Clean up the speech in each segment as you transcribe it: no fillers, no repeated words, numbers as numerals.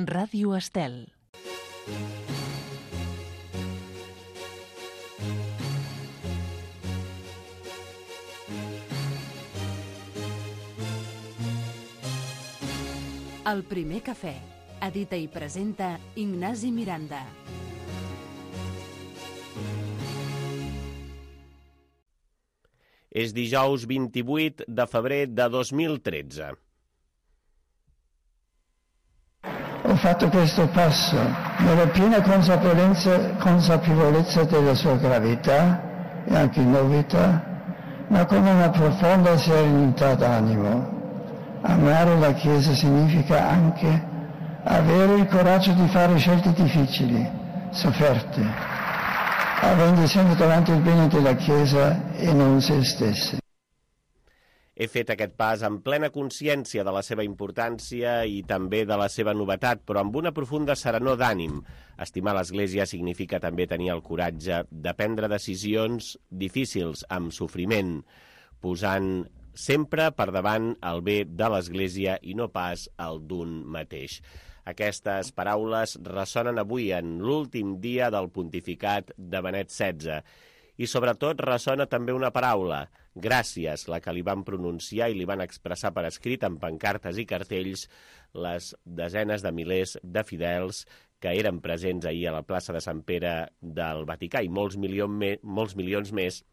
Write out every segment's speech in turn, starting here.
Ràdio Estel. El primer cafè. Edita i presenta Ignasi Miranda. És dijous 28 de febrer de 2013. Ho fatto questo passo nella piena consapevolezza della sua gravità e anche novità, ma con una profonda serenità d'animo. Amare la Chiesa significa anche avere il coraggio di fare scelte difficili, sofferte, avendo sempre davanti il bene della Chiesa e non se stessi. He fet aquest pas amb plena consciència de la seva importància i també de la seva novetat, però amb una profunda serenor d'ànim. Estimar l'Església significa també tenir el coratge de prendre decisions difícils, amb sofriment, posant sempre per davant el bé de l'Església i no pas el d'un mateix. Aquestes paraules ressonen avui en l'últim dia del pontificat de Benet XVI. I sobretot ressona també una paraula, gràcies, la que li van pronunciar i li van expressar per escrit en pancartes i cartells les desenes de milers de fidels que eren presents ahir a la plaça de Sant Pere del Vaticà i molts milions més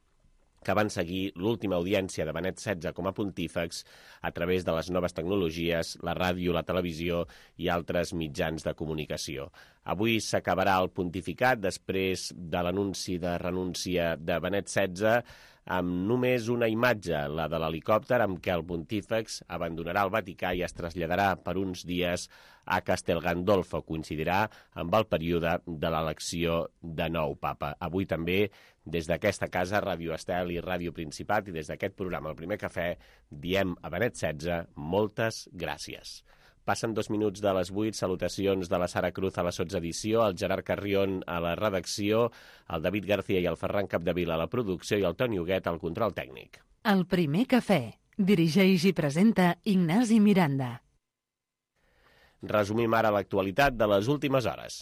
que van seguir l'última audiència de Benet XVI com a pontífex a través de les noves tecnologies, la ràdio, la televisió i altres mitjans de comunicació. Avui s'acabarà el pontificat després de l'anunci de renúncia de Benet XVI amb només una imatge, la de l'helicòpter amb què el pontífex abandonarà el Vaticà i es traslladarà per uns dies a Castel Gandolfo. Coincidirà amb el període de l'elecció de nou papa. Avui també, des d'aquesta casa, Ràdio Estel i Ràdio Principat, i des d'aquest programa, El Primer Cafè, diem a Benet XVI moltes gràcies. Passen 2 minuts de les 8, salutacions de la Sara Cruz a la sotsedició, el Gerard Carrion a la redacció, el David García i el Ferran Capdevila a la producció i el Toni Huguet al control tècnic. El Primer Cafè. Dirigeix i presenta Ignasi Miranda. Resumim ara l'actualitat de les últimes hores.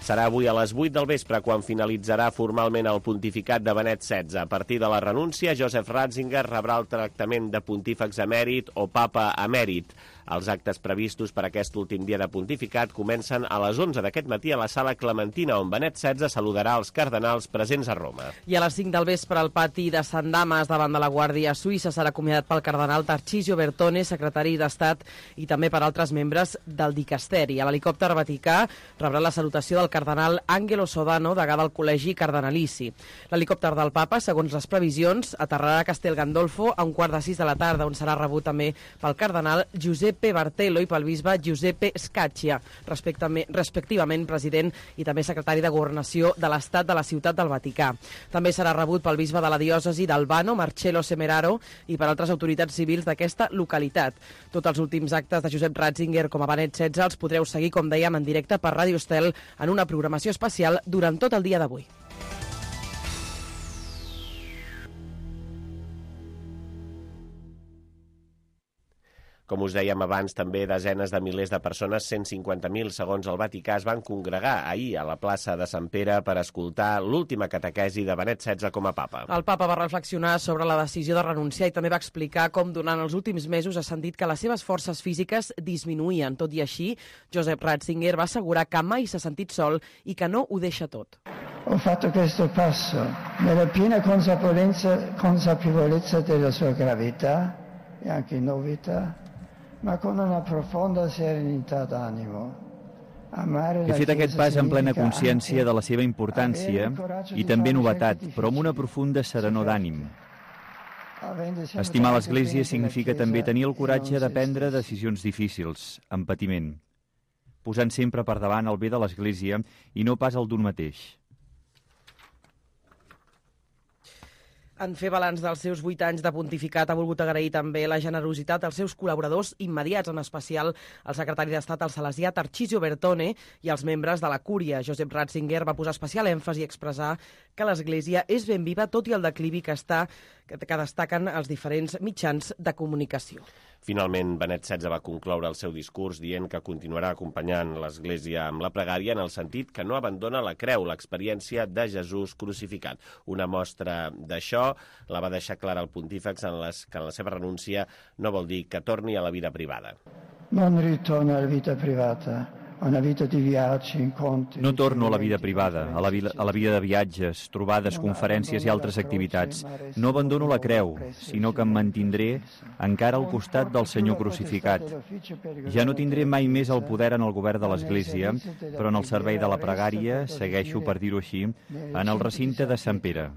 Serà avui a les 8 del vespre quan finalitzarà formalment el pontificat de Benet XVI. A partir de la renúncia, Joseph Ratzinger rebrà el tractament de pontífex emèrit o papa emèrit. Els actes previstos per aquest últim dia de pontificat comencen a les 11 d'aquest matí a la Sala Clementina, on Benet XVI saludarà els cardenals presents a Roma. I a les 5 del vespre al pati de Sant Damas, davant de la Guàrdia Suïssa, serà acomiadat pel cardenal Tarcisio Bertone, secretari d'Estat, i també per altres membres del dicasteri. A l'helicòpter vaticà rebrà la salutació del cardenal Angelo Sodano, degà del Col·legi Cardenalici. L'helicòpter del papa, segons les previsions, aterrarà a Castel Gandolfo a 5:15 de la tarda, on serà rebut també pel cardenal Giuseppe Bartello i pel bisbe Giuseppe Scaccia, respectivament president i també secretari de Governació de l'Estat de la Ciutat del Vaticà. També serà rebut pel bisbe de la diòcesi d'Albano, Marcello Semeraro, i per altres autoritats civils d'aquesta localitat. Tots els últims actes de Josep Ratzinger com a Benet XVI els podreu seguir, com dèiem, en directe per Ràdio Estel en una programació especial durant tot el dia d'avui. Com us dèiem abans, també desenes de milers de persones, 150.000 segons el Vaticà, es van congregar ahir a la plaça de Sant Pere per escoltar l'última catequesi de Benet XVI com a papa. El papa va reflexionar sobre la decisió de renunciar i també va explicar com durant els últims mesos ha sentit que les seves forces físiques disminuïen. Tot i així, Joseph Ratzinger va assegurar que mai s'ha sentit sol i que no ho deixa tot. Ho fatto questo passo nella piena consapevolezza della sua gravità e anche novità, ma con una profonda serenità d'animo. He fet aquest pas en plena consciència de la seva importància i també novetat, però amb una profunda serenor d'ànim. Estimar l'Església significa també tenir el coratge de prendre decisions difícils, amb patiment, posant sempre per davant el bé de l'Església i no pas el d'un mateix. En fer balanç dels seus 8 anys de pontificat ha volgut agrair també la generositat dels seus col·laboradors immediats, en especial el secretari d'Estat al Salesià Tarcísio Bertone i els membres de la Cúria. Josep Ratzinger va posar especial èmfasi a expressar que l'Església és ben viva tot i el declivi que destaquen els diferents mitjans de comunicació. Finalment, Benet XVI va concloure el seu discurs dient que continuarà acompanyant l'Església amb la pregària en el sentit que no abandona la creu, l'experiència de Jesús crucificat. Una mostra d'això la va deixar clara el pontífex que en la seva renúncia no vol dir que torni a la vida privada. Non ritorno alla vita privata. No torno a la vida privada, a la vida de viatges, trobades, conferències i altres activitats. No abandono la creu, sinó que em mantindré encara al costat del Senyor crucificat. Ja no tindré mai més el poder en el govern de l'Església, però en el servei de la pregària segueixo, per dir-ho així, en el recinte de Sant Pere.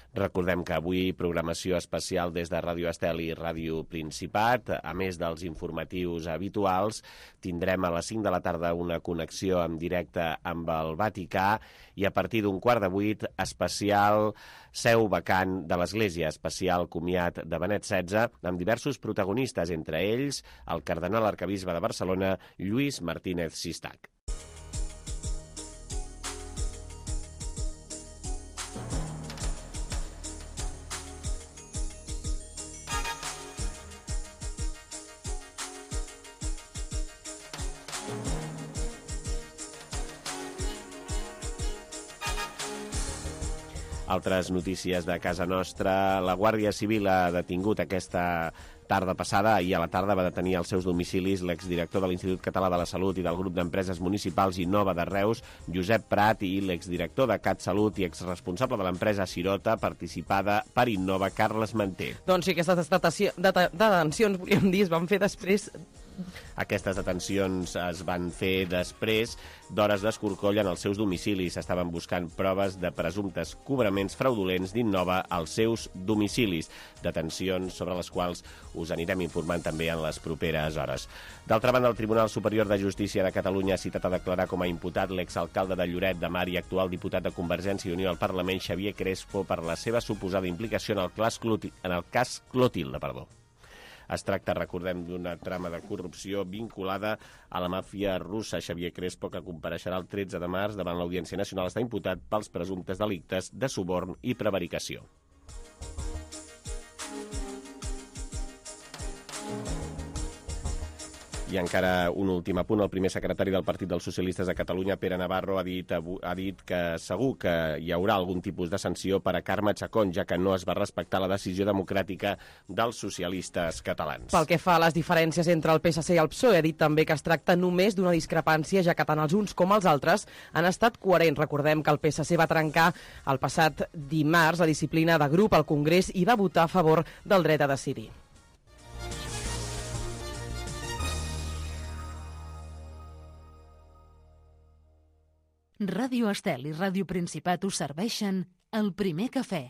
Recordem que avui programació especial des de Ràdio Estel i Ràdio Principat. A més dels informatius habituals, tindrem a les 5 de la tarda una connexió en directe amb el Vaticà i a partir d'un 7:15 especial seu vacant de l'Església, especial comiat de Benet XVI, amb diversos protagonistes, entre ells el cardenal arquebisbe de Barcelona, Lluís Martínez Sistac. Altres notícies de casa nostra. La Guàrdia Civil ha detingut aquesta tarda passada, ahir a la tarda va detenir als seus domicilis l'exdirector de l'Institut Català de la Salut i del grup d'empreses municipals Innova de Reus, Josep Prat, i l'exdirector de CatSalut i exresponsable de l'empresa Sirota, participada per Innova, Carles Manté. Doncs sí, aquestes detencions, volíem dir, es van fer després... Aquestes detencions es van fer després d'hores d'escorcoll en els seus domicilis. Estaven buscant proves de presumptes cobraments fraudulents d'Innova als seus domicilis. Detencions sobre les quals us anirem informant també en les properes hores. D'altra banda, el Tribunal Superior de Justícia de Catalunya ha citat a declarar com a imputat l'exalcalde de Lloret de Mar i actual diputat de Convergència i Unió al Parlament, Xavier Crespo, per la seva suposada implicació en el cas Clotilde. Es tracta, recordem, d'una trama de corrupció vinculada a la màfia russa. Xavier Crespo, que compareixerà el 13 de març davant l'Audiència Nacional, està imputat pels presumptes delictes de suborn i prevaricació. I encara un últim apunt. El primer secretari del Partit dels Socialistes de Catalunya, Pere Navarro, ha dit que segur que hi haurà algun tipus de sanció per a Carme Chacón, ja que no es va respectar la decisió democràtica dels socialistes catalans. Pel que fa a les diferències entre el PSC i el PSOE, ha dit també que es tracta només d'una discrepància, ja que tant els uns com els altres han estat coherents. Recordem que el PSC va trencar el passat dimarts la disciplina de grup al Congrés i va votar a favor del dret a decidir. Ràdio Estel i Ràdio Principat us serveixen el primer cafè.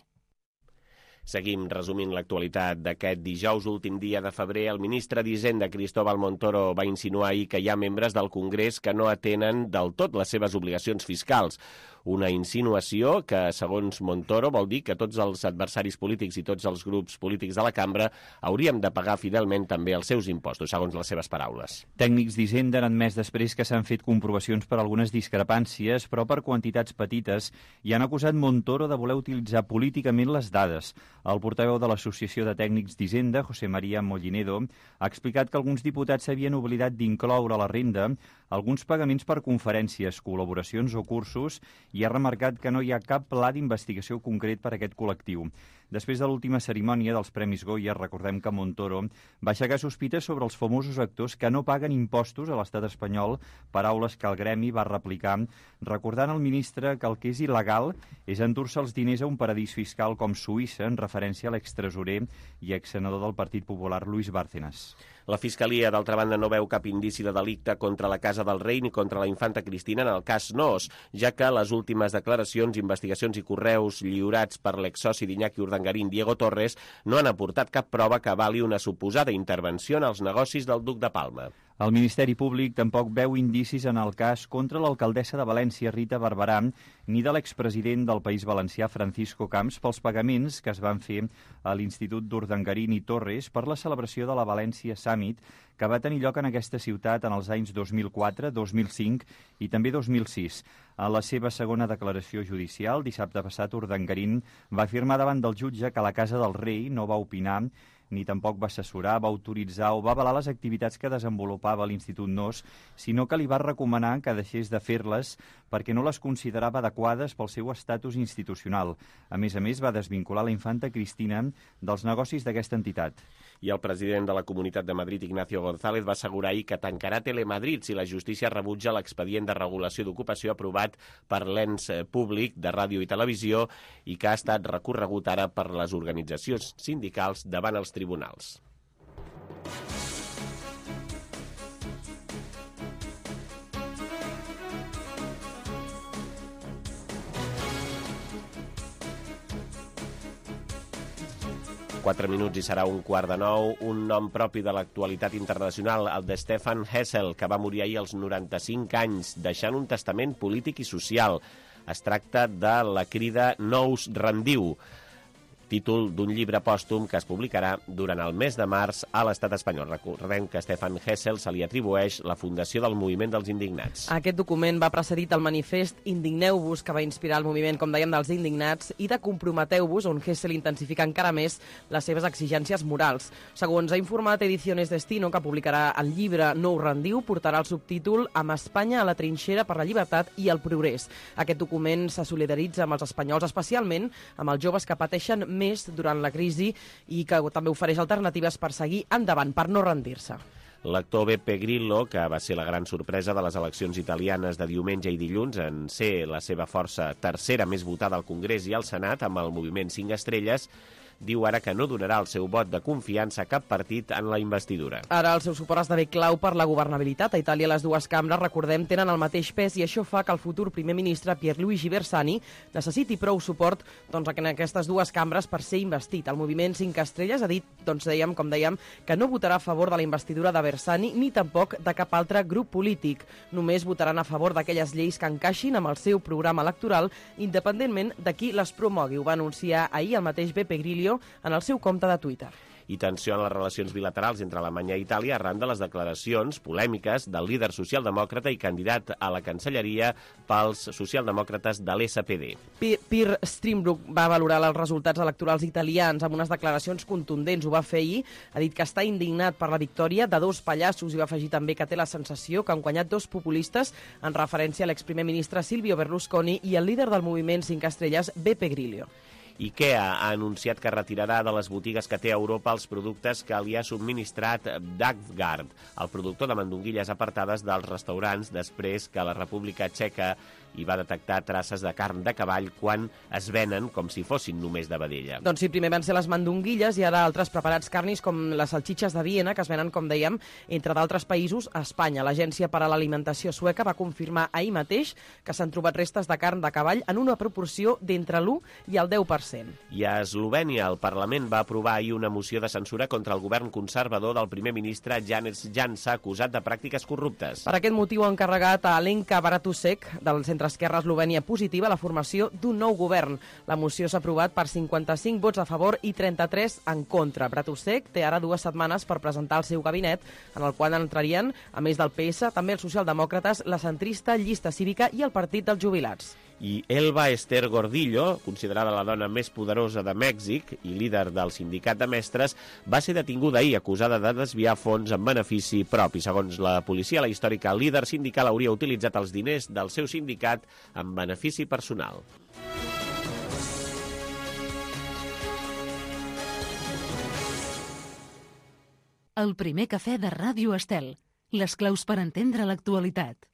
Seguim resumint l'actualitat d'aquest dijous, últim dia de febrer. El ministre d'Hisenda, Cristóbal Montoro, va insinuar ahir que hi ha membres del Congrés que no atenen del tot les seves obligacions fiscals. Una insinuació que, segons Montoro, vol dir que tots els adversaris polítics i tots els grups polítics de la cambra hauríem de pagar fidelment també els seus impostos, segons les seves paraules. Tècnics d'Hisenda han admès després que s'han fet comprovacions per algunes discrepàncies, però per quantitats petites, i han acusat Montoro de voler utilitzar políticament les dades. El portaveu de l'Associació de Tècnics d'Hisenda, José María Mollinedo, ha explicat que alguns diputats s'havien oblidat d'incloure a la renda alguns pagaments per conferències, col·laboracions o cursos, i ha remarcat que no hi ha cap pla d'investigació concret per a aquest col·lectiu. Després de l'última cerimònia dels Premis Goya, recordem que Montoro va aixecar sospites sobre els famosos actors que no paguen impostos a l'estat espanyol, paraules que el gremi va replicar, recordant al ministre que el que és il·legal és endur-se els diners a un paradís fiscal com Suïssa, en referència a l'extresorer i exsenador del Partit Popular, Luis Bárcenas. La Fiscalia, d'altra banda, no veu cap indici de delicte contra la Casa del Rei ni contra la infanta Cristina en el cas Noos, ja que les últimes declaracions, investigacions i correus lliurats per l'exsoci d'Iñaki Urdangarín, Diego Torres, no han aportat cap prova que avali una suposada intervenció en els negocis del duc de Palma. El Ministeri Públic tampoc veu indicis en el cas contra l'alcaldessa de València, Rita Barberà, ni de l'expresident del País Valencià, Francisco Camps, pels pagaments que es van fer a l'Institut d'Urdangarín i Torres per la celebració de la València Summit, que va tenir lloc en aquesta ciutat en els anys 2004, 2005 i també 2006. En la seva segona declaració judicial, dissabte passat, Urdangarín va afirmar davant del jutge que la Casa del Rei no va opinar ni tampoc va assessorar, va autoritzar o va avalar les activitats que desenvolupava l'Institut NOS, sinó que li va recomanar que deixés de fer-les perquè no les considerava adequades pel seu estatus institucional. A més, va desvincular la infanta Cristina dels negocis d'aquesta entitat. I el president de la Comunitat de Madrid, Ignacio González, va assegurar ahir que tancarà Telemadrid si la justícia rebutja l'expedient de regulació d'ocupació aprovat per l'ens públic de ràdio i televisió i que ha estat recorregut ara per les organitzacions sindicals davant els tribunals. Quatre minuts i serà 8:45. Un nom propi de l'actualitat internacional, el de Stefan Hessel, que va morir ahir als 95 anys, deixant un testament polític i social. Es tracta de la crida No us rendiu, títol d'un llibre pòstum que es publicarà durant el mes de març a l'estat espanyol. Recordem que a Stefan Hessel se li atribueix la fundació del Moviment dels Indignats. Aquest document va precedit el manifest Indigneu-vos, que va inspirar el moviment, com dèiem, dels indignats, i de Comprometeu-vos, on Hessel intensifica encara més les seves exigències morals. Segons ha informat Ediciones Destino, que publicarà el llibre No us rendiu, portarà el subtítol Amb Espanya a la trinxera per la llibertat i el progrés. Aquest document se solidaritza amb els espanyols, especialment amb els joves que pateixen més durant la crisi i que també ofereix alternatives per seguir endavant, per no rendir-se. L'actor Beppe Grillo, que va ser la gran sorpresa de les eleccions italianes de diumenge i dilluns en ser la seva força tercera més votada al Congrés i al Senat amb el moviment 5 estrelles, diu ara que no donarà el seu vot de confiança a cap partit en la investidura. Ara el seu suport esdevé clau per la governabilitat. A Itàlia les dues cambres, recordem, tenen el mateix pes i això fa que el futur primer ministre Pierluigi Bersani necessiti prou suport en aquestes dues cambres per ser investit. El moviment 5 estrelles ha dit, com dèiem, que no votarà a favor de la investidura de Bersani ni tampoc de cap altre grup polític. Només votaran a favor d'aquelles lleis que encaixin amb el seu programa electoral, independentment de qui les promogui. Ho va anunciar ahir el mateix Beppe Grillo en el seu compte de Twitter. I tensió en les relacions bilaterals entre Alemanya i Itàlia arran de les declaracions polèmiques del líder socialdemòcrata i candidat a la Cancelleria pels socialdemòcrates de l'SPD. Pierre Steinbrück va valorar els resultats electorals italians amb unes declaracions contundents. Ho va fer ahir, ha dit que està indignat per la victòria de dos pallassos i va afegir també que té la sensació que han guanyat dos populistes en referència a l'exprimer ministre Silvio Berlusconi i el líder del moviment 5 estrelles, Beppe Grillo. IKEA ha anunciat que retirarà de les botigues que té a Europa els productes que li ha subministrat Dagvard, el productor de mandonguilles apartades dels restaurants després que la República Txeca hi va detectar traces de carn de cavall quan es venen com si fossin només de vedella. Doncs sí, primer van ser les mandonguilles i ara altres preparats carnis com les salxitxes de Viena, que es venen, com dèiem, entre d'altres països a Espanya. L'Agència per a l'Alimentació sueca va confirmar ahir mateix que s'han trobat restes de carn de cavall en una proporció d'entre l'1 i el 10%. I a Eslovènia, el Parlament va aprovar ahir una moció de censura contra el govern conservador del primer ministre Janez Janša, acusat de pràctiques corruptes. Per aquest motiu ha encarregat a Alenka Bratusek, del centre-esquerra Eslovènia Positiva, la formació d'un nou govern. La moció s'ha aprovat per 55 vots a favor i 33 en contra. Bratusek té ara 2 setmanes per presentar el seu gabinet, en el qual entrarien, a més del PS, també els socialdemòcrates, la centrista, Llista Cívica i el Partit dels Jubilats. I Elba Ester Gordillo, considerada la dona més poderosa de Mèxic i líder del sindicat de mestres, va ser detinguda ahir acusada de desviar fons en benefici propi. Segons la policia, la històrica líder sindical hauria utilitzat els diners del seu sindicat en benefici personal. El primer cafè de Ràdio Estel. Les claus per entendre l'actualitat.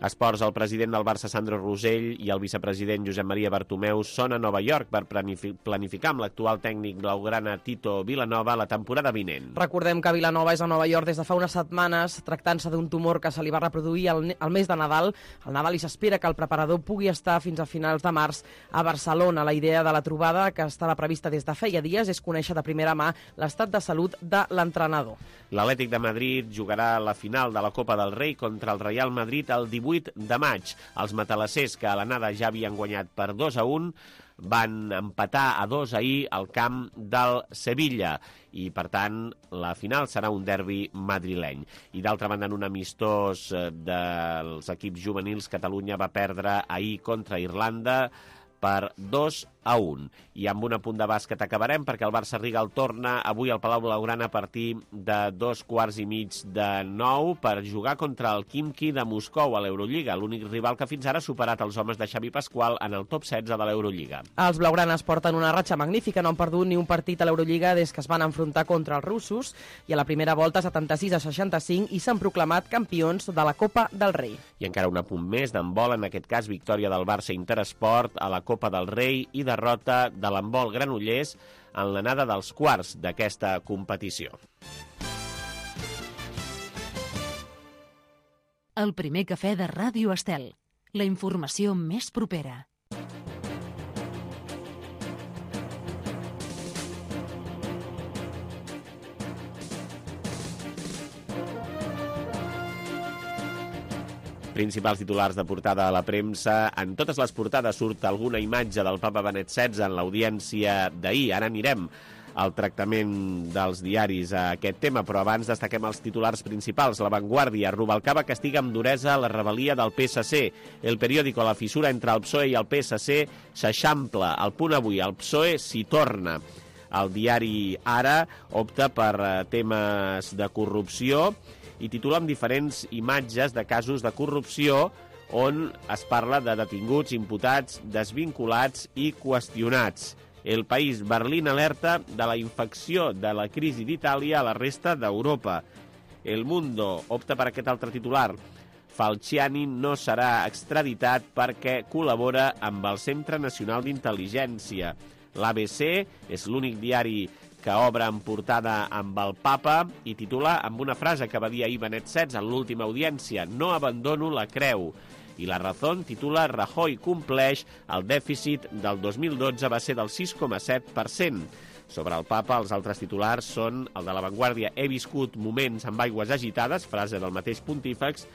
Esports, el president del Barça, Sandro Rosell, i el vicepresident Josep Maria Bartomeu són a Nova York per planificar amb l'actual tècnic blaugrana Tito Vilanova la temporada vinent. Recordem que Vilanova és a Nova York des de fa unes setmanes, tractant-se d'un tumor que se li va reproduir al mes de Nadal. Al Nadal i s'espera que el preparador pugui estar fins a finals de març a Barcelona. La idea de la trobada, que estava prevista des de feia dies, és conèixer de primera mà l'estat de salut de l'entrenador. L'Atlètic de Madrid jugarà la final de la Copa del Rei contra el Real Madrid el 18 de maig. Els matalassers, que a l'anada ja havien guanyat per 2-1, van empatar a 2 ahir al camp del Sevilla i, per tant, la final serà un derbi madrileny. I, d'altra banda, en un amistós dels equips juvenils, Catalunya va perdre ahir contra Irlanda per 2-1. I amb un apunt de bàsquet acabarem, perquè el Barça Rigal torna avui al Palau Blaugrana a partir de 8:45 per jugar contra el Khimki de Moscou a l'Eurolliga, l'únic rival que fins ara ha superat els homes de Xavi Pasqual en el top 16 de l'Eurolliga. Els blaugranes porten una ratxa magnífica, no han perdut ni un partit a l'Eurolliga des que es van enfrontar contra els russos, i a la primera volta 76-65, i s'han proclamat campions de la Copa del Rei. I encara un apunt més d'handbol, en aquest cas victòria del Barça Interesport a la Copa del Rei i derrota de l'handbol Granollers en l'anada dels quarts d'aquesta competició. El primer cafè de Ràdio Estel. La informació més propera. Principals titulars de portada a la premsa. En totes les portades surt alguna imatge del papa Benet XVI en l'audiència d'ahir. Ara anirem al tractament dels diaris a aquest tema, però abans destaquem els titulars principals. La Vanguardia: Rubalcaba castiga amb duresa la rebel·lia del PSC. El periòdico: la fissura entre el PSOE i el PSC s'eixampla. El Punt Avui: el PSOE s'hi torna. El diari Ara opta per temes de corrupció i titula amb diferents imatges de casos de corrupció on es parla de detinguts, imputats, desvinculats i qüestionats. El País: Berlín alerta de la infecció de la crisi d'Itàlia a la resta d'Europa. El Mundo opta per aquest altre titular: Falciani no serà extraditat perquè col·labora amb el Centre Nacional d'Intel·ligència. L'ABC és l'únic diari que obre en portada amb el papa i titula amb una frase que va dir ahir Benet XVI en l'última audiència: no abandono la creu. I La Razón titula: Rajoy compleix, el dèficit del 2012 va ser del 6,7%. Sobre el papa, els altres titulars són el de La Vanguardia: he viscut moments amb aigües agitades, frase del mateix pontífex.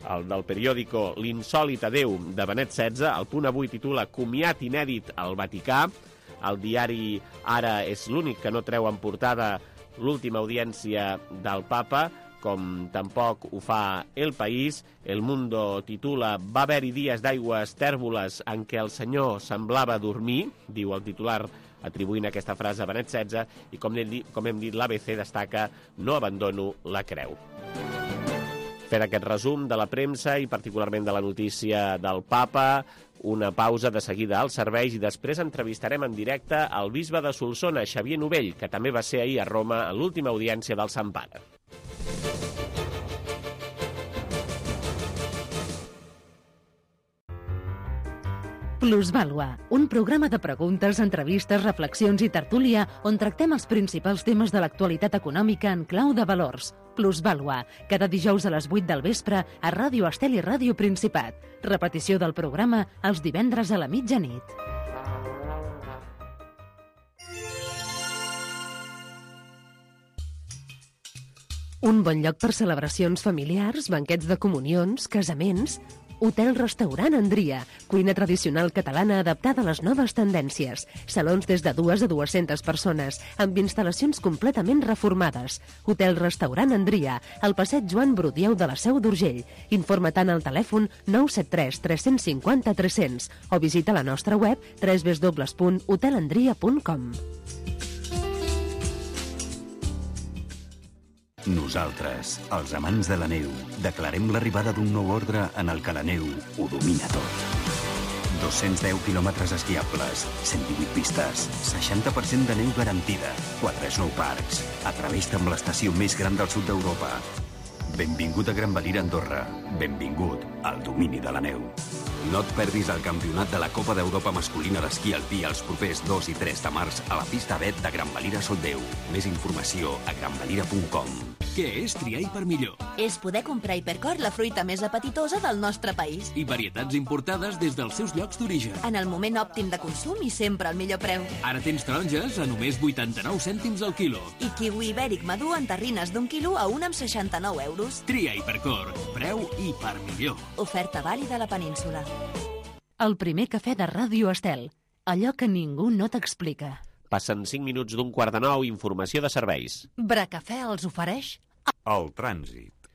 El del periòdico: l'insòlit adeu de Benet XVI. El Punt Avui titula: comiat inèdit al Vaticà. El diari Ara és l'únic que no treu en portada l'última audiència del papa, com tampoc ho fa El País. El Mundo titula: va haver-hi dies d'aigües tèrboles en què el senyor semblava dormir, diu el titular atribuint aquesta frase a Benet XVI, i com hem dit, l'ABC destaca: no abandono la creu. Fer aquest resum de la premsa i particularment de la notícia del papa, una pausa, de seguida als serveis, i després entrevistarem en directe el bisbe de Solsona, Xavier Novell, que també va ser ahir a Roma a l'última audiència del Sant Pare. Plusvàlua, un programa de preguntes, entrevistes, reflexions i tertúlia on tractem els principals temes de l'actualitat econòmica en clau de valors. Plusvàlua, cada dijous a les 8 del vespre a Ràdio Estel i Ràdio Principat. Repetició del programa els divendres a la mitjanit. Un bon lloc per celebracions familiars, banquets de comunions, casaments. Hotel-restaurant Andria, cuina tradicional catalana adaptada a les noves tendències. Salons des de 2 a 200 persones, amb instal·lacions completament reformades. Hotel-restaurant Andria, al passeig Joan Brudieu de la Seu d'Urgell. Informa tant al telèfon 973 350 300 o visita la nostra web www.hotelandria.com. Nosaltres, els amants de la neu, declarem l'arribada d'un nou ordre en el que la neu ho domina tot. 210 quilòmetres esquiables, 118 pistes, 60% de neu garantida, 4 snowparks, a través amb l'estació més gran del sud d'Europa. Benvingut a Gran Valira, Andorra. Benvingut al domini de la neu. No et perdis el campionat de la Copa d'Europa masculina d'esquí alpí els propers 2 i 3 de març a la pista Bet de Gran Valira Soldeu. Més informació a granvalira.com. Què és triar Hipermillor? És poder comprar Hipercor, la fruita més apetitosa del nostre país. I varietats importades des dels seus llocs d'origen. En el moment òptim de consum i sempre al millor preu. Ara tens taronges a només 89 cèntims al quilo. I kiwi ibèric madur en terrines d'1 quilo a 1,69 euros. Tria Hipercor. Preu Hipermillor. Oferta vàlida a la península. El primer cafè de Ràdio Estel. Allò que ningú no t'explica. Passen 5 minuts d'un quart de 9, informació de serveis. Bracafè els ofereix El trànsit.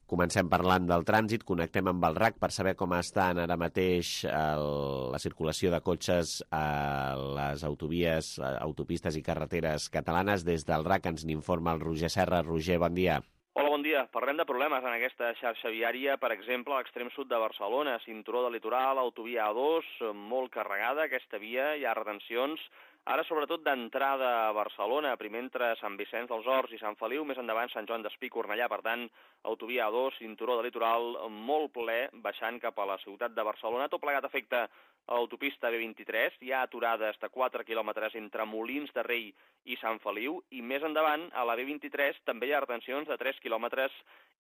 Comencem parlant del trànsit, connectem amb el RAC per saber com estan ara mateix la circulació de cotxes a les autovies, autopistes i carreteres catalanes. Des del RAC ens n'informa el Roger Serra. Roger, bon dia. Hola, bon dia. Parlem de problemes en aquesta xarxa viària, per exemple, a l'extrem sud de Barcelona, cinturó del litoral, autovia A2, molt carregada aquesta via, hi ha retencions. Ara, sobretot, d'entrada a Barcelona, primer entre Sant Vicenç dels Horts i Sant Feliu, més endavant Sant Joan d'Espí, Cornellà, per tant, autovia A2, cinturó del litoral, molt ple, baixant cap a la ciutat de Barcelona. Tot plegat afecta a l'autopista B23, hi ha aturades de 4 quilòmetres entre Molins de Rei i Sant Feliu, i més endavant, a la B23, també hi ha retencions de 3 quilòmetres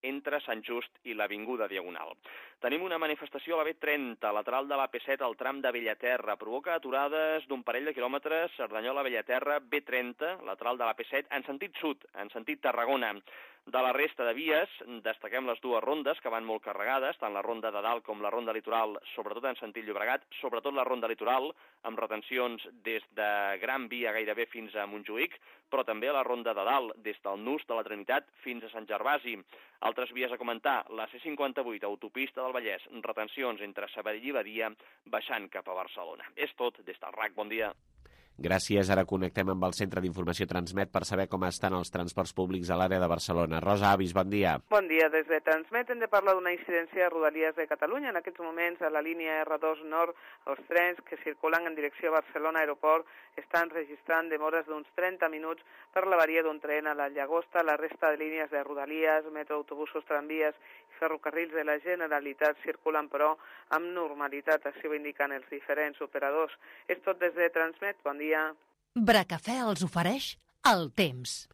entre Sant Just i l'Avinguda Diagonal. Tenim una manifestació a la B30, lateral de l'AP7, al tram de Bellaterra. Provoca aturades d'un parell de quilòmetres, Cerdanyola-Bellaterra, B30, lateral de l'AP7, en sentit sud, en sentit Tarragona. De la resta de vies, destaquem les dues rondes, que van molt carregades, tant la ronda de dalt com la ronda litoral, sobretot en sentit Llobregat, sobretot la ronda litoral, amb retencions des de Gran Via gairebé fins a Montjuïc, però també la ronda de dalt, des del Nus de la Trinitat fins a Sant Gervasi. Altres vies a comentar, la C58, autopista del Vallès, retencions entre Sabadell i Badia, baixant cap a Barcelona. És tot, des del RAC, bon dia. Gràcies. Ara connectem amb el Centre d'Informació Transmet per saber com estan els transports públics a l'àrea de Barcelona. Rosa Avis, bon dia. Bon dia. Des de Transmet hem de parlar d'una incidència a Rodalies de Catalunya. En aquests moments, a la línia R2 Nord, els trens que circulen en direcció a Barcelona Aeroport estan registrant demores d'uns 30 minuts per l'avaria d'un tren a la Llagosta. La resta de línies de Rodalies, metro, autobusos, tramvies i ferrocarrils de la Generalitat circulen, però, amb normalitat. Així ho indiquen els diferents operadors. És tot des de Transmet. Bon dia. Bracafè els ofereix el temps.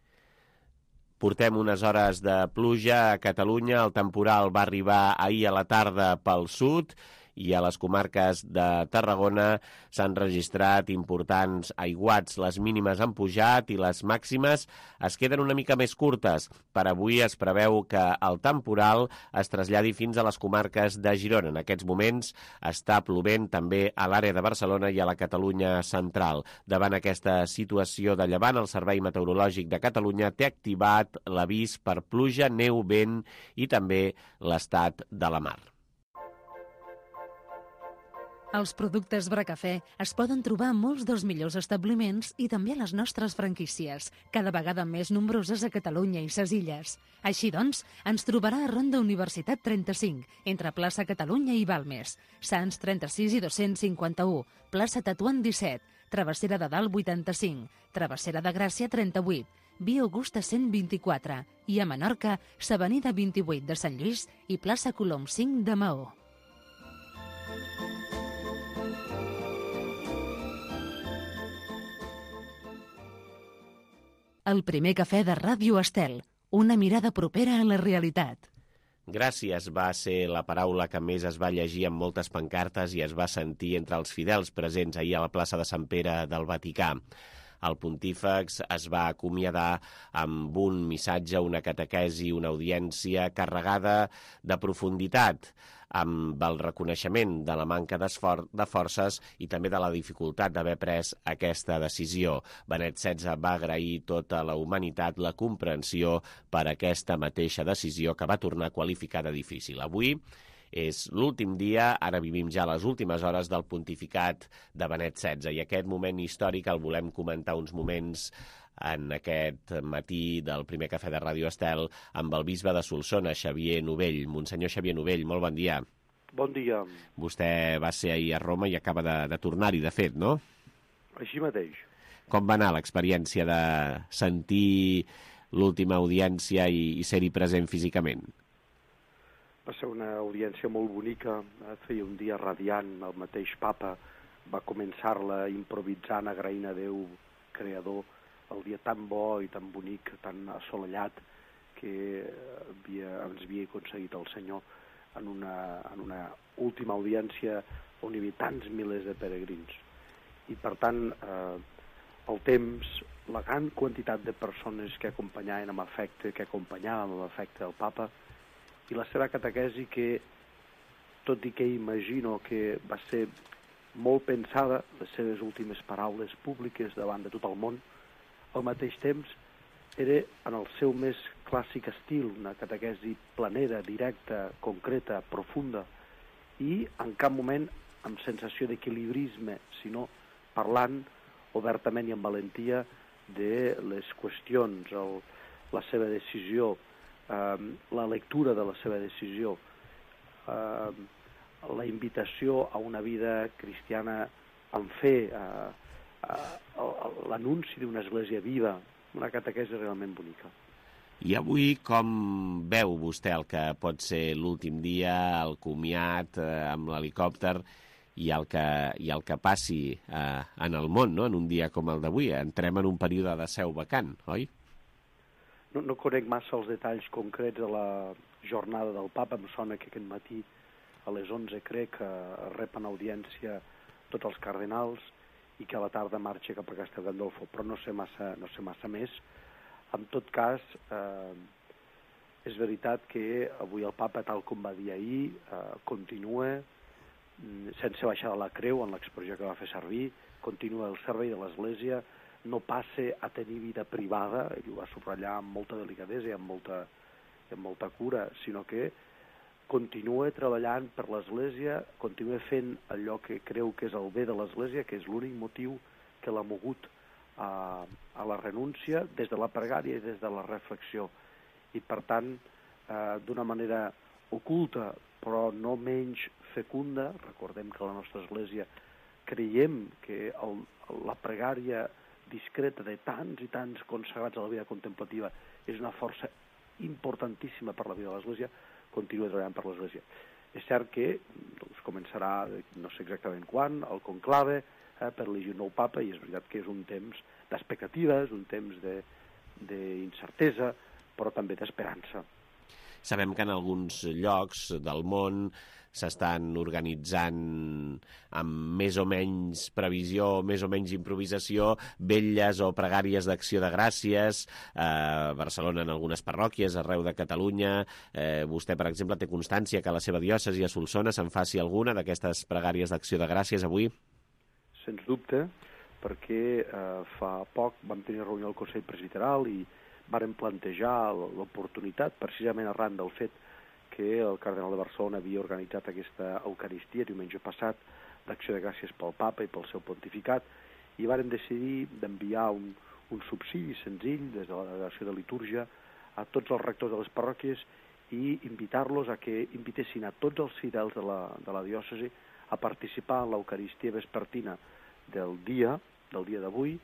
Portem unes hores de pluja a Catalunya. El temporal va arribar ahir a la tarda pel sud i a les comarques de Tarragona s'han registrat importants aiguats. Les mínimes han pujat i les màximes es queden una mica més curtes. Per avui es preveu que el temporal es traslladi fins a les comarques de Girona. En aquests moments està plovent també a l'àrea de Barcelona i a la Catalunya central. Davant aquesta situació de llevant, el Servei Meteorològic de Catalunya té activat l'avís per pluja, neu, vent i també l'estat de la mar. Els productes Bracafè es poden trobar a molts dels millors establiments i també a les nostres franquícies, cada vegada més nombroses a Catalunya i ses illes. Així doncs, ens trobarà a Ronda Universitat 35, entre plaça Catalunya i Balmes, Sants 36 i 251, plaça Tatuant 17, Travessera de Dalt 85, Travessera de Gràcia 38, Via Augusta 124 i a Menorca, s'Avenida 28 de Sant Lluís i plaça Colom 5 de Maó. El primer cafè de Ràdio Estel, una mirada propera a la realitat. Gràcies va ser la paraula que més es va llegir amb moltes pancartes i es va sentir entre els fidels presents ahir a la plaça de Sant Pere del Vaticà. El pontífex es va acomiadar amb un missatge, una catequesi, una audiència carregada de profunditat, amb el reconeixement de la manca de forces i també de la dificultat d'haver pres aquesta decisió. Benet XVI va agrair tota la humanitat la comprensió per aquesta mateixa decisió que va tornar a qualificar de difícil. Avui és l'últim dia, ara vivim ja les últimes hores del pontificat de Benet XVI i aquest moment històric el volem comentar uns moments en aquest matí del primer cafè de Ràdio Estel amb el bisbe de Solsona, Xavier Novell. Monsenyor Xavier Novell, molt bon dia. Bon dia. Vostè va ser ahir a Roma i acaba de tornar-hi, de fet, no? Així mateix. Com va anar l'experiència de sentir l'última audiència i ser-hi present físicament? Va ser una audiència molt bonica, feia un dia radiant, el mateix papa va començar-la improvisant, agraint a Déu, creador, el dia tan bo i tan bonic, tan assolellat, que ens havia aconseguit el Senyor en una última audiència on hi havia tants milers de peregrins. I per tant, el temps, la gran quantitat de persones que acompanyaven amb afecte, que acompanyaven amb afecte el papa, i la seva catequesi que, tot i que imagino que va ser molt pensada, les seves últimes paraules públiques davant de tot el món, al mateix temps era en el seu més clàssic estil, una catequesi planera, directa, concreta, profunda, i en cap moment amb sensació d'equilibrisme, sinó parlant obertament i amb valentia de les qüestions, la seva decisió, la lectura de la seva decisió, la invitació a una vida cristiana en fe, l'anunci d'una església viva, una catequesi realment bonica. I avui com veu vostè el que pot ser l'últim dia, el comiat amb l'helicòpter i el que passi en el món, no? En un dia com el d'avui? Entrem en un període de seu vacant, oi? No conec massa els detalls concrets de la jornada del papa. Em sona que aquest matí a les 11 crec que repen audiència tots els cardenals i que a la tarda marxa cap a Castel Gandolfo, però no sé massa més. En tot cas, és veritat que avui el papa, tal com va dir ahir, continua sense baixar de la creu en l'expressió que va fer servir, continua el servei de l'Església, no passe a tenir vida privada, i ho va subratllar amb molta delicadesa i amb molta cura, sinó que continua treballant per l'Església, continua fent allò que creu que és el bé de l'Església, que és l'únic motiu que l'ha mogut a la renúncia des de la pregària i des de la reflexió. I per tant, d'una manera oculta, però no menys fecunda, recordem que a la nostra Església creiem que la pregària discreta de tants i tants consagrats a la vida contemplativa és una força importantíssima per la vida de l'Església, continua treballant per l'Església. És cert que començarà, no sé exactament quan, el conclave per elegir un nou papa, i és veritat que és un temps d'expectativa, és un temps d'incertesa, però també d'esperança. Sabem que en alguns llocs del món s'estan organitzant amb més o menys previsió, més o menys improvisació, vetlles o pregàries d'acció de gràcies, a Barcelona en algunes parròquies, arreu de Catalunya. Vostè, per exemple, té constància que a la seva diòcesi a Solsona se'n faci alguna d'aquestes pregàries d'acció de gràcies avui? Sens dubte, perquè fa poc vam tenir reunió al Consell Presbiteral i vàrem plantejar l'oportunitat, precisament arran del fet que el cardenal de Barcelona havia organitzat aquesta Eucaristia diumenge passat d'acció de gràcies pel papa i pel seu pontificat, i vàrem decidir d'enviar un subsidi senzill des de la delegació de litúrgia a tots els rectors de les parròquies i invitar-los a que invitessin a tots els fidels de la diòcesi a participar en l'Eucaristia vespertina del dia d'avui,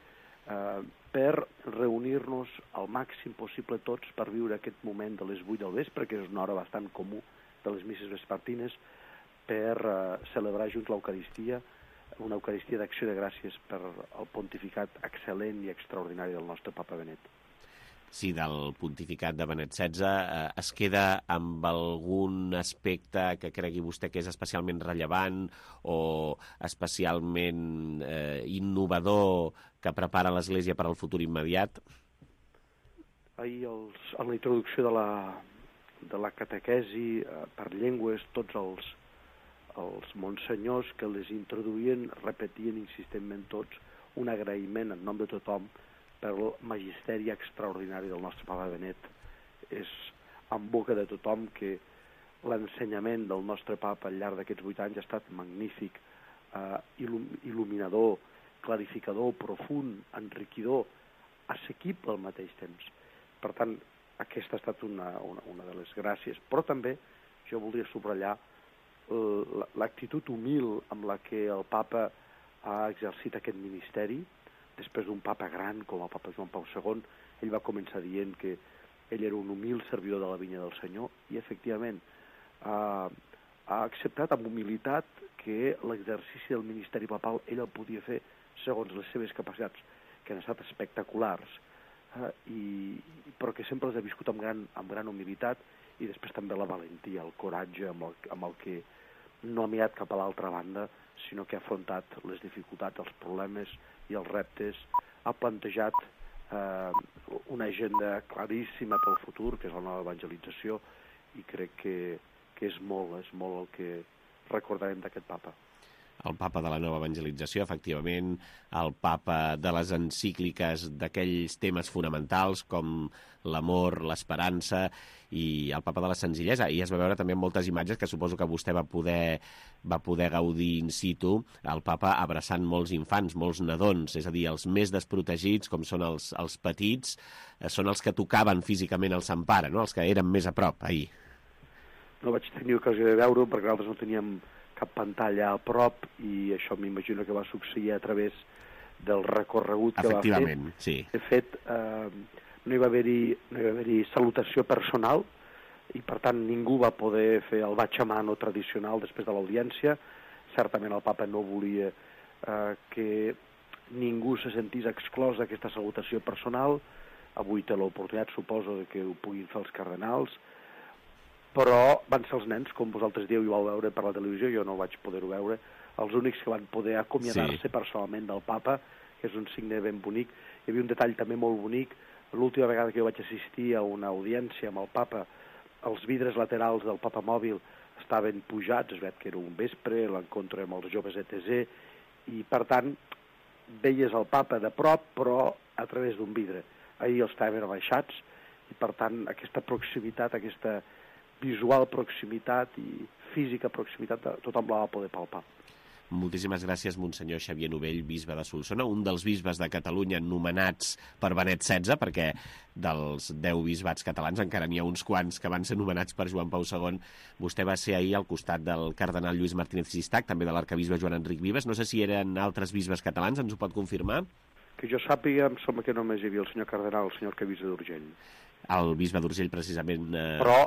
per reunir-nos al màxim possible tots per viure aquest moment de les 8 del vespre, que és una hora bastant comú de les misses vespertines, per celebrar junts l'Eucaristia, una Eucaristia d'acció de gràcies per al pontificat excel·lent i extraordinari del nostre papa Benet. Sí, del pontificat de Benet XVI. Es queda amb algun aspecte que cregui vostè que és especialment rellevant o especialment innovador que prepara l'Església per al futur immediat? Ahir, en la introducció de la catequesi per llengües, tots els monsenyors que les introduïen repetien insistentment tots un agraïment en nom de tothom per el magisteri extraordinari del nostre papa Benet. És en boca de tothom que l'ensenyament del nostre papa al llarg d'aquests 8 anys ha estat magnífic, il·luminador, clarificador, profund, enriquidor, assequible al mateix temps. Per tant, aquesta ha estat una de les gràcies. Però també jo voldria subratllar l'actitud humil amb la que el papa ha exercit aquest ministeri, després d'un papa gran com el papa Joan Pau II, ell va començar dient que ell era un humil servidor de la vinya del Senyor, i efectivament ha acceptat amb humilitat que l'exercici del ministeri papal ell el podia fer segons les seves capacitats, que han estat espectaculars, però que sempre les ha viscut amb gran humilitat, i després també la valentia, el coratge amb el que no ha mirat cap a l'altra banda, sinó que ha afrontat les dificultats, els problemes i els reptes, ha plantejat una agenda claríssima pel futur, que és la nova evangelització, i crec que és molt el que recordarem d'aquest papa. El papa de la nova evangelització, efectivament, el papa de les encícliques d'aquells temes fonamentals com l'amor, l'esperança, i el papa de la senzillesa. I es va veure també moltes imatges que suposo que vostè va poder gaudir in situ, el papa abraçant molts infants, molts nadons, és a dir, els més desprotegits, com són els petits, són els que tocaven físicament el Sant Pare, no? Els que eren més a prop ahir. No vaig tenir ocasió de veure-ho perquè nosaltres no teníem cap pantalla a prop, i això m'imagino que va succeir a través del recorregut que va fer. Efectivament, sí. De fet, no hi va haver-hi salutació personal, i per tant ningú va poder fer el baix a mano tradicional després de l'audiència. Certament el papa no volia que ningú se sentís exclòs d'aquesta salutació personal. Avui té l'oportunitat, suposo, que ho puguin fer els cardenals, però van ser els nens, com vosaltres dieu, i ho vau veure per la televisió, jo no vaig poder-ho veure, els únics que van poder acomiadar-se personalment del papa, que és un signe ben bonic. Hi havia un detall també molt bonic. L'última vegada que jo vaig assistir a una audiència amb el papa, els vidres laterals del papa mòbil estaven pujats, es veu que era un vespre, l'encontre amb els joves ETC, i per tant veies el papa de prop, però a través d'un vidre. Ahir els estaven abaixats, i per tant aquesta proximitat, aquesta visual proximitat i física proximitat, tothom la va poder palpar. Moltíssimes gràcies, Monsenyor Xavier Novell, bisbe de Solsona, un dels bisbes de Catalunya nomenats per Benet XVI, perquè dels 10 bisbats catalans encara n'hi ha uns quants que van ser nomenats per Joan Pau II. Vostè va ser ahir al costat del cardenal Lluís Martínez Sistac, també de l'arcabisbe Joan Enric Vives. No sé si eren altres bisbes catalans, ens ho pot confirmar? Que jo sàpiga, em sembla que només hi havia el senyor cardenal, el senyor arcabisbe d'Urgell. El bisbe d'Urgell, precisament... Però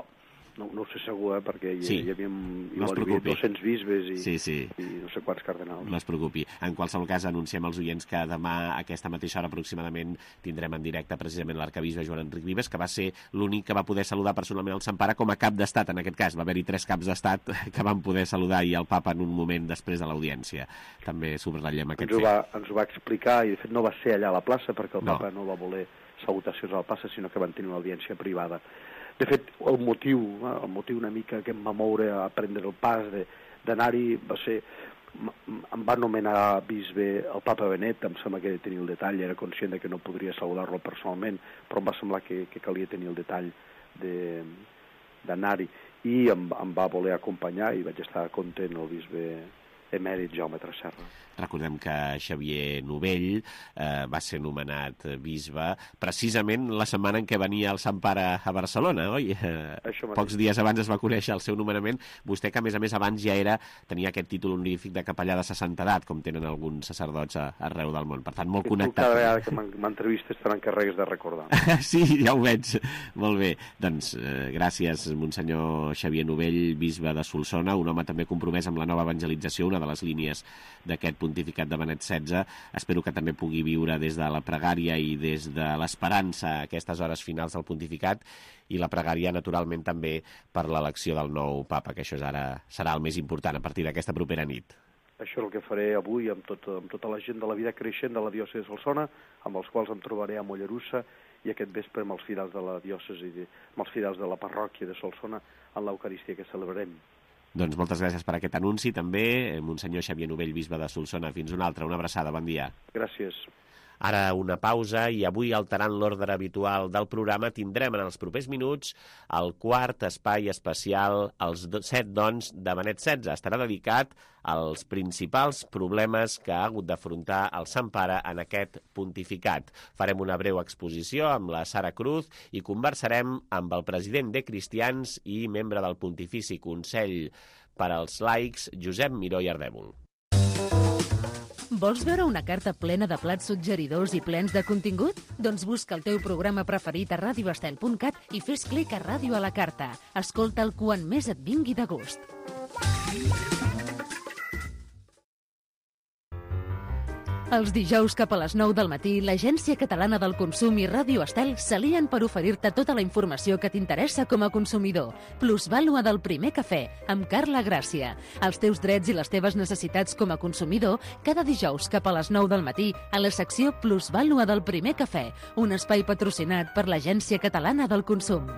no ho sé segur, perquè hi havia 200 bisbes i no sé quants cardenals. No es preocupi. En qualsevol cas, anunciem als oients que demà a aquesta mateixa hora aproximadament tindrem en directe precisament l'arcabisbe Joan Enric Vives, que va ser l'únic que va poder saludar personalment el Sant Pare com a cap d'estat. En aquest cas va haver-hi 3 caps d'estat que van poder saludar i el papa en un moment després de l'audiència. També subratllem aquest fet. Ens ho va explicar, i de fet no va ser allà a la plaça perquè el papa no va voler salutacions a la plaça, sinó que van tenir una audiència privada. De fet, el motiu una mica que em va moure a prendre el pas d'anar-hi va ser... Em va nomenar bisbe el papa Benet, em sembla que tenia el detall, era conscient que no podria saludar-lo personalment, però em va semblar que calia tenir el detall d'anar-hi. I em va voler acompanyar i vaig estar content el bisbe emèrit Jaume Tresserra. Recordem que Xavier Novell va ser nomenat bisbe precisament la setmana en què venia el Sant Pare a Barcelona, oi? Pocs dies abans es va conèixer el seu nomenament. Vostè, que a més abans ja tenia aquest títol honorífic de capellà de 60 edat, com tenen alguns sacerdots arreu del món. Per tant, molt connectat. Cada vegada que m'entrevistes te n'encarregues de recordar. Sí, ja ho veig. Molt bé. Doncs gràcies, Monsenyor Xavier Novell, bisbe de Solsona, un home també compromès amb la nova evangelització, una de les línies d'aquest pontificat de Benet XVI. Espero que també pugui viure des de la pregària i des de l'esperança a aquestes hores finals del pontificat, i la pregària, naturalment, també per l'elecció del nou papa, que això serà el més important a partir d'aquesta propera nit. Això és el que faré avui amb tota la gent de la vida creixent de la diòcesi de Solsona, amb els quals em trobaré a Mollerussa, i aquest vespre amb els fidels de la diòcesi, amb els fidels de la parròquia de Solsona, en l'Eucaristia que celebrarem. Doncs moltes gràcies per aquest anunci, també, Monsenyor Xavier Novell, bisbe de Solsona. Fins una altra, una abraçada, bon dia. Gràcies. Ara una pausa, i avui, alterant l'ordre habitual del programa, tindrem en els propers minuts el quart espai especial, els 7 dons de Benet XVI. Estarà dedicat als principals problemes que ha hagut d'afrontar el Sant Pare en aquest pontificat. Farem una breu exposició amb la Sara Cruz i conversarem amb el president de Cristians i membre del Pontifici Consell per als Laics, Josep Miró i Ardèvol. Vols veure una carta plena de plats suggeridors i plens de contingut? Doncs busca el teu programa preferit a radioestel.cat i fes clic a Ràdio a la carta. Escolta'l quan més et vingui de gust. Els dijous cap a les 9 del matí, l'Agència Catalana del Consum i Ràdio Estel s'alien per oferir-te tota la informació que t'interessa com a consumidor. Plusvàlua del primer cafè, amb Carla Gràcia. Els teus drets i les teves necessitats com a consumidor, cada dijous cap a les 9 del matí, a la secció Plusvàlua del primer cafè, un espai patrocinat per l'Agència Catalana del Consum.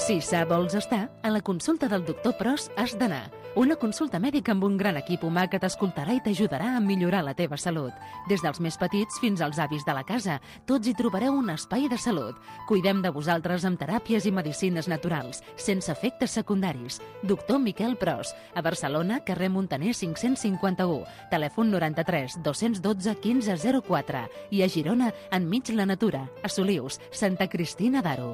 Si sa vols estar, a la consulta del doctor Pros has d'anar. Una consulta mèdica amb un gran equip humà que t'escoltarà i t'ajudarà a millorar la teva salut. Des dels més petits fins als avis de la casa, tots hi trobareu un espai de salut. Cuidem de vosaltres amb teràpies i medicines naturals, sense efectes secundaris. Doctor Miquel Pros, a Barcelona, carrer Muntaner 551, telèfon 93 212 1504 i a Girona, enmig la natura, a Solius, Santa Cristina d'Aro.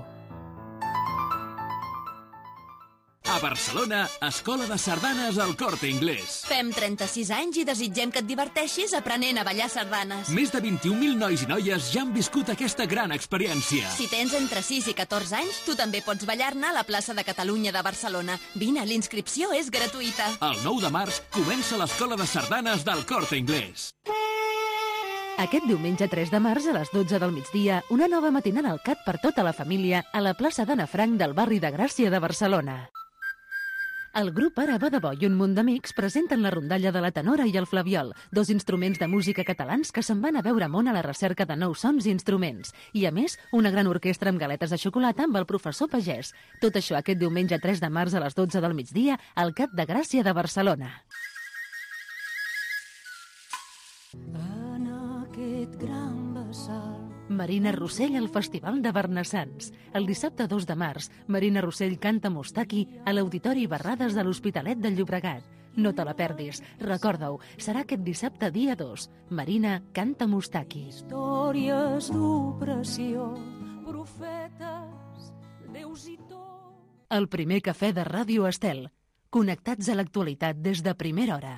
A Barcelona, Escola de Sardanes al Corte Inglés. Fem 36 anys i desitgem que et diverteixis aprenent a ballar sardanes. Més de 21.000 nois i noies ja han viscut aquesta gran experiència. Si tens entre 6 i 14 anys, tu també pots ballar-ne a la plaça de Catalunya de Barcelona. Vine, l'inscripció és gratuïta. El 9 de març comença l'Escola de Sardanes del Corte Inglés. Aquest diumenge 3 de març a les 12 del migdia, una nova matinada al CAT per tota la família a la plaça d'Anna Frank del barri de Gràcia de Barcelona. El grup Ara va de bo i un munt d'amics presenten la rondalla de la tenora i el flabiol, dos instruments de música catalans que se'n van a veure món a la recerca de nous sons i instruments. I, a més, una gran orquestra amb galetes de xocolata amb el professor Pagès. Tot això aquest diumenge 3 de març a les 12 del migdia al CAT de Gràcia de Barcelona. En aquest gran vessal Marina Rossell al Festival de Bernassans. El dissabte 2 de març, Marina Rossell canta Mustaki a l'Auditori Barrades de l'Hospitalet del Llobregat. No te la perdis. Recorda-ho, serà aquest dissabte dia 2. Marina canta Mustaki. Històries d'opressió, profetes, déus i tot. El primer cafè de Ràdio Estel. Connectats a l'actualitat des de primera hora.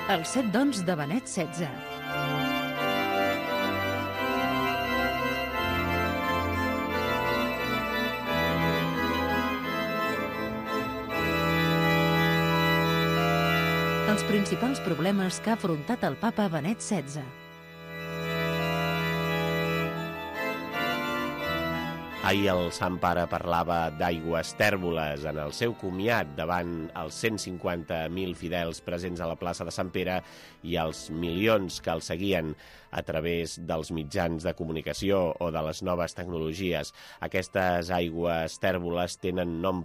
Els 7 dons de Benet XVI. Els principals problemes que ha afrontat el papa Benet XVI. Ahir el Sant Pare parlava d'aigües tèrboles en el seu comiat davant els 150.000 fidels presents a la plaça de Sant Pere i els milions que el seguien a través dels mitjans de comunicació o de les noves tecnologies. Aquestes aigües tèrboles tenen noms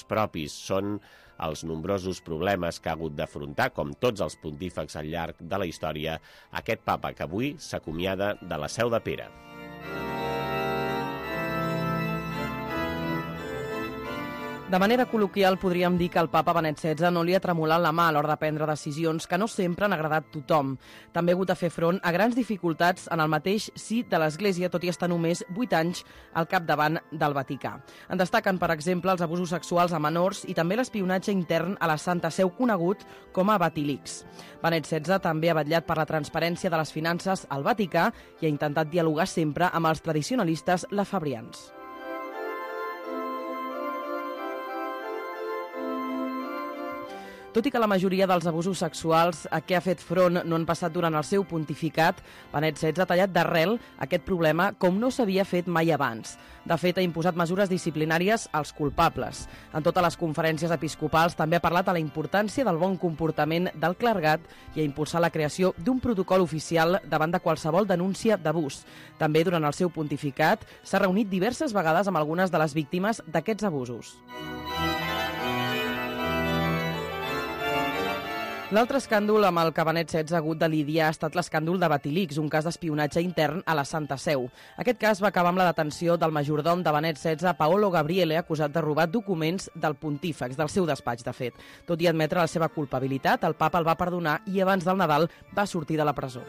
propis, són els nombrosos problemes que ha hagut d'afrontar, com tots els pontífex al llarg de la història, aquest papa que avui s'acomiada de la Seu de Pere. De manera col·loquial, podríem dir que el papa Benet XVI no li ha tremolat la mà a l'hora de prendre decisions que no sempre han agradat tothom. També ha hagut de fer front a grans dificultats en el mateix si de l'Església, tot i estar només 8 anys al capdavant del Vaticà. En destaquen, per exemple, els abusos sexuals a menors i també l'espionatge intern a la Santa Seu conegut com a Vatilix. Benet XVI també ha vetllat per la transparència de les finances al Vaticà i ha intentat dialogar sempre amb els tradicionalistes lafabrians. Tot i que la majoria dels abusos sexuals a què ha fet front no han passat durant el seu pontificat, Benet XVI ha tallat d'arrel aquest problema com no s'havia fet mai abans. De fet, ha imposat mesures disciplinàries als culpables. En totes les conferències episcopals també ha parlat de la importància del bon comportament del clergat i ha impulsat la creació d'un protocol oficial davant de qualsevol denúncia d'abús. També durant el seu pontificat s'ha reunit diverses vegades amb algunes de les víctimes d'aquests abusos. L'altre escàndol amb el que Benet XVI ha hagut de lidiar ha estat l'escàndol de Batilix, un cas d'espionatge intern a la Santa Seu. Aquest cas va acabar amb la detenció del majordom de Benet XVI, Paolo Gabriele, acusat de robar documents del pontífex, del seu despatx, de fet. Tot i admetre la seva culpabilitat, el papa el va perdonar i abans del Nadal va sortir de la presó.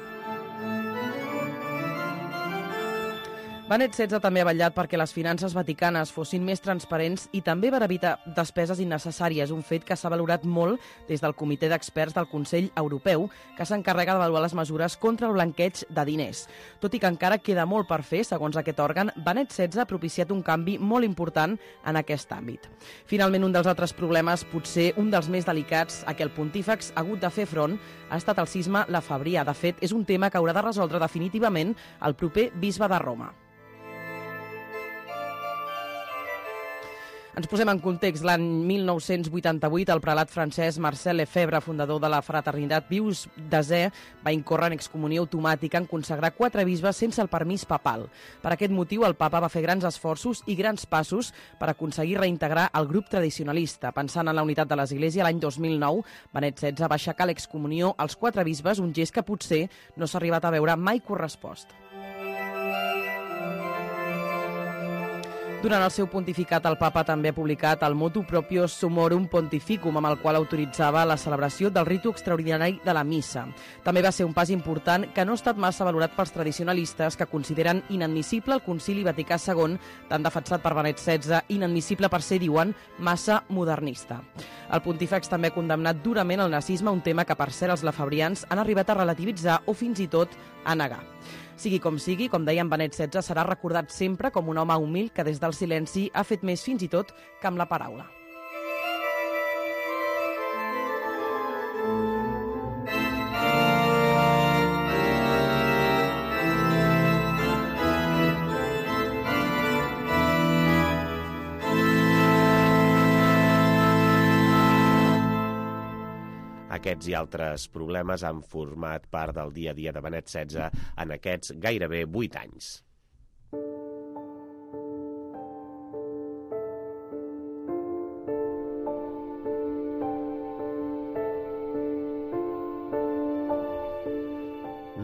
Benet XVI també ha vetllat perquè les finances vaticanes fossin més transparents i també per evitar despeses innecessàries, un fet que s'ha valorat molt des del Comitè d'Experts del Consell Europeu, que s'encarrega d'avaluar les mesures contra el blanqueig de diners. Tot i que encara queda molt per fer, segons aquest òrgan, Benet XVI ha propiciat un canvi molt important en aquest àmbit. Finalment, un dels altres problemes, potser un dels més delicats a què el pontífex ha hagut de fer front, ha estat el cisma Lafàbria. De fet, és un tema que haurà de resoldre definitivament el proper bisbe de Roma. Ens posem en context. L'any 1988, el prelat francès Marcel Lefebvre, fundador de la fraternitat Pius X, va incórrer en excomunió automàtica en consagrar 4 bisbes sense el permís papal. Per aquest motiu, el papa va fer grans esforços i grans passos per aconseguir reintegrar el grup tradicionalista. Pensant en la unitat de l'Església, l'any 2009, Benet XVI va aixecar l'excomunió als 4 bisbes, un gest que potser no s'ha arribat a veure mai correspost. Durant el seu pontificat, el papa també ha publicat el Motu Proprio Summorum Pontificum, amb el qual autoritzava la celebració del ritu extraordinari de la missa. També va ser un pas important que no ha estat massa valorat pels tradicionalistes, que consideren inadmissible el Concili Vaticà II, tan defensat per Benet XVI, inadmissible per ser, diuen, massa modernista. El pontífex també ha condemnat durament el nazisme, un tema que, per cert, els lafabrians han arribat a relativitzar o fins i tot a negar. Sigui, com deien, Benet XVI serà recordat sempre com un home humil que des del silenci ha fet més fins i tot que amb la paraula. Aquests i altres problemes han format part del dia a dia de Benet XVI en aquests gairebé 8 anys.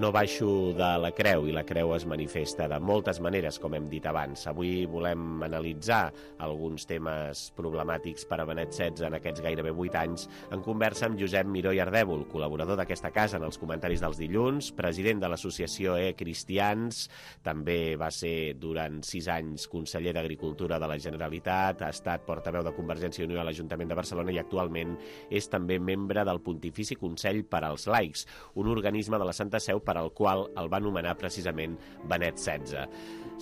No baixo de la creu, i la creu es manifesta de moltes maneres, com hem dit abans. Avui volem analitzar alguns temes problemàtics per a Benet XVI en aquests gairebé 8 anys en conversa amb Josep Miró i Ardèvol, col·laborador d'aquesta casa en els comentaris dels dilluns, president de l'associació Cristians, també va ser durant 6 anys conseller d'Agricultura de la Generalitat, ha estat portaveu de Convergència i Unió a l'Ajuntament de Barcelona i actualment és també membre del Pontifici Consell per als Laics, un organisme de la Santa Seu per al qual el va nomenar precisament Benet XVI.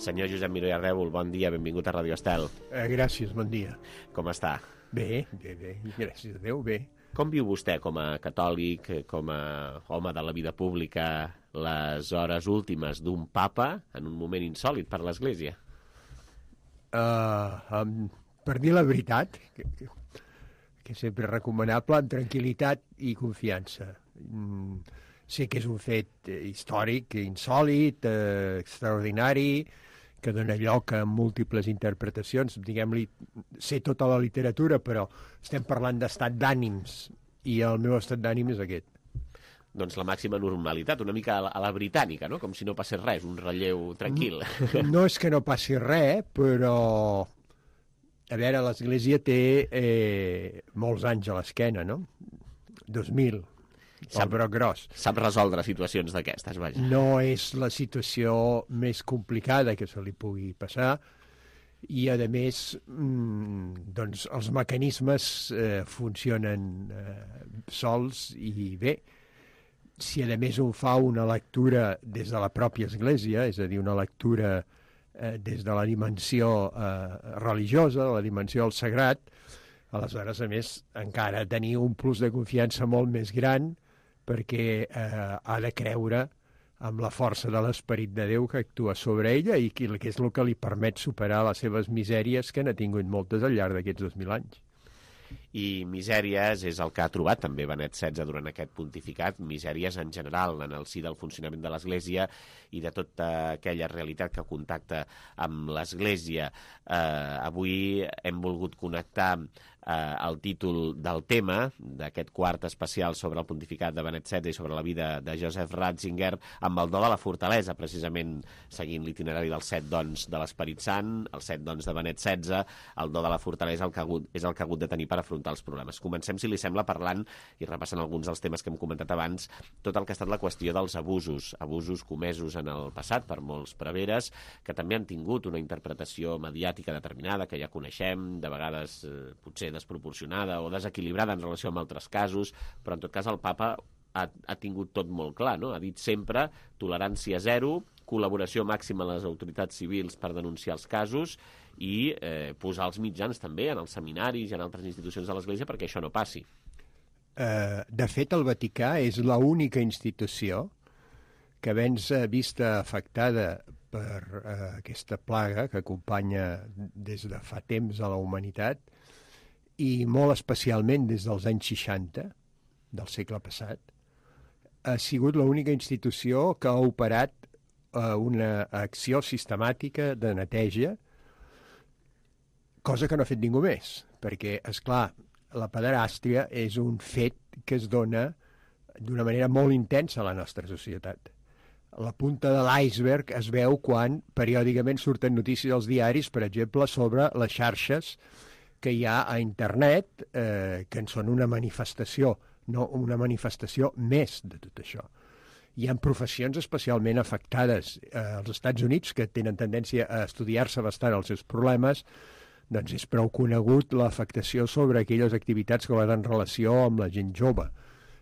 Senyor Josep Miró i Ardèvol, bon dia, benvingut a Radio Estel. Gràcies, bon dia. Com està? Bé, gràcies a Déu, bé. Com viu vostè com a catòlic, com a home de la vida pública, les hores últimes d'un papa en un moment insòlit per l'Església? Per dir la veritat, que sempre és recomanable, amb tranquil·litat i confiança. Sé que és un fet històric, insòlit, extraordinari, que dona lloc a múltiples interpretacions. Diguem-li, sé tota la literatura, però estem parlant d'estat d'ànims, i el meu estat d'ànim és aquest. Doncs la màxima normalitat, una mica a la britànica, no? Com si no passés res, un relleu tranquil. No és que no passi res, però... A veure, l'Església té molts anys a l'esquena, no? 2000. El broc gros. Sap resoldre situacions d'aquestes, vaja. No és la situació més complicada que se li pugui passar i, a més, doncs, els mecanismes funcionen sols i bé. Si, a més, un fa una lectura des de la pròpia Església, és a dir, una lectura des de la dimensió religiosa, de la dimensió del sagrat, aleshores, a més, encara tenir un plus de confiança molt més gran perquè ha de creure amb la força de l'Esperit de Déu que actua sobre ella i que és el que li permet superar les seves misèries, que n'ha tingut moltes al llarg d'aquests 2000 anys. I misèries és el que ha trobat també Benet XVI durant aquest pontificat, misèries en general en el si del funcionament de l'Església i de tota aquella realitat que contacta amb l'Església. Avui hem volgut connectar el títol del tema d'aquest quart especial sobre el pontificat de Benet XVI i sobre la vida de Joseph Ratzinger amb el do de la fortalesa, precisament seguint l'itinerari dels 7 dons de l'Esperit Sant, els 7 dons de Benet XVI, el do de la fortalesa és el que ha hagut de tenir per afrontar els problemes. Comencem, si li sembla, parlant i repassant alguns dels temes que hem comentat abans, tot el que ha estat la qüestió dels abusos comesos en el passat per molts preveres, que també han tingut una interpretació mediàtica determinada, que ja coneixem, de vegades potser desproporcionada o desequilibrada en relació amb altres casos, però en tot cas el papa ha tingut tot molt clar, no? Ha dit sempre tolerància zero, col·laboració màxima a les autoritats civils per denunciar els casos i posar els mitjans també en els seminaris i en altres institucions de l'Església perquè això no passi. De fet, el Vaticà és l'única institució que havent-se vista afectada per aquesta plaga que acompanya des de fa temps a la humanitat i molt especialment des dels anys 60 del segle passat, ha sigut l'única institució que ha operat una acció sistemàtica de neteja, cosa que no ha fet ningú més, perquè, és clar, la pederàstia és un fet que es dona d'una manera molt intensa a la nostra societat. La punta de l'iceberg es veu quan periòdicament surten notícies als diaris, per exemple, sobre les xarxes que hi ha a internet, que en són una manifestació, no una manifestació més de tot això. Hi ha professions especialment afectades als Estats Units que tenen tendència a estudiar-se bastant els seus problemes, doncs és prou conegut l'afectació sobre aquelles activitats que van en relació amb la gent jove.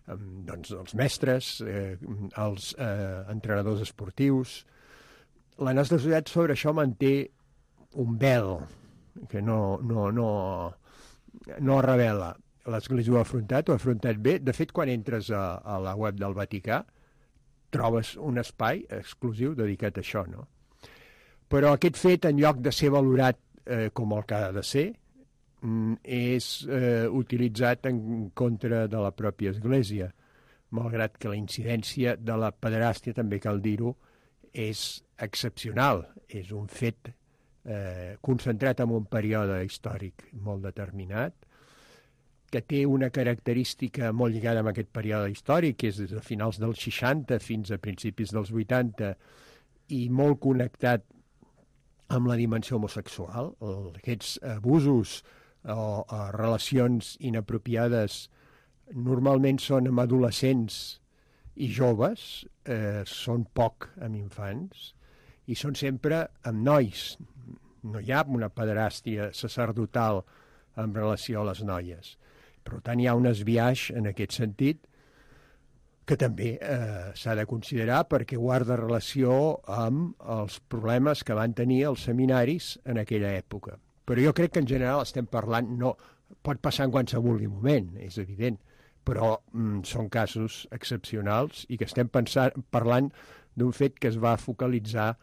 Doncs els mestres, els entrenadors esportius. La nostra societat sobre això manté un vel que no revela. L'Església ho ha afrontat bé. De fet, quan entres a la web del Vaticà, trobes un espai exclusiu dedicat a això, no? Però aquest fet, en lloc de ser valorat com el que ha de ser, és utilitzat en contra de la pròpia Església, malgrat que la incidència de la pederàstia, també cal dir-ho, és excepcional. És un fet concentrat en un període històric molt determinat, que té una característica molt lligada amb aquest període històric, que és des de finals dels 60 fins a principis dels 80, i molt connectat amb la dimensió homosexual. Aquests abusos o relacions inapropiades normalment són amb adolescents i joves, són poc amb infants, i són sempre amb nois. No hi ha una pederàstia sacerdotal en relació a les noies. Per tant, hi ha un esbiaix en aquest sentit que també s'ha de considerar perquè guarda relació amb els problemes que van tenir els seminaris en aquella època. Però jo crec que en general estem parlant, no, pot passar en qualsevol moment, és evident, però són casos excepcionals i que estem parlant d'un fet que es va focalitzar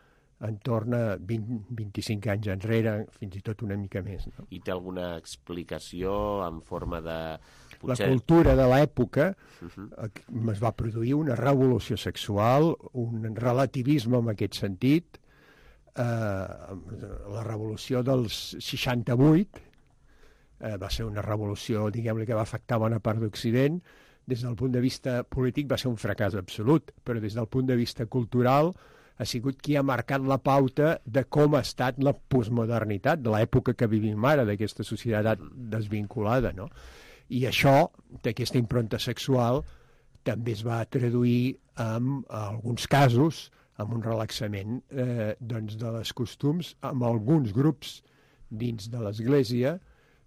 entorn a 20-25 anys enrere, fins i tot una mica més. No? I té alguna explicació en forma de... Potser... La cultura de l'època es va produir una revolució sexual, un relativisme en aquest sentit. La revolució dels 68 va ser una revolució, diguem-ne, que va afectar bona part d'Occident. Des del punt de vista polític va ser un fracàs absolut, però des del punt de vista cultural ha sigut qui ha marcat la pauta de com ha estat la postmodernitat, de l'època que vivim ara, d'aquesta societat desvinculada, no? I això, d'aquesta impronta sexual, també es va traduir en alguns casos amb un relaxament doncs de les costums, amb alguns grups dins de l'Església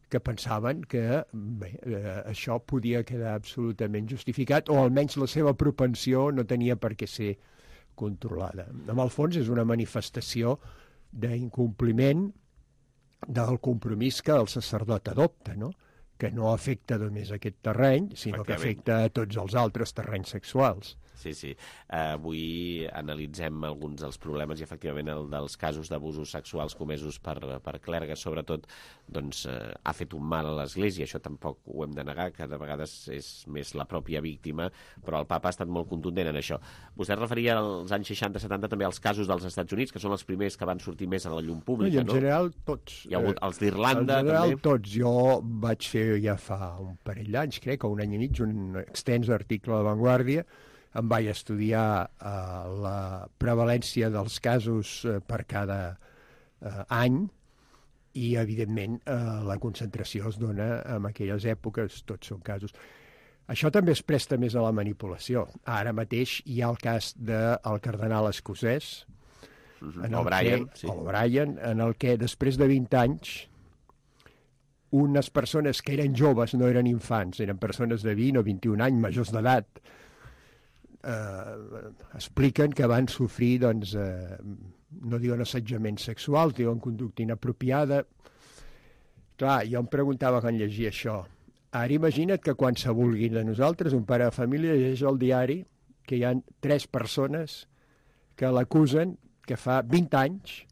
que pensaven que això podia quedar absolutament justificat, o almenys la seva propensió no tenia per què ser controlada. En el fons és una manifestació d'incompliment del compromís que el sacerdot adopta, no? Que no afecta només aquest terreny, sinó que afecta a tots els altres terrenys sexuals. Sí, sí. Avui analitzem alguns dels problemes i, efectivament, el dels casos d'abusos sexuals comesos per clergues, sobretot, doncs, ha fet un mal a l'Església. Això tampoc ho hem de negar, que de vegades és més la pròpia víctima, però el papa ha estat molt contundent en això. Vostè es referia als anys 60-70 també als casos dels Estats Units, que són els primers que van sortir més a la llum pública, no? En general, tots. Hi ha hagut els d'Irlanda, també? En general, tots. Jo vaig fer ja fa un parell d'anys, crec, o un any i mig, un extens article a La Vanguardia. Em vaig estudiar la prevalència dels casos per cada any i, evidentment, la concentració es dona en aquelles èpoques, tots són casos. Això també es presta més a la manipulació. Ara mateix hi ha el cas del cardenal escocès, O'Brien, en el que després de 20 anys unes persones que eren joves, no eren infants, eren persones de 20 o 21 anys, majors d'edat, expliquen que van sofrir, doncs, no diuen assetjament sexual, diuen conducta inapropiada. Clar, jo em preguntava quan llegia això. Ara imagina't que quan se vulgui de nosaltres, un pare de família llegeix al diari que hi ha 3 persones que l'acusen que fa 20 anys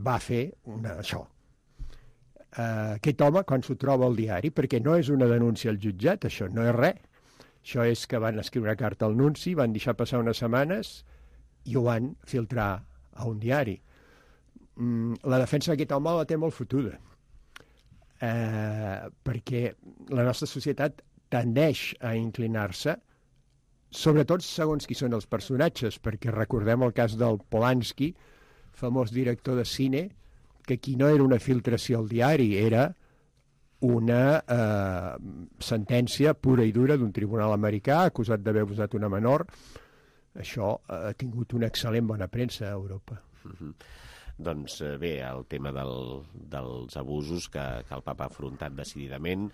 va fer això. Aquest home, quan s'ho troba al diari, perquè no és una denúncia al jutjat, això no és res. Això és que van escriure una carta al nunci, van deixar passar unes setmanes i ho van filtrar a un diari. La defensa d'aquest home la té molt fotuda, perquè la nostra societat tendeix a inclinar-se, sobretot segons qui són els personatges, perquè recordem el cas del Polanski, famós director de cine, que aquí no era una filtració al diari, era una sentència pura i dura d'un tribunal americà acusat d'haver abusat una menor. Això ha tingut una excel·lent bona premsa a Europa. Doncs bé, el tema dels abusos que el papa ha afrontat decididament,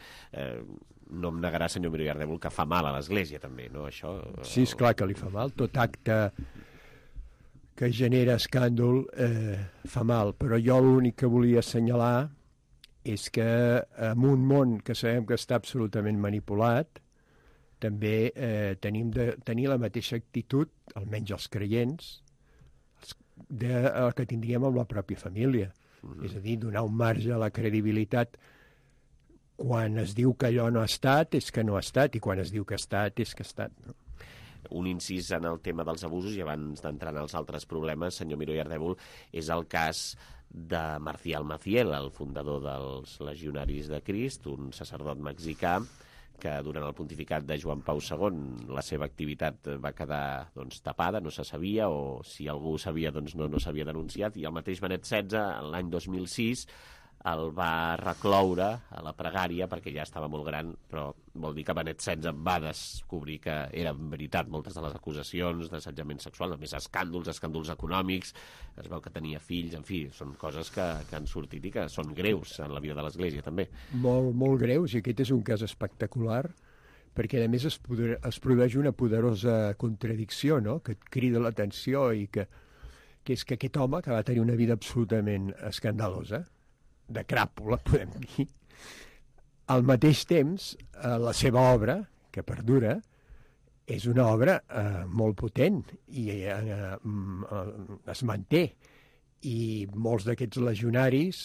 no em negarà, senyor Miró Iardèvol, que fa mal a l'Església també, no? Això, sí, esclar que li fa mal. Tot acte que genera escàndol fa mal, però jo l'únic que volia assenyalar és que en un món que sabem que està absolutament manipulat, també tenim de tenir la mateixa actitud, almenys els creients, que tindríem amb la pròpia família. És a dir, donar un marge a la credibilitat. Quan es diu que allò no ha estat, és que no ha estat, i quan es diu que ha estat, és que ha estat. No? Un incís en el tema dels abusos, i abans d'entrar en els altres problemes, senyor Miró Iardèvol, és el cas de Marcial Maciel, el fundador dels Legionaris de Crist, un sacerdot mexicà que durant el pontificat de Joan Pau II la seva activitat va quedar tapada, no se sabia, o si algú sabia no s'havia denunciat, i el mateix Benet XVI, l'any 2006, el va recloure a la pregària perquè ja estava molt gran, però vol dir que Benet XVI va descobrir que eren veritat moltes de les acusacions d'assetjament sexual, a més escàndols econòmics, es veu que tenia fills, en fi, són coses que han sortit i que són greus en la vida de l'Església també. Molt, molt greus, i aquest és un cas espectacular, perquè a més es produeix una poderosa contradicció, no?, que et crida l'atenció, i que és que aquest home, que va tenir una vida absolutament escandalosa, de cràpula, podem dir, al mateix temps, la seva obra, que perdura, és una obra molt potent i es manté. I molts d'aquests legionaris,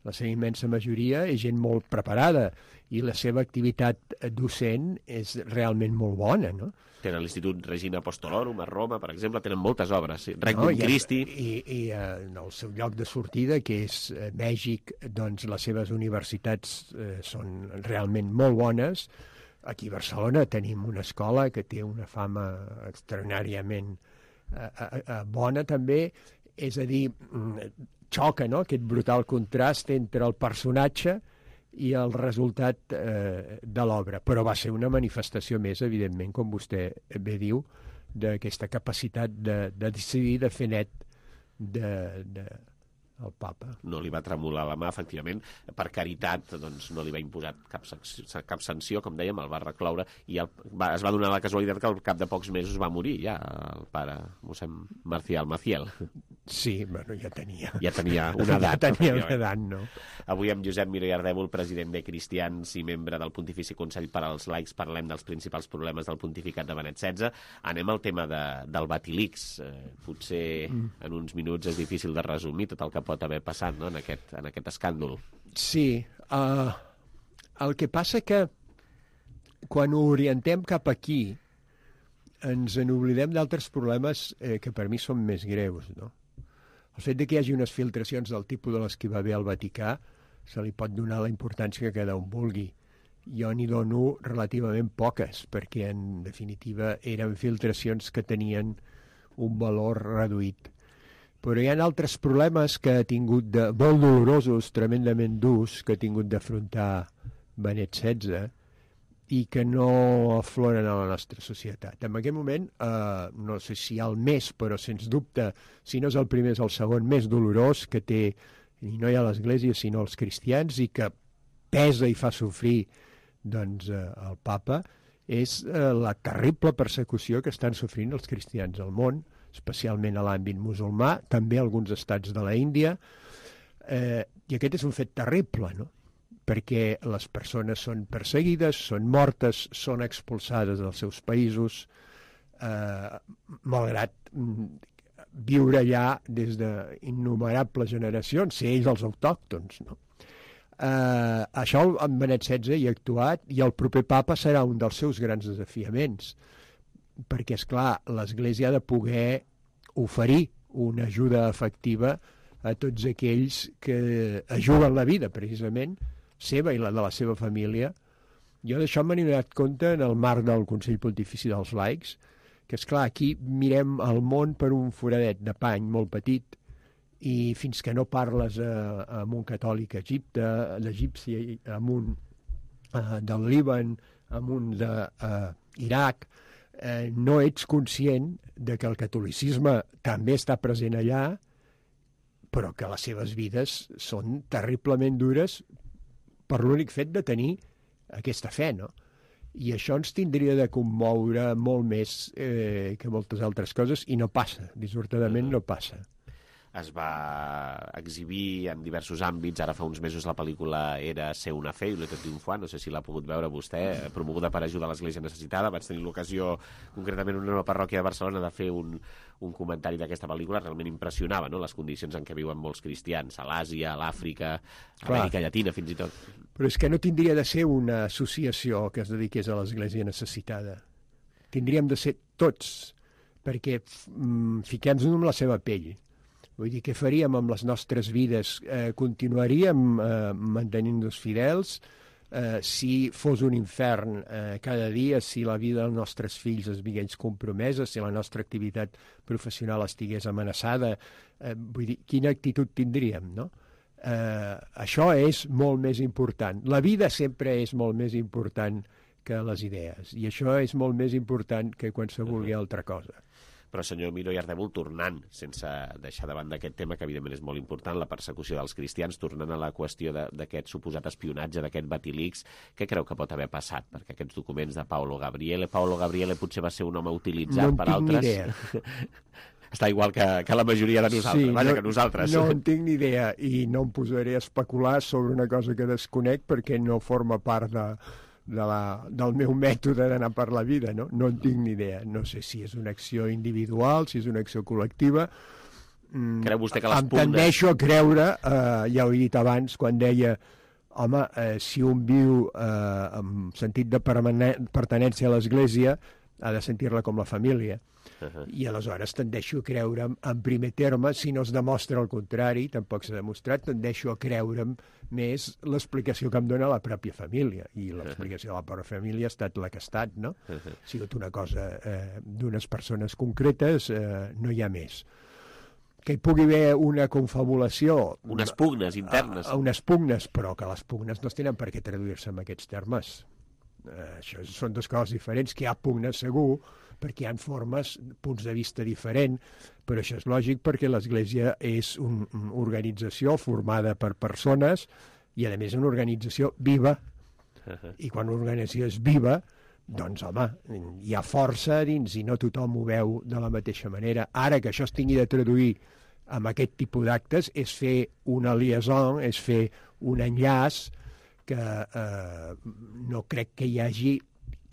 la seva immensa majoria, és gent molt preparada i la seva activitat docent és realment molt bona, no? Tenen l'Institut Regina Apostolorum a Roma, per exemple, tenen moltes obres. Regnum Christi. I en el seu lloc de sortida, que és Mèxic, doncs les seves universitats són realment molt bones. Aquí a Barcelona tenim una escola que té una fama extraordinàriament bona també, és a dir, xoca, no?, aquest brutal contrast entre el personatge i el resultat de l'obra. Però va ser una manifestació més, evidentment, com vostè bé diu, d'aquesta capacitat de decidir, de fer net el papa. No li va tremolar la mà, efectivament. Per caritat, doncs, no li va imposar cap sanció, com dèiem, el va recloure, i es va donar la casualitat que al cap de pocs mesos va morir ja el pare mossèn Marcial Maciel. Sí, bueno, ja tenia. Ja tenia una edat. Ja tenia una edat, no? Avui amb Josep Miró i Ardèvol, president de Cristians i membre del Pontifici Consell per als Laics, parlem dels principals problemes del pontificat de Benet XVI. Anem al tema del Batilix. Potser en uns minuts és difícil de resumir tot el que pot haver passat, no?, en aquest escàndol. Sí. El que passa que quan ho orientem cap aquí ens n'oblidem d'altres problemes que per mi són més greus, no? El fet de que hi hagi unes filtracions del tipus de les que va haver al Vaticà se li pot donar la importància que cada un vulgui. Jo n'hi dono relativament poques, perquè en definitiva eren filtracions que tenien un valor reduït. Però hi ha altres problemes que ha tingut molt dolorosos, tremendament durs, que ha tingut d'afrontar Benet XVI i que no afloren a la nostra societat. En aquest moment, no sé si el més, però sens dubte, si no és el primer, és el segon més dolorós que té, i no hi ha l'Església, sinó els cristians, i que pesa i fa sofrir doncs, el papa, és la terrible persecució que estan sofrint els cristians al món, especialment a l'àmbit musulmà, també alguns estats de la Índia, i aquest és un fet terrible, no?, perquè les persones són perseguides, són mortes, són expulsades dels seus països, malgrat viure allà des d'innomerables generacions, ser ells els autòctons, no? Això en Benet XVI hi ha actuat, i el proper papa serà un dels seus grans desafiaments, perquè, és clar, l'Església ha de poder oferir una ajuda efectiva a tots aquells que ajuden la vida, precisament, seva i la de la seva família. Jo d'això m'he donat compte en el marc del Consell Pontifici dels Laics, que, esclar, aquí mirem el món per un foradet de pany molt petit, i fins que no parles amb un catòlic a Egipte, l'egipci, amb un del Líban, amb un d'Iraq, no ets conscient de que el catolicisme també està present allà, però que les seves vides són terriblement dures per l'únic fet de tenir aquesta fe, no? I això ens tindria de commoure molt més que moltes altres coses, i no passa, dissortadament no passa. Es va exhibir en diversos àmbits. Ara fa uns mesos la pel·lícula era Ser una fe, i l'Etat triomfant, no sé si l'ha pogut veure vostè, promoguda per Ajuda a l'Església Necessitada. Vaig tenir l'ocasió, concretament en una parròquia de Barcelona, de fer un comentari d'aquesta pel·lícula. Realment impressionava, no?, les condicions en què viuen molts cristians, a l'Àsia, a l'Àfrica, a Amèrica Llatina, fins i tot. Però és que no tindria de ser una associació que es dediqués a l'Església Necessitada. Tindríem de ser tots, perquè fiquem-nos en la seva pell. Vull dir, què faríem amb les nostres vides? Continuaríem mantenint-nos fidels? Si fos un infern cada dia, si la vida dels nostres fills es veiés compromesa, si la nostra activitat professional estigués amenaçada, vull dir, quina actitud tindríem, no? Això és molt més important. La vida sempre és molt més important que les idees, i això és molt més important que qualsevol altra cosa. Però, senyor Miró i Ardèvol, tornant, sense deixar de banda aquest tema, que evidentment és molt important, la persecució dels cristians, tornant a la qüestió d'aquest suposat espionatge, d'aquest Batilix, què creu que pot haver passat? Perquè aquests documents de Paolo Gabriele potser va ser un home utilitzat per altres... No en tinc ni idea. Està igual que la majoria de nosaltres, sí, vaja, que nosaltres. No en tinc ni idea, i no em posaré a especular sobre una cosa que desconec perquè no forma part del meu mètode d'anar per la vida, no? No en tinc ni idea. No sé si és una acció individual, si és una acció col·lectiva. Creu vostè que les em tendeixo a creure, ja ho he dit abans, quan deia, home, si un viu amb sentit de pertinença a l'Església, ha de sentir-la com la família. I aleshores tendeixo a creure en primer terme, si no es demostra el contrari, tampoc s'ha demostrat, tendeixo a creure'm més l'explicació que em dona la pròpia família, i l'explicació de la pròpia família ha estat la que ha estat, no? Ha sigut una cosa d'unes persones concretes, no hi ha més. Que hi pugui haver una confabulació... Unes pugnes internes. Unes pugnes, però que les pugnes no tenen per què traduir-se en aquests termes. Això són dues coses diferents, que hi ha pugnes segur, perquè hi ha formes, punts de vista diferents, però això és lògic perquè l'Església és una organització formada per persones i, a més, una organització viva. I quan una organització és viva, doncs, home, hi ha força dins i no tothom ho veu de la mateixa manera. Ara que això es tingui de traduir amb aquest tipus d'actes és fer una liaison, és fer un enllaç que no crec que hi hagi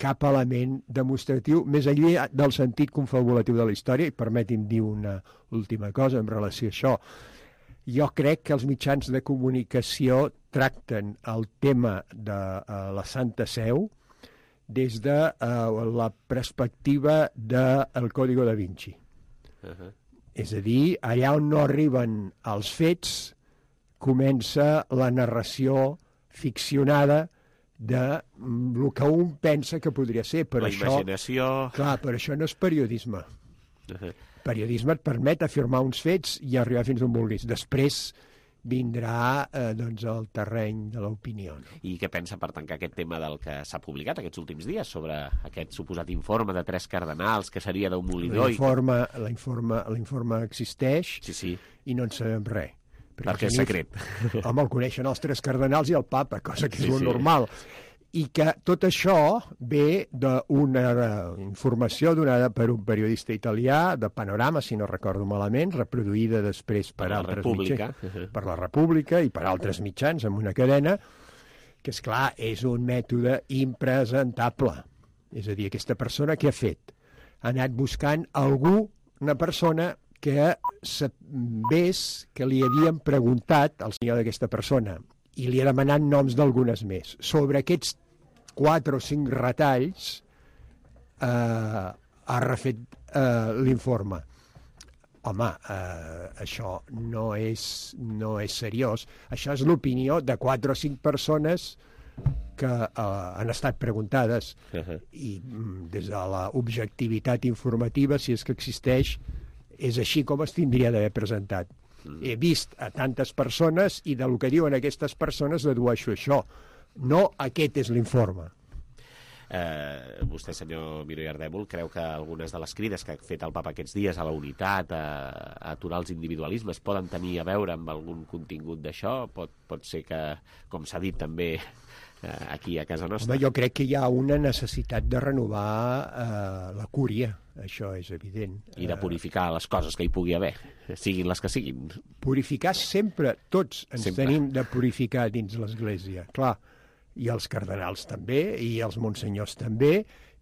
cap element demostratiu més enllà del sentit confabulatiu de la història. I permeti'm dir una última cosa en relació a això. Jo crec que els mitjans de comunicació tracten el tema de la Santa Seu des de la perspectiva del Código da Vinci. És a dir, allà on no arriben els fets, comença la narració ficcionada de el que un pensa que podria ser. Però la imaginació... Clar, però això no és periodisme. Periodisme et permet afirmar uns fets i arribar fins on vulguis. Després vindrà doncs, el terreny de l'opinió. No? I què pensa per tancar aquest tema del que s'ha publicat aquests últims dies sobre aquest suposat informe de 3 cardenals que seria d'un molidor? L'informe existeix i no en sabem res. Perquè és secret. Home, el coneixen els 3 cardenals i el papa, cosa que és molt normal. I que tot això ve d'una informació donada per un periodista italià de Panorama, si no recordo malament, reproduïda després per altres mitjans, per la República i per altres mitjans amb una cadena, que, esclar, és un mètode impresentable. És a dir, aquesta persona què ha fet? Ha anat buscant algú, una persona que sabés que li havien preguntat al senyor d'aquesta persona i li ha demanat noms d'algunes més. Sobre aquests 4 o 5 retalls ha refet l'informe. Home, això no és seriós. Això és l'opinió de 4 o 5 persones que han estat preguntades. I des de l'objectivitat informativa, si és que existeix, és així com es tindria d'haver presentat. He vist a tantes persones i del que diuen aquestes persones dedueixo això. No aquest és l'informe. Vostè, senyor Miró i Ardèvol, creu que algunes de les crides que ha fet el papa aquests dies a la unitat, a aturar els individualismes, poden tenir a veure amb algun contingut d'això? Pot ser que, com s'ha dit també aquí a casa nostra... Home, jo crec que hi ha una necessitat de renovar la cúria, això és evident. I de purificar les coses que hi pugui haver, siguin les que siguin. Purificar sempre, tots ens tenim de purificar dins l'Església, clar. I els cardenals també, i els monsenyors també,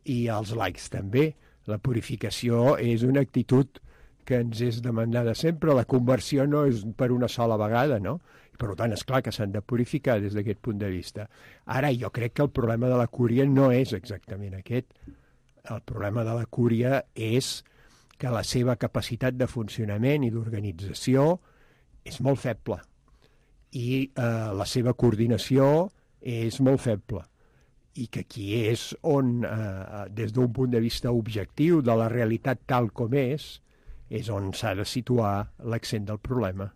i els laics també. La purificació és una actitud que ens és demandada sempre. La conversió no és per una sola vegada, no? Per tant, és clar que s'han de purificar des d'aquest punt de vista. Ara, jo crec que el problema de la cúria no és exactament aquest. El problema de la cúria és que la seva capacitat de funcionament i d'organització és molt feble. I la seva coordinació és molt feble. I que aquí és on, des d'un punt de vista objectiu de la realitat tal com és on s'ha de situar l'accent del problema.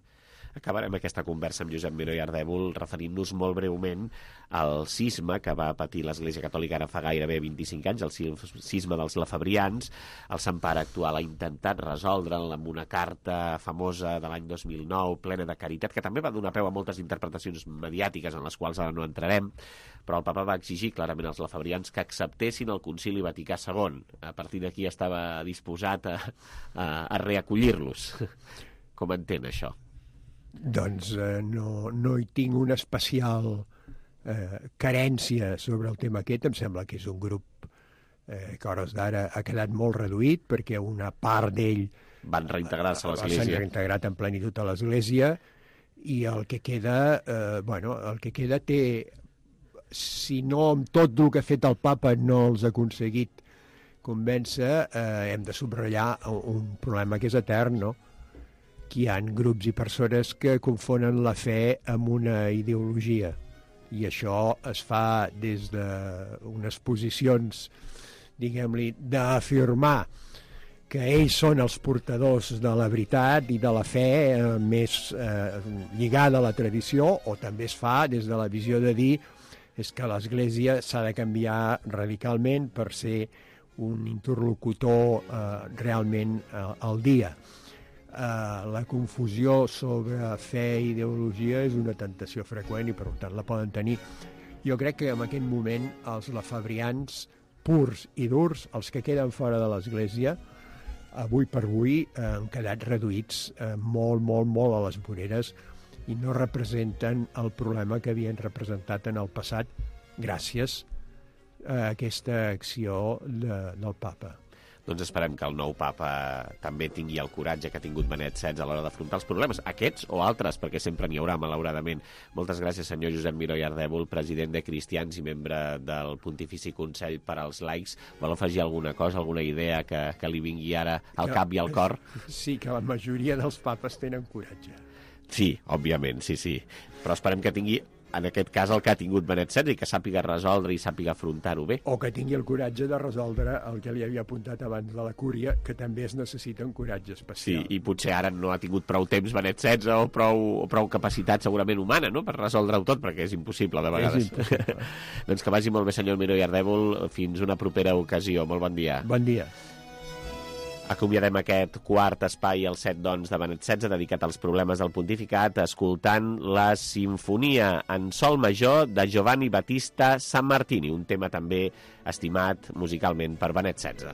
Acabarem aquesta conversa amb Josep Miró i Ardèvol referint-nos molt breument al cisma que va patir l'Església Catòlica ara fa gairebé 25 anys, el cisma dels lafebrians. El Sant Pare actual ha intentat resoldre'l amb una carta famosa de l'any 2009, plena de caritat, que també va donar peu a moltes interpretacions mediàtiques en les quals ara no entrarem, però el papa va exigir clarament als lafebrians que acceptessin el Concili Vaticà II. A partir d'aquí estava disposat a reacollir-los. Com entén això? Doncs no hi tinc una especial carència sobre el tema aquest. Em sembla que és un grup que a hores d'ara ha quedat molt reduït perquè una part d'ell van reintegrar-se a l'Església. S'han reintegrat en plenitud a l'Església i el que queda té, si no amb tot el que ha fet el papa no els ha aconseguit convèncer, hem de subratllar un problema que és etern, no? Que hi ha grups i persones que confonen la fe amb una ideologia i això es fa des d'unes posicions, diguem-li, d'afirmar que ells són els portadors de la veritat i de la fe més lligada a la tradició, o també es fa des de la visió de dir és que l'Església s'ha de canviar radicalment per ser un interlocutor realment al dia. La confusió sobre fe i ideologia és una tentació freqüent i per tant la poden tenir. Jo crec que en aquest moment els lafebrians purs i durs, els que queden fora de l'Església, avui per avui han quedat reduïts molt a les voreres i no representen el problema que havien representat en el passat gràcies a aquesta acció del papa. Doncs esperem que el nou papa també tingui el coratge que ha tingut Benet XVI a l'hora d'afrontar els problemes, aquests o altres, perquè sempre n'hi haurà, malauradament. Moltes gràcies, senyor Josep Miró i Ardèvol, president de Cristians i membre del Pontifici Consell per als Laics. Vol afegir alguna cosa, alguna idea que li vingui ara al cap i al cor? Sí, que la majoria dels papes tenen coratge. Sí, òbviament, sí. Però esperem que tingui, en aquest cas, el que ha tingut Benet XVI i que sàpiga resoldre i sàpiga afrontar-ho bé. O que tingui el coratge de resoldre el que li havia apuntat abans de la cúria, que també es necessita un coratge especial. Sí, i potser ara no ha tingut prou temps Benet XVI o prou capacitat segurament humana, no?, per resoldre-ho tot, perquè és impossible de vegades. És impossible. Doncs que vagi molt bé, senyor Miró i Ardèvol. Fins una propera ocasió. Molt bon dia. Bon dia. Acomiadem aquest quart espai, el 7 dons de Benet XVI, dedicat als problemes del pontificat, escoltant la Sinfonia en sol major de Giovanni Battista Sammartini, un tema també estimat musicalment per Benet XVI.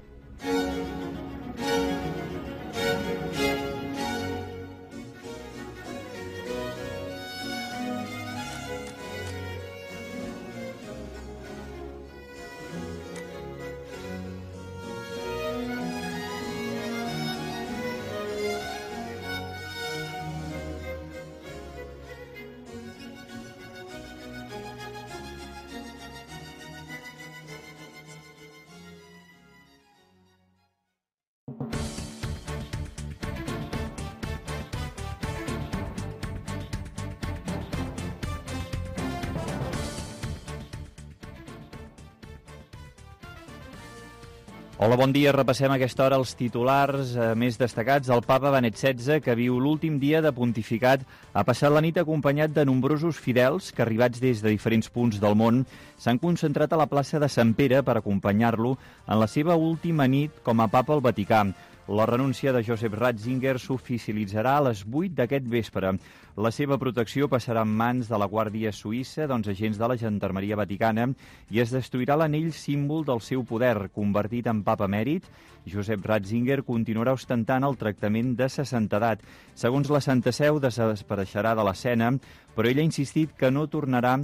Hola, bon dia. Repassem a aquesta hora els titulars més destacats. El papa Benet XVI, que viu l'últim dia de pontificat, ha passat la nit acompanyat de nombrosos fidels que, arribats des de diferents punts del món, s'han concentrat a la plaça de Sant Pere per acompanyar-lo en la seva última nit com a papa al Vaticà. La renúncia de Joseph Ratzinger s'oficialitzarà a les 8 d'aquest vespre. La seva protecció passarà en mans de la Guàrdia Suïssa, agents de la Gendarmeria Vaticana, i es destruirà l'anell símbol del seu poder. Convertit en papa emèrit, Joseph Ratzinger continuarà ostentant el tractament de 60 edat. Segons la Santa Seu, desapareixerà de l'escena, però ell ha insistit que no tornarà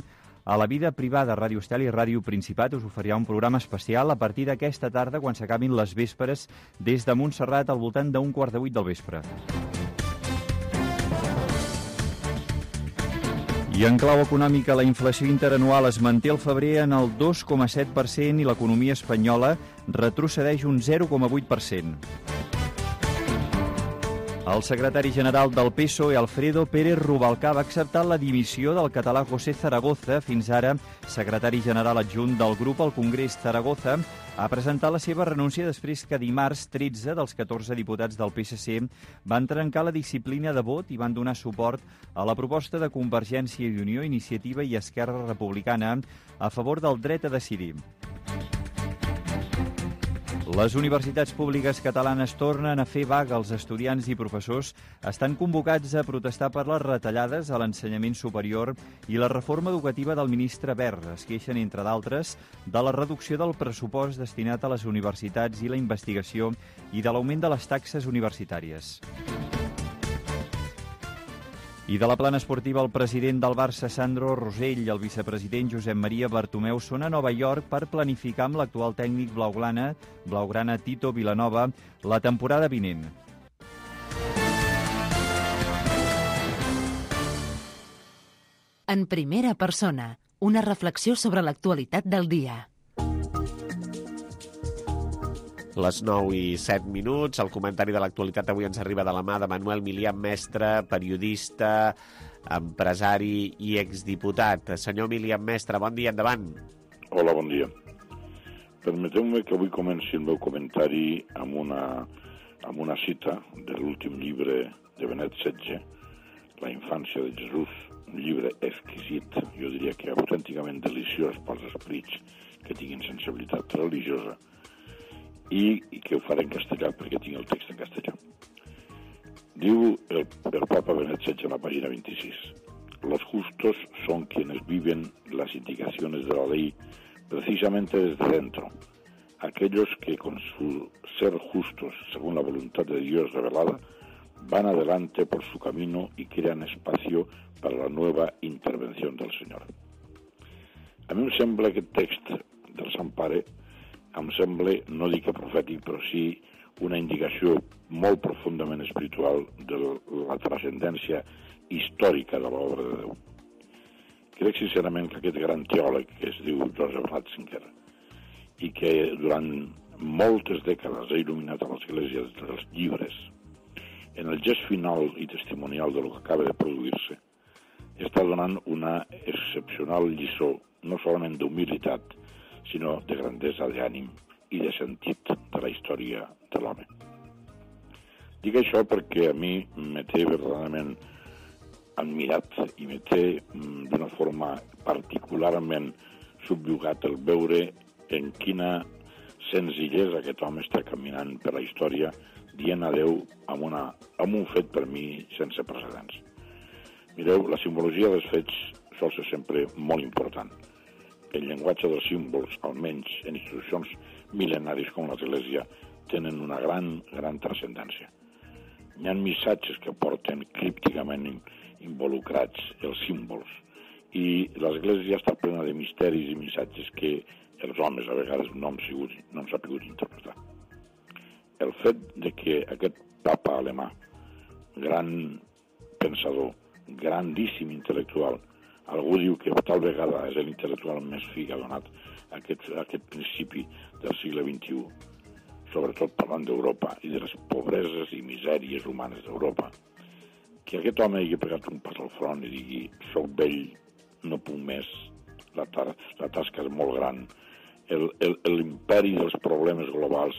a la vida privada. Ràdio Estel i Ràdio Principat us oferirà un programa especial a partir d'aquesta tarda quan s'acabin les vespres des de Montserrat al voltant d'un 7:15 del vespre. I en clau econòmica, la inflació interanual es manté al febrer en el 2,7% i l'economia espanyola retrocedeix un 0,8%. El secretari general del PSOE, Alfredo Pérez Rubalcaba, ha acceptat la dimissió del català José Zaragoza, fins ara secretari general adjunt del grup al Congrés. Zaragoza ha presentat la seva renúncia després que dimarts 13 dels 14 diputats del PSC van trencar la disciplina de vot i van donar suport a la proposta de Convergència i Unió, Iniciativa i Esquerra Republicana a favor del dret a decidir. Les universitats públiques catalanes tornen a fer vaga. Els estudiants i professors estan convocats a protestar per les retallades a l'ensenyament superior i la reforma educativa del ministre Wert. Es queixen, entre d'altres, de la reducció del pressupost destinat a les universitats i la investigació i de l'augment de les taxes universitàries. I de la plana esportiva, el president del Barça, Sandro Rosell, i el vicepresident Josep Maria Bartomeu són a Nova York per planificar amb l'actual tècnic blaugrana Tito Vilanova la temporada vinent. En primera persona, una reflexió sobre l'actualitat del dia. Les 9:07, el comentari de l'actualitat avui ens arriba de la mà de Manuel Milian, mestre, periodista, empresari i exdiputat. Senyor Milian, mestre, bon dia, endavant. Hola, bon dia. Permeteu-me que avui comenci el meu comentari amb una cita de l'últim llibre de Benet XVI, La infància de Jesús, un llibre exquisit, jo diria que autènticament deliciós pels esprits que tinguin sensibilitat religiosa, i que ho faré en castellà perquè tinc el text en castellà. Diu el Papa Benet XVI en la pàgina 26: los justos son quienes viven las indicaciones de la ley precisamente desde dentro, aquellos que con su ser justos según la voluntad de Dios revelada, van adelante por su camino y crean espacio para la nueva intervención del Senyor. A mi em sembla aquest text del Sant Pare, em sembla, no dic que profètic, però sí una indicació molt profundament espiritual de la transcendència històrica de l'obra de Déu. Crec sincerament que aquest gran teòleg que es diu Joseph Ratzinger i que durant moltes dècades ha il·luminat a l'Església dels llibres, en el gest final i testimonial de lo que acaba de produir-se, està donant una excepcional lliçó, no solament d'humilitat, sinó de grandesa d'ànim i de sentit de la història de l'home. Dic això perquè a mi me té verdaderament admirat i me té d'una forma particularment subjugat el veure en quina senzillesa aquest home està caminant per la història dient adeu amb un fet per mi sense precedents. Mireu, la simbologia dels fets sol ser sempre molt important. El llenguatge dels símbols, almenys en institucions mil·lenaris com l'Església, tenen una gran transcendència. Hi ha missatges que porten crípticament involucrats els símbols i l'Església està plena de misteris i missatges que els homes a vegades no han sabut interpretar. El fet de que aquest papa alemà, gran pensador, grandíssim intel·lectual, algú diu que tal vegada és l'intel·lectual més fi que ha donat aquest principi del segle XXI, sobretot parlant d'Europa i de les pobreses i misèries humanes d'Europa, que aquest home hagi pegat un pas al front i digui soc vell, no puc més, la tasca és molt gran, l'imperi dels problemes globals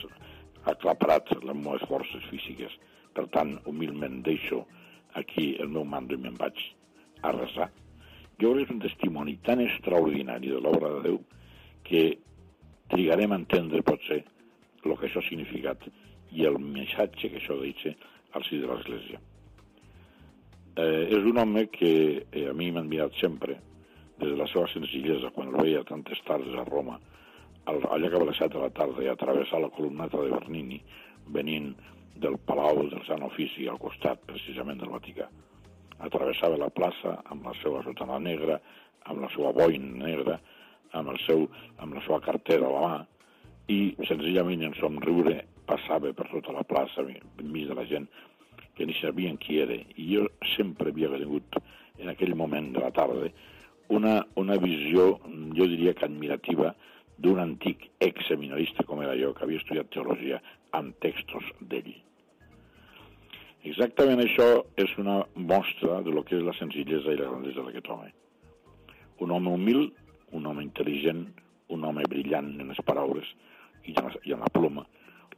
ha aclaparat les meves forces físiques, per tant, humilment deixo aquí el meu mando i me'n vaig a resar. Jo crec que és un testimoni tan extraordinari de l'obra de Déu que trigarem a entendre, potser, el que això ha significat i el missatge que això deixa al si de l'Església. És un home que a mi m'ha admirat sempre, des de la seva senzillesa, quan el veia tantes tardes a Roma, allà que a les 7 de la tarda i a travessar la columnata de Bernini, venint del Palau del Sant Ofici al costat, precisament, del Vaticà. Atravessava la plaça amb la seva sotana negra, amb la seva boina negra, amb la seva cartera a la mà, i senzillament en somriure passava per tota la plaça, enmig de la gent que ni sabien qui era. I jo sempre havia tingut, en aquell moment de la tarda, una visió, jo diria que admirativa, d'un antic exseminarista com era jo, que havia estudiat teologia amb textos d'ell. Exactament això és una mostra de lo que és la senzillesa i la grandesa d'aquest home. Un home humil, un home intel·ligent, un home brillant en les paraules i en la ploma,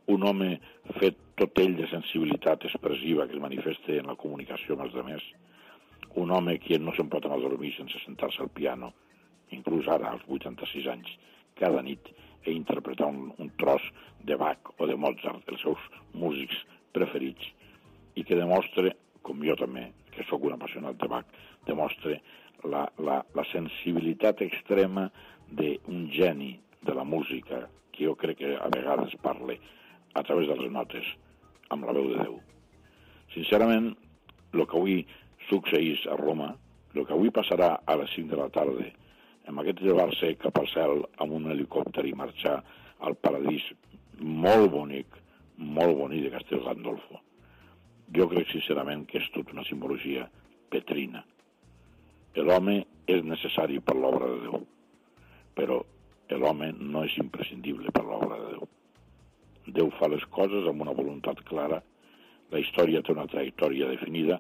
un home fet tot ell de sensibilitat expressiva que es manifesta en la comunicació amb els altres, un home que no se'n pot anar a dormir sense sentar-se al piano, inclús ara, als 86 anys, cada nit, i interpretar un tros de Bach o de Mozart, els seus músics preferits, i que demostra, com jo també, que sóc un apassionat de Bach, demostra la sensibilitat extrema d'un geni de la música, que jo crec que a vegades parla a través de les notes amb la veu de Déu. Sincerament, el que avui succeís a Roma, el que avui passarà a les 5 de la tarda, amb aquest llevar-se cap al cel amb un helicòpter i marxar al paradís molt bonic de Castel Gandolfo. Jo crec sincerament que és tot una simbologia petrina. L'home és necessari per l'obra de Déu, però l'home no és imprescindible per l'obra de Déu. Déu fa les coses amb una voluntat clara, la història té una trajectòria definida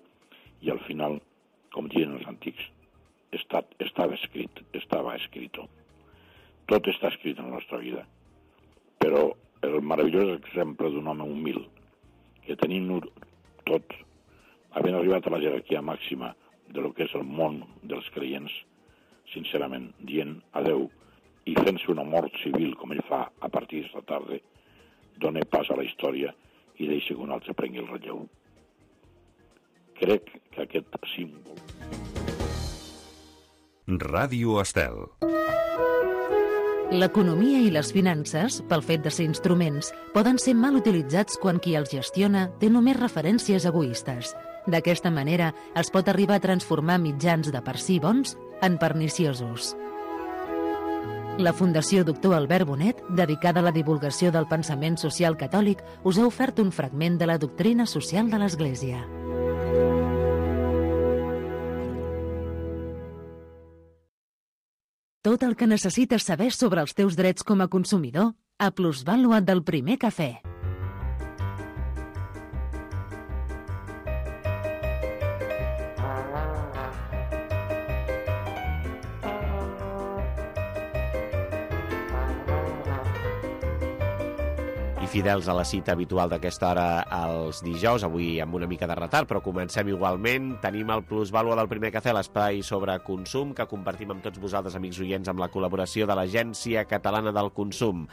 i al final, com diuen els antics, estava escrito. Tot està escrit en la nostra vida. Però el meravellós exemple d'un home humil, que tenim tot, havent arribat a la jerarquia màxima de lo que és el món dels creients, sincerament, dient adeu i fent-se una mort civil, com ell fa a partir d'esta tarda, dona pas a la història i deixa que un altre prengui el relleu. Crec que aquest símbol... Ràdio Estel. L'economia i les finances, pel fet de ser instruments, poden ser mal utilitzats quan qui els gestiona té només referències egoistes. D'aquesta manera, es pot arribar a transformar mitjans de per si bons en perniciosos. La Fundació Doctor Albert Bonet, dedicada a la divulgació del pensament social catòlic, us ha ofert un fragment de la doctrina social de l'Església. Tot el que necessites saber sobre els teus drets com a consumidor a Plusvàlua del Primer Cafè. Fidels a la cita habitual d'aquesta hora els dijous, avui amb una mica de retard, però comencem igualment. Tenim el Plusvàlua del Primer Cafè, l'espai sobre consum, que compartim amb tots vosaltres, amics oients, amb la col·laboració de l'Agència Catalana del Consum.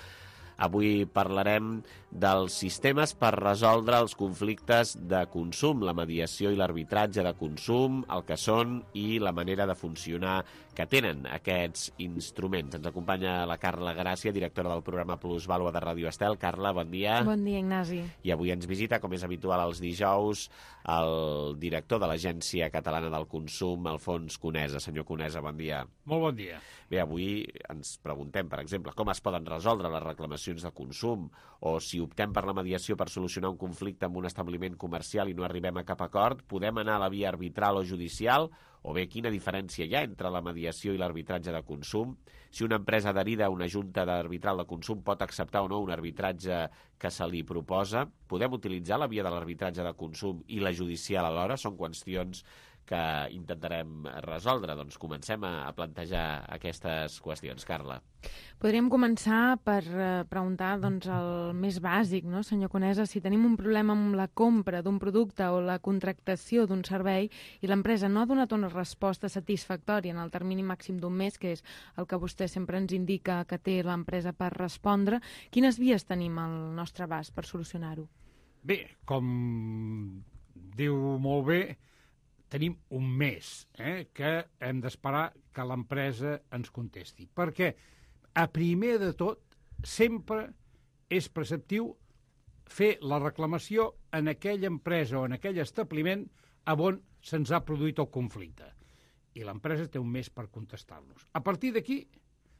Avui parlarem dels sistemes per resoldre els conflictes de consum, la mediació i l'arbitratge de consum, el que són i la manera de funcionar que tenen aquests instruments. Ens acompanya la Carla Gràcia, directora del programa Plusvàlua de Ràdio Estel. Carla, bon dia. Bon dia, Ignasi. I avui ens visita, com és habitual els dijous, el director de l'Agència Catalana del Consum, Alfons Conesa. Senyor Conesa, bon dia. Molt bon dia. Bé, avui ens preguntem, per exemple, com es poden resoldre les reclamacions de consum, o si optem per la mediació per solucionar un conflicte amb un establiment comercial i no arribem a cap acord, podem anar a la via arbitral o judicial, o bé quina diferència hi ha entre la mediació i l'arbitratge de consum, si una empresa adherida a una junta d'arbitral de consum pot acceptar o no un arbitratge que se li proposa, podem utilitzar la via de l'arbitratge de consum i la judicial alhora, són qüestions que intentarem resoldre. Doncs comencem a plantejar aquestes qüestions. Carla. Podríem començar per preguntar el més bàsic, no, senyor Conesa, si tenim un problema amb la compra d'un producte o la contractació d'un servei i l'empresa no ha donat una resposta satisfactòria en el termini màxim d'un mes, que és el que vostè sempre ens indica que té l'empresa per respondre, quines vies tenim al nostre abast per solucionar-ho? Bé, com diu molt bé, tenim un mes que hem d'esperar que l'empresa ens contesti. Perquè, a primer de tot, sempre és preceptiu fer la reclamació en aquella empresa o en aquell establiment on se'ns ha produït el conflicte. I l'empresa té un mes per contestar-nos. A partir d'aquí,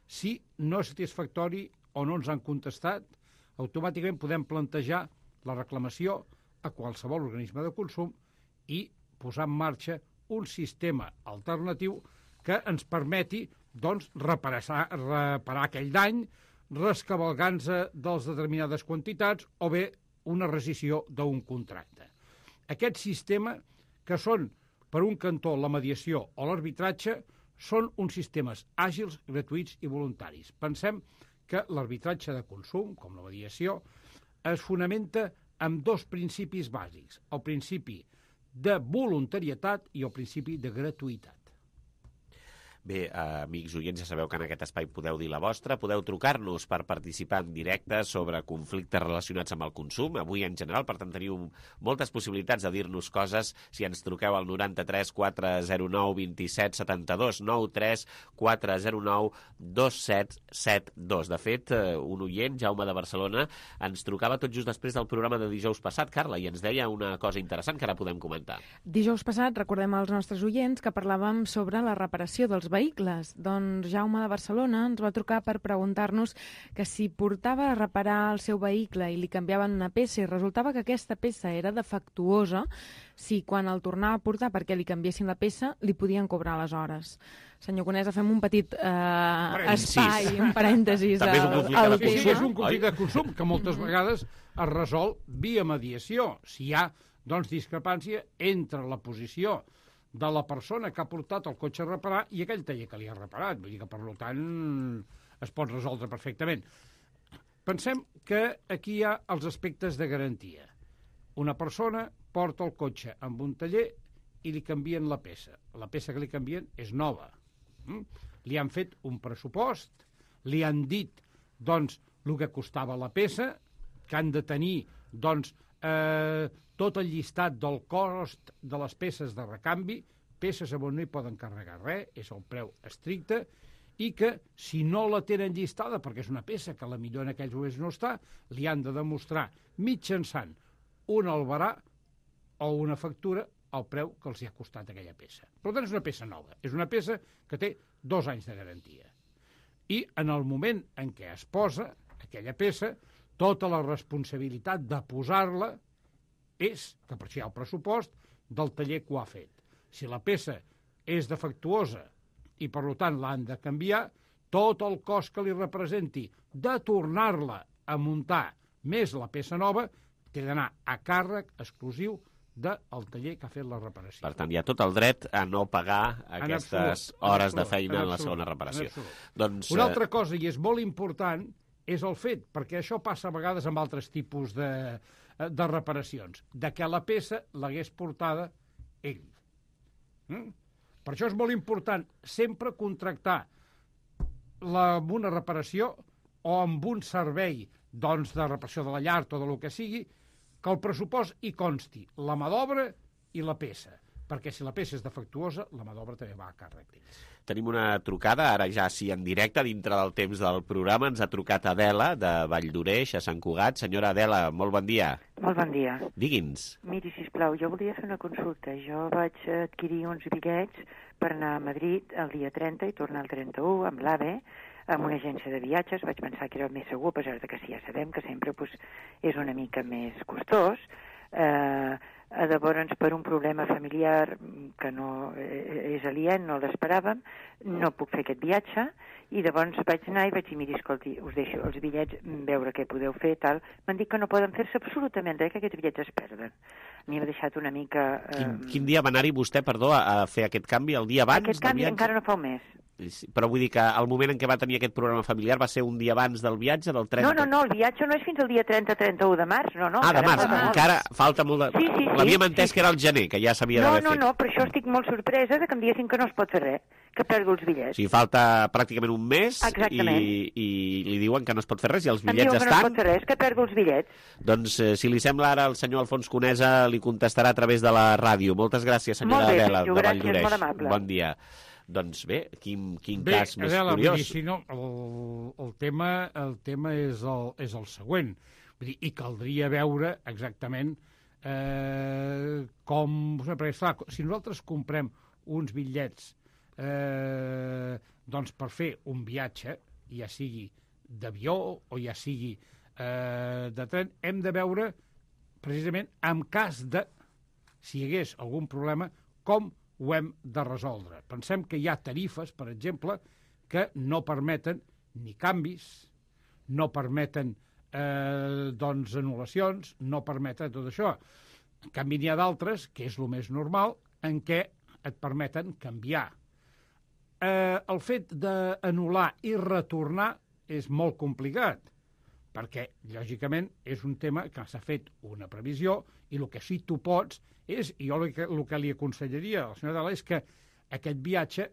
si no és satisfactori o no ens han contestat, automàticament podem plantejar la reclamació a qualsevol organisme de consum i posar en marxa un sistema alternatiu que ens permeti reparar aquell dany, rescabalgant-se dels determinades quantitats o bé una rescissió d'un contracte. Aquest sistema, que són, per un cantó, la mediació o l'arbitratge, són uns sistemes àgils, gratuïts i voluntaris. Pensem que l'arbitratge de consum, com la mediació, es fonamenta en dos principis bàsics. El principi de voluntarietat i el principi de gratuïtat. Bé, amics oients, ja sabeu que en aquest espai podeu dir la vostra, podeu trucar-nos per participar en directe sobre conflictes relacionats amb el consum. Avui, en general, per tant, teniu moltes possibilitats de dir-nos coses si ens truqueu al 93 409 27 72, 93 409 2772. De fet, un oient, Jaume de Barcelona, ens trucava tot just després del programa de dijous passat, Carla, i ens deia una cosa interessant que ara podem comentar. Dijous passat, recordem als nostres oients que parlàvem sobre la reparació dels vehicles. Doncs Jaume de Barcelona ens va trucar per preguntar-nos que si portava a reparar el seu vehicle i li canviaven una peça i resultava que aquesta peça era defectuosa, si quan el tornava a portar perquè li canviessin la peça li podien cobrar les hores. Senyor Conesa, fem un petit espai, un parèntesis. També és un conflicte de consum. És un conflicte de consum que moltes vegades es resol via mediació. Si hi ha, discrepància entre la posició de la persona que ha portat el cotxe a reparar i aquell taller que li ha reparat. Vull dir que, per tant, es pot resoldre perfectament. Pensem que aquí hi ha els aspectes de garantia. Una persona porta el cotxe amb un taller i li canvien la peça. La peça que li canvien és nova. Li han fet un pressupost, li han dit, el que costava la peça, que han de tenir, tot el llistat del cost de les peces de recanvi, peces on no hi poden carregar res, és el preu estricte, i que, si no la tenen llistada, perquè és una peça que la millor en aquells moments no està, li han de demostrar mitjançant un albarà o una factura el preu que els hi ha costat aquella peça. Per tant, és una peça nova. És una peça que té 2 anys de garantia. I en el moment en què es posa aquella peça, tota la responsabilitat de posar-la és, que per això hi ha el pressupost, del taller que ho ha fet. Si la peça és defectuosa i, per tant, l'han de canviar, tot el cost que li representi de tornar-la a muntar més la peça nova té d'anar a càrrec exclusiu del taller que ha fet la reparació. Per tant, hi ha tot el dret a no pagar aquestes hores de feina en la segona reparació. Doncs, una altra cosa, i és molt important, és el fet, perquè això passa a vegades amb altres tipus de reparacions, de que la peça l'hagués portada ell. Per això és molt important sempre contractar amb una reparació o amb un servei doncs, de reparació de la llar o del que sigui, que el pressupost hi consti la mà d'obra i la peça, perquè si la peça és defectuosa, la mà d'obra també va a càrrec d'ells. Tenim una trucada, ara ja sí en directe, dintre del temps del programa. Ens ha trucat Adela, de Valldoreix, a Sant Cugat. Senyora Adela, molt bon dia. Molt bon dia. Digui'ns. Miri, sisplau, jo volia fer una consulta. Jo vaig adquirir uns bitllets per anar a Madrid el dia 30 i tornar el 31 amb l'AVE, amb una agència de viatges. Vaig pensar que era el més segur, a pesar de que sí, ja sabem que sempre és una mica més costós. Llavors, per un problema familiar que no és aliè, no l'esperàvem, no puc fer aquest viatge, i llavors vaig anar i vaig dir, miri, escolti, us deixo els bitllets, veure què podeu fer, tal. M'han dit que no poden fer-se absolutament res, que aquests bitllets es perden. A mi m'ha deixat una mica... Quin dia va anar-hi vostè, perdó, a fer aquest canvi? El dia abans? Aquest canvi encara no fa un mes. Però vull dir que el moment en què va tenir aquest programa familiar va ser un dia abans del viatge, del 30... No, el viatge no és fins al dia 30-31 de març, no. Ah, de març, encara falta molt de... Sí. L'havíem entès que era el gener, que ja s'havia d'haver fet. No, per això estic molt sorpresa de que em diguessin que no es pot fer res, que perdo els bitllets. O sigui, falta pràcticament un mes i li diuen que no es pot fer res i els bitllets estan... Em diuen que no es pot fer res, que perdo els bitllets. Doncs, si li sembla ara, el senyor Alfons Conesa li contestarà a través de la ràdio. Moltes gràcies, senyora Adela, de Valldoreix. Molt amable. Bon dia. Doncs bé, quin cas més curiós. Si no, el tema és el següent. Vull dir, i caldria veure exactament com... Perquè, clar, si nosaltres comprem uns bitllets doncs per fer un viatge, ja sigui d'avió o ja sigui de tren, hem de veure precisament en cas de, si hi hagués algun problema, com ho hem de resoldre. Pensem que hi ha tarifes, per exemple, que no permeten ni canvis, no permeten doncs anul·lacions, no permeten tot això. En canvi, n'hi ha d'altres, que és el més normal, en què et permeten canviar. El fet d'anul·lar i retornar és molt complicat, perquè, lògicament, és un tema que s'ha fet una previsió i el que sí tu pots és, i jo el que li aconsellaria a la senyora Adela és que aquest viatge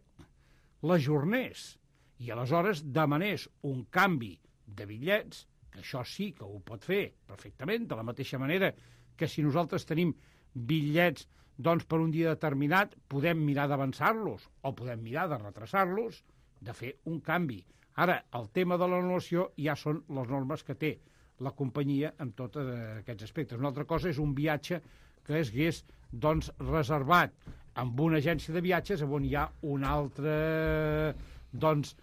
l'ajornés i aleshores demanés un canvi de bitllets, que això sí que ho pot fer perfectament, de la mateixa manera que si nosaltres tenim bitllets doncs per un dia determinat podem mirar d'avançar-los o podem mirar de retrasar-los, de fer un canvi. Ara, el tema de l'anul·lació ja són les normes que té la companyia en tots aquests aspectes. Una altra cosa és un viatge que es hagués doncs, reservat amb una agència de viatges on hi ha una altra doncs,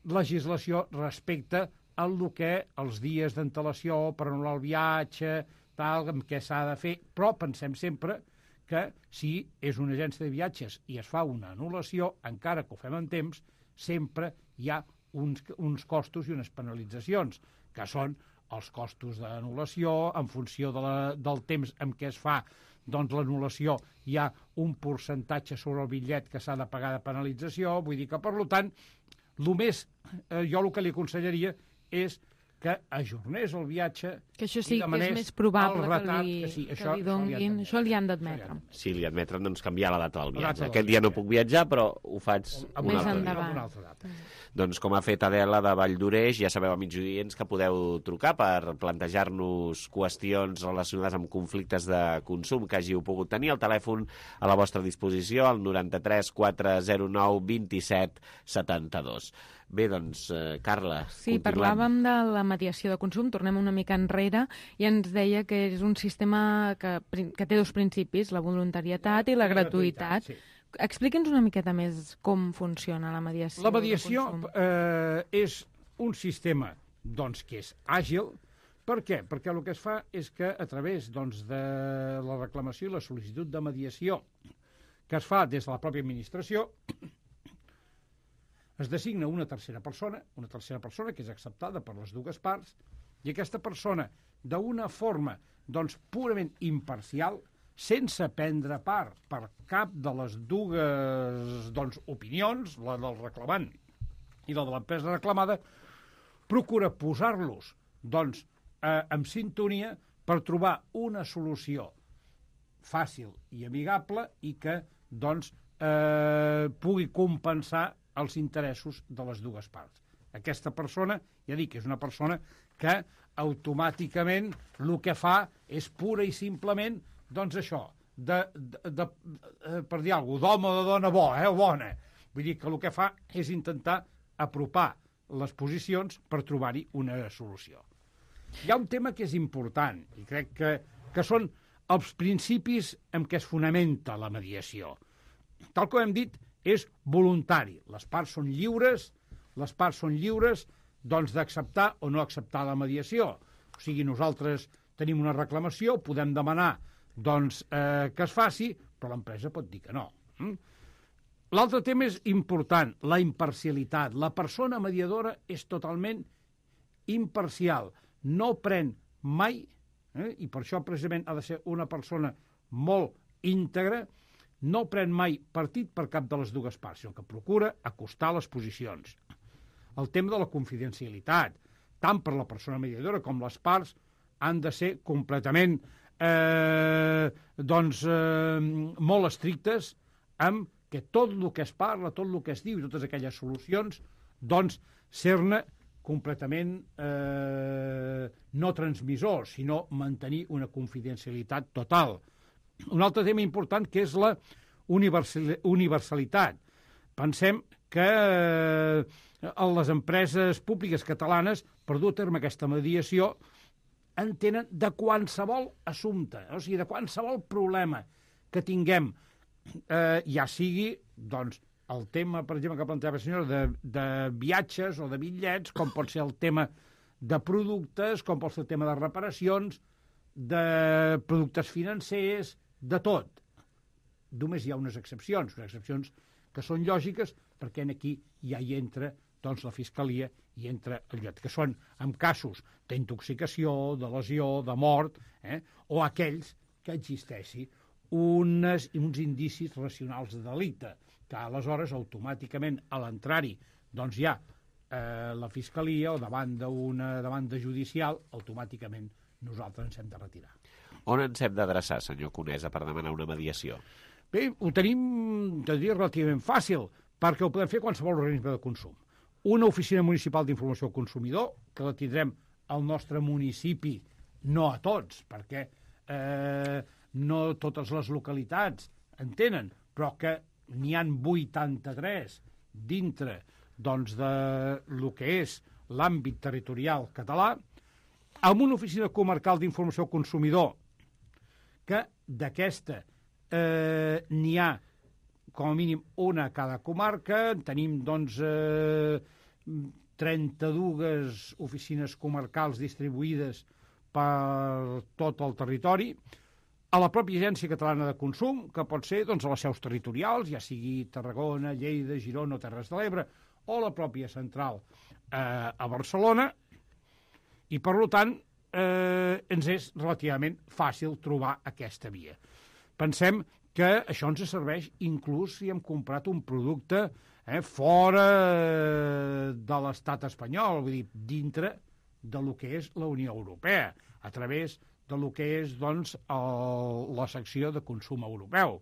legislació respecte al que els dies d'antelació per anul·lar el viatge, tal, amb què s'ha de fer, però pensem sempre que si és una agència de viatges i es fa una anul·lació, encara que ho fem en temps, sempre hi ha uns costos i unes penalitzacions, que són els costos d'anul·lació, en funció del temps en què es fa doncs l'anul·lació, hi ha un percentatge sobre el bitllet que s'ha de pagar de penalització, vull dir que, per tant, jo el que li aconsellaria és que ajornés el viatge... Que això sí, que és més probable que li donguin. Això li han d'admetre. Sí, li admetren doncs, canviar la data del viatge. Aquest dia no puc viatjar, però ho faig una altra data. Doncs com ha fet Adela de Valldoreix, ja sabeu, amics oients, que podeu trucar per plantejar-nos qüestions relacionades amb conflictes de consum que hàgiu pogut tenir. El telèfon a la vostra disposició, el 93 409 27 72. Bé, doncs, Carla, sí, parlàvem de la mediació de consum, tornem una mica enrere, i ens deia que és un sistema que té dos principis, la voluntarietat i la gratuïtat. Sí. Expliqui'ns una miqueta més com funciona la mediació. La mediació és un sistema doncs, que és àgil. Per què? Perquè el que es fa és que a través doncs, de la reclamació i la sol·licitud de mediació que es fa des de la pròpia administració, es designa una tercera persona que és acceptada per les dues parts, i aquesta persona, d'una forma doncs, purament imparcial, sense prendre part per cap de les dues doncs, opinions, la del reclamant i la de l'empresa reclamada, procura posar-los doncs, en sintonia per trobar una solució fàcil i amigable i que doncs, pugui compensar els interessos de les dues parts. Aquesta persona, ja dic, és una persona que automàticament el que fa és pura i simplement doncs això, per dir alguna cosa, d'home o de dona bo, bona. Vull dir que el que fa és intentar apropar les posicions per trobar-hi una solució. Hi ha un tema que és important, i crec que són els principis en què es fonamenta la mediació. Tal com hem dit, és voluntari. Les parts són lliures doncs, d'acceptar o no acceptar la mediació. O sigui, nosaltres tenim una reclamació, podem demanar doncs, que es faci, però l'empresa pot dir que no. L'altre tema és important, la imparcialitat. La persona mediadora és totalment imparcial. No pren mai, i per això precisament ha de ser una persona molt íntegra, no pren mai partit per cap de les dues parts, sinó que procura acostar les posicions. El tema de la confidencialitat, tant per la persona mediadora com les parts, han de ser completament molt estrictes amb que tot el que es parla, tot el que es diu i totes aquelles solucions, doncs, ser-ne completament no transmissors, sinó mantenir una confidencialitat total. Un altre tema important que és la universalitat. Pensem que les empreses públiques catalanes, per dur a terme aquesta mediació, entenen de qualsevol assumpte, o sigui, de qualsevol problema que tinguem, ja sigui doncs, el tema, per exemple, que plantejava la senyora, de viatges o de bitllets, com pot ser el tema de productes, com pot ser el tema de reparacions, de productes financers, de tot. Només hi ha unes excepcions que són lògiques, perquè aquí ja hi entra doncs, la Fiscalia i entra el lloc, que són en casos d'intoxicació, de lesió, de mort, o aquells que existeixi uns indicis racionals de delicte, que aleshores automàticament a l'entrar-hi doncs hi ha la Fiscalia o davant d'una demanda judicial, automàticament nosaltres ens hem de retirar. On ens hem d'adreçar, senyor Conesa, per demanar una mediació? Bé, ho tenim, te diria, relativament fàcil, perquè ho podem fer qualsevol organisme de consum. Una oficina municipal d'informació al consumidor, que la tindrem al nostre municipi, no a tots, perquè no totes les localitats en tenen, però que n'hi han 83 dintre doncs, de lo que és l'àmbit territorial català, amb una oficina comarcal d'informació al consumidor, que d'aquesta n'hi ha com a mínim una a cada comarca, tenim doncs 32 oficines comarcals distribuïdes per tot el territori, a la pròpia Agència Catalana de Consum, que pot ser doncs, a les seus territorials, ja sigui Tarragona, Lleida, Girona o Terres de l'Ebre, o la pròpia central a Barcelona, i per tant ens és relativament fàcil trobar aquesta via. Pensem que això ens serveix inclús si hem comprat un producte fora de l'estat espanyol, vull dir, dintre de lo que és la Unió Europea, a través de lo que és doncs, la secció de consum europeu.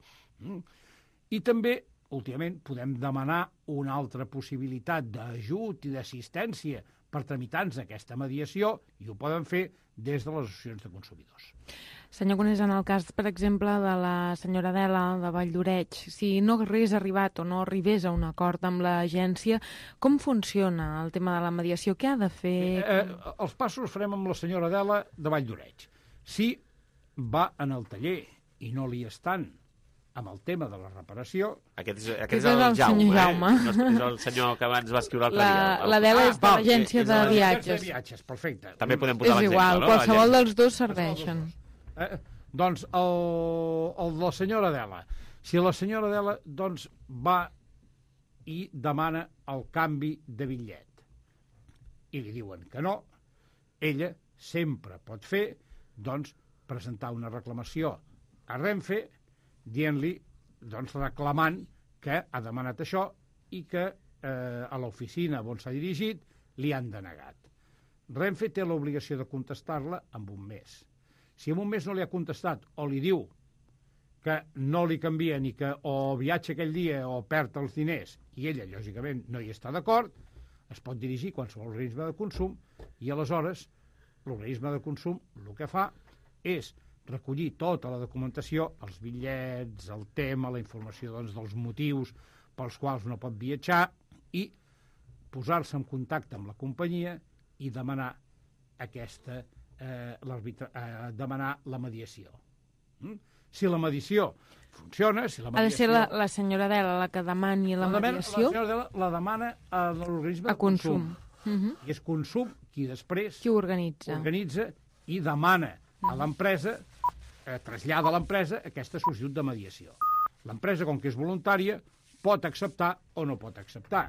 I també, últimament, podem demanar una altra possibilitat d'ajut i d'assistència per tramitants d'aquesta mediació, i ho poden fer des de les associacions de consumidors. Senyor Conés, en el cas, per exemple, de la senyora Adela de Valldoreix, si no hagués arribat o no arribés a un acord amb l'agència, com funciona el tema de la mediació? Què ha de fer? Els passos els farem amb la senyora Adela de Valldoreix. Si va en el taller i no li estan amb el tema de la reparació... Aquest és el Jaume. És el senyor que abans va escriure l'altre dia. L'Adela és de l'agència de viatges. Perfecte. També podem posar l'exemple, no? És igual, qualsevol dels dos serveixen. Doncs el de la senyora Adela. Si la senyora Adela doncs, va i demana el canvi de bitllet i li diuen que no, ella sempre pot fer doncs, presentar una reclamació a Renfe dient-li, doncs, reclamant que ha demanat això i que a l'oficina on s'ha dirigit li han denegat. Renfe té l'obligació de contestar-la en un mes. Si en un mes no li ha contestat o li diu que no li canvia ni que o viatja aquell dia o perd els diners i ella, lògicament, no hi està d'acord, es pot dirigir a qualsevol organisme de consum i aleshores l'organisme de consum el que fa és recollir tota la documentació, els bitllets, el tema, la informació doncs, dels motius pels quals no pot viatjar i posar-se en contacte amb la companyia i demanar demanar la mediació. Si la mediació funciona, si la mediació... Ha de ser la senyora Adela la que demani la mediació? La senyora Adela la demana a l'organisme de consum. I és consum qui després... Qui ho organitza i demana a l'empresa, trasllada a l'empresa aquesta sol·licitud de mediació. L'empresa, com que és voluntària, pot acceptar o no pot acceptar.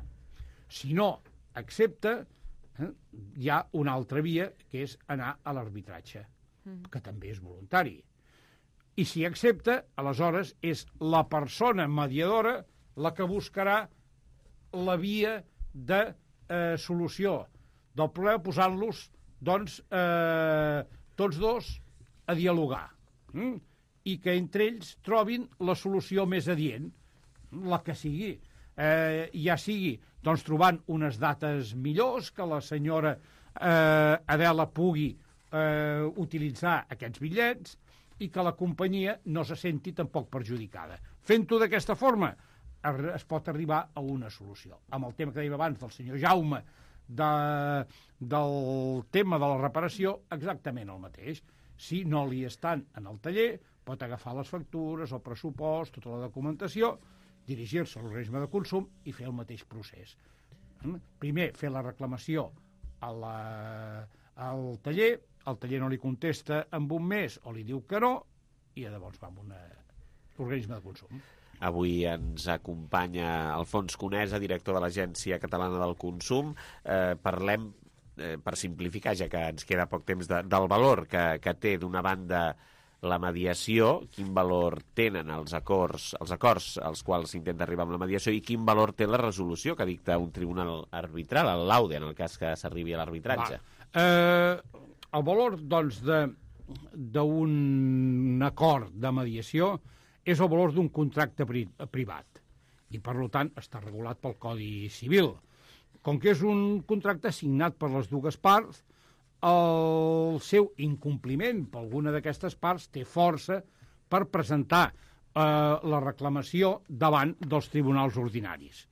Si no accepta, hi ha una altra via, que és anar a l'arbitratge, que també és voluntari. I si accepta, aleshores és la persona mediadora la que buscarà la via de solució del problema, posant-los, doncs, tots dos a dialogar. I que entre ells trobin la solució més adient, la que sigui. Ja sigui doncs, trobant unes dates millors, que la senyora Adela pugui utilitzar aquests bitllets i que la companyia no se senti tampoc perjudicada. Fent-ho d'aquesta forma es pot arribar a una solució. Amb el tema que dèiem abans del senyor Jaume del tema de la reparació, exactament el mateix. Si no li estan en el taller, pot agafar les factures, el pressupost, tota la documentació, dirigir-se a l'organisme de consum i fer el mateix procés. Primer, fer la reclamació al taller, el taller no li contesta en un mes o li diu que no, i llavors va amb un organisme de consum. Avui ens acompanya Alfons Conesa, director de l'Agència Catalana del Consum. Parlem, per simplificar, ja que ens queda poc temps, del valor que té, d'una banda, la mediació, quin valor tenen els acords als quals s'intenta arribar amb la mediació i quin valor té la resolució que dicta un tribunal arbitral, el laude, en el cas que s'arribi a l'arbitratge. El valor, doncs, d'un acord de mediació és el valor d'un contracte privat i, per tant, està regulat pel Codi Civil. Com que és un contracte signat per les dues parts, el seu incompliment per alguna d'aquestes parts té força per presentar la reclamació davant dels tribunals ordinaris.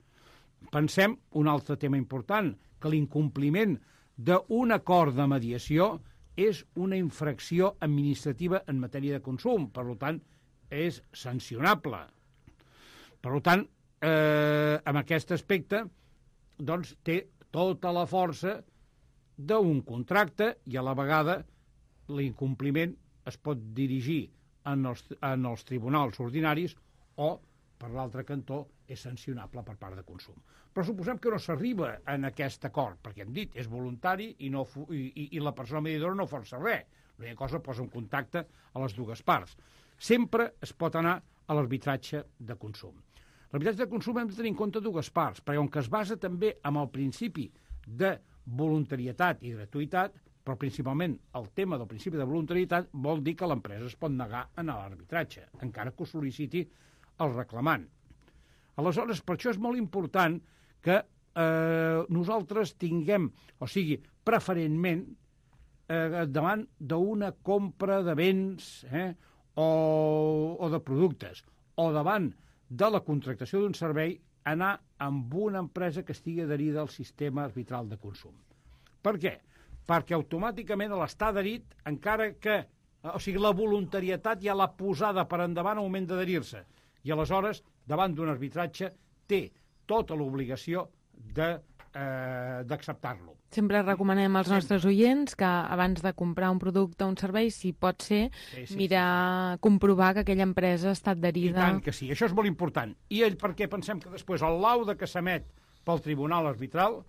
Pensem un altre tema important, que l'incompliment d'un acord de mediació és una infracció administrativa en matèria de consum, per tant, és sancionable. Per tant, en aquest aspecte, doncs, té tota la força d'un contracte i a la vegada l'incompliment es pot dirigir en els tribunals ordinaris o, per l'altre cantó, és sancionable per part de consum. Però suposem que no s'arriba en aquest acord, perquè hem dit, és voluntari i la persona mediadora no força res. L'única cosa posa en contacte a les dues parts. Sempre es pot anar a l'arbitratge de consum. L'arbitratge de consum hem de tenir en compte dues parts, perquè com que es basa també en el principi de voluntarietat i gratuïtat, però principalment el tema del principi de voluntarietat vol dir que l'empresa es pot negar a anar a l'arbitratge, encara que ho sol·liciti el reclamant. Aleshores, per això és molt important que nosaltres tinguem, o sigui, preferentment, davant d'una compra de béns o de productes, o davant de la contractació d'un servei, anar amb una empresa que estigui adherida al sistema arbitral de consum. Per què? Perquè automàticament l'estar adherit, encara que... O sigui, la voluntarietat ja l'ha posada per endavant al moment d'adherir-se. I aleshores, davant d'un arbitratge, té tota l'obligació d'acceptar-lo. Sempre recomanem als nostres oients que abans de comprar un producte o un servei, si pot ser, comprovar que aquella empresa està adherida... I tant que sí, això és molt important. I perquè pensem que després el laude que s'emet pel tribunal arbitral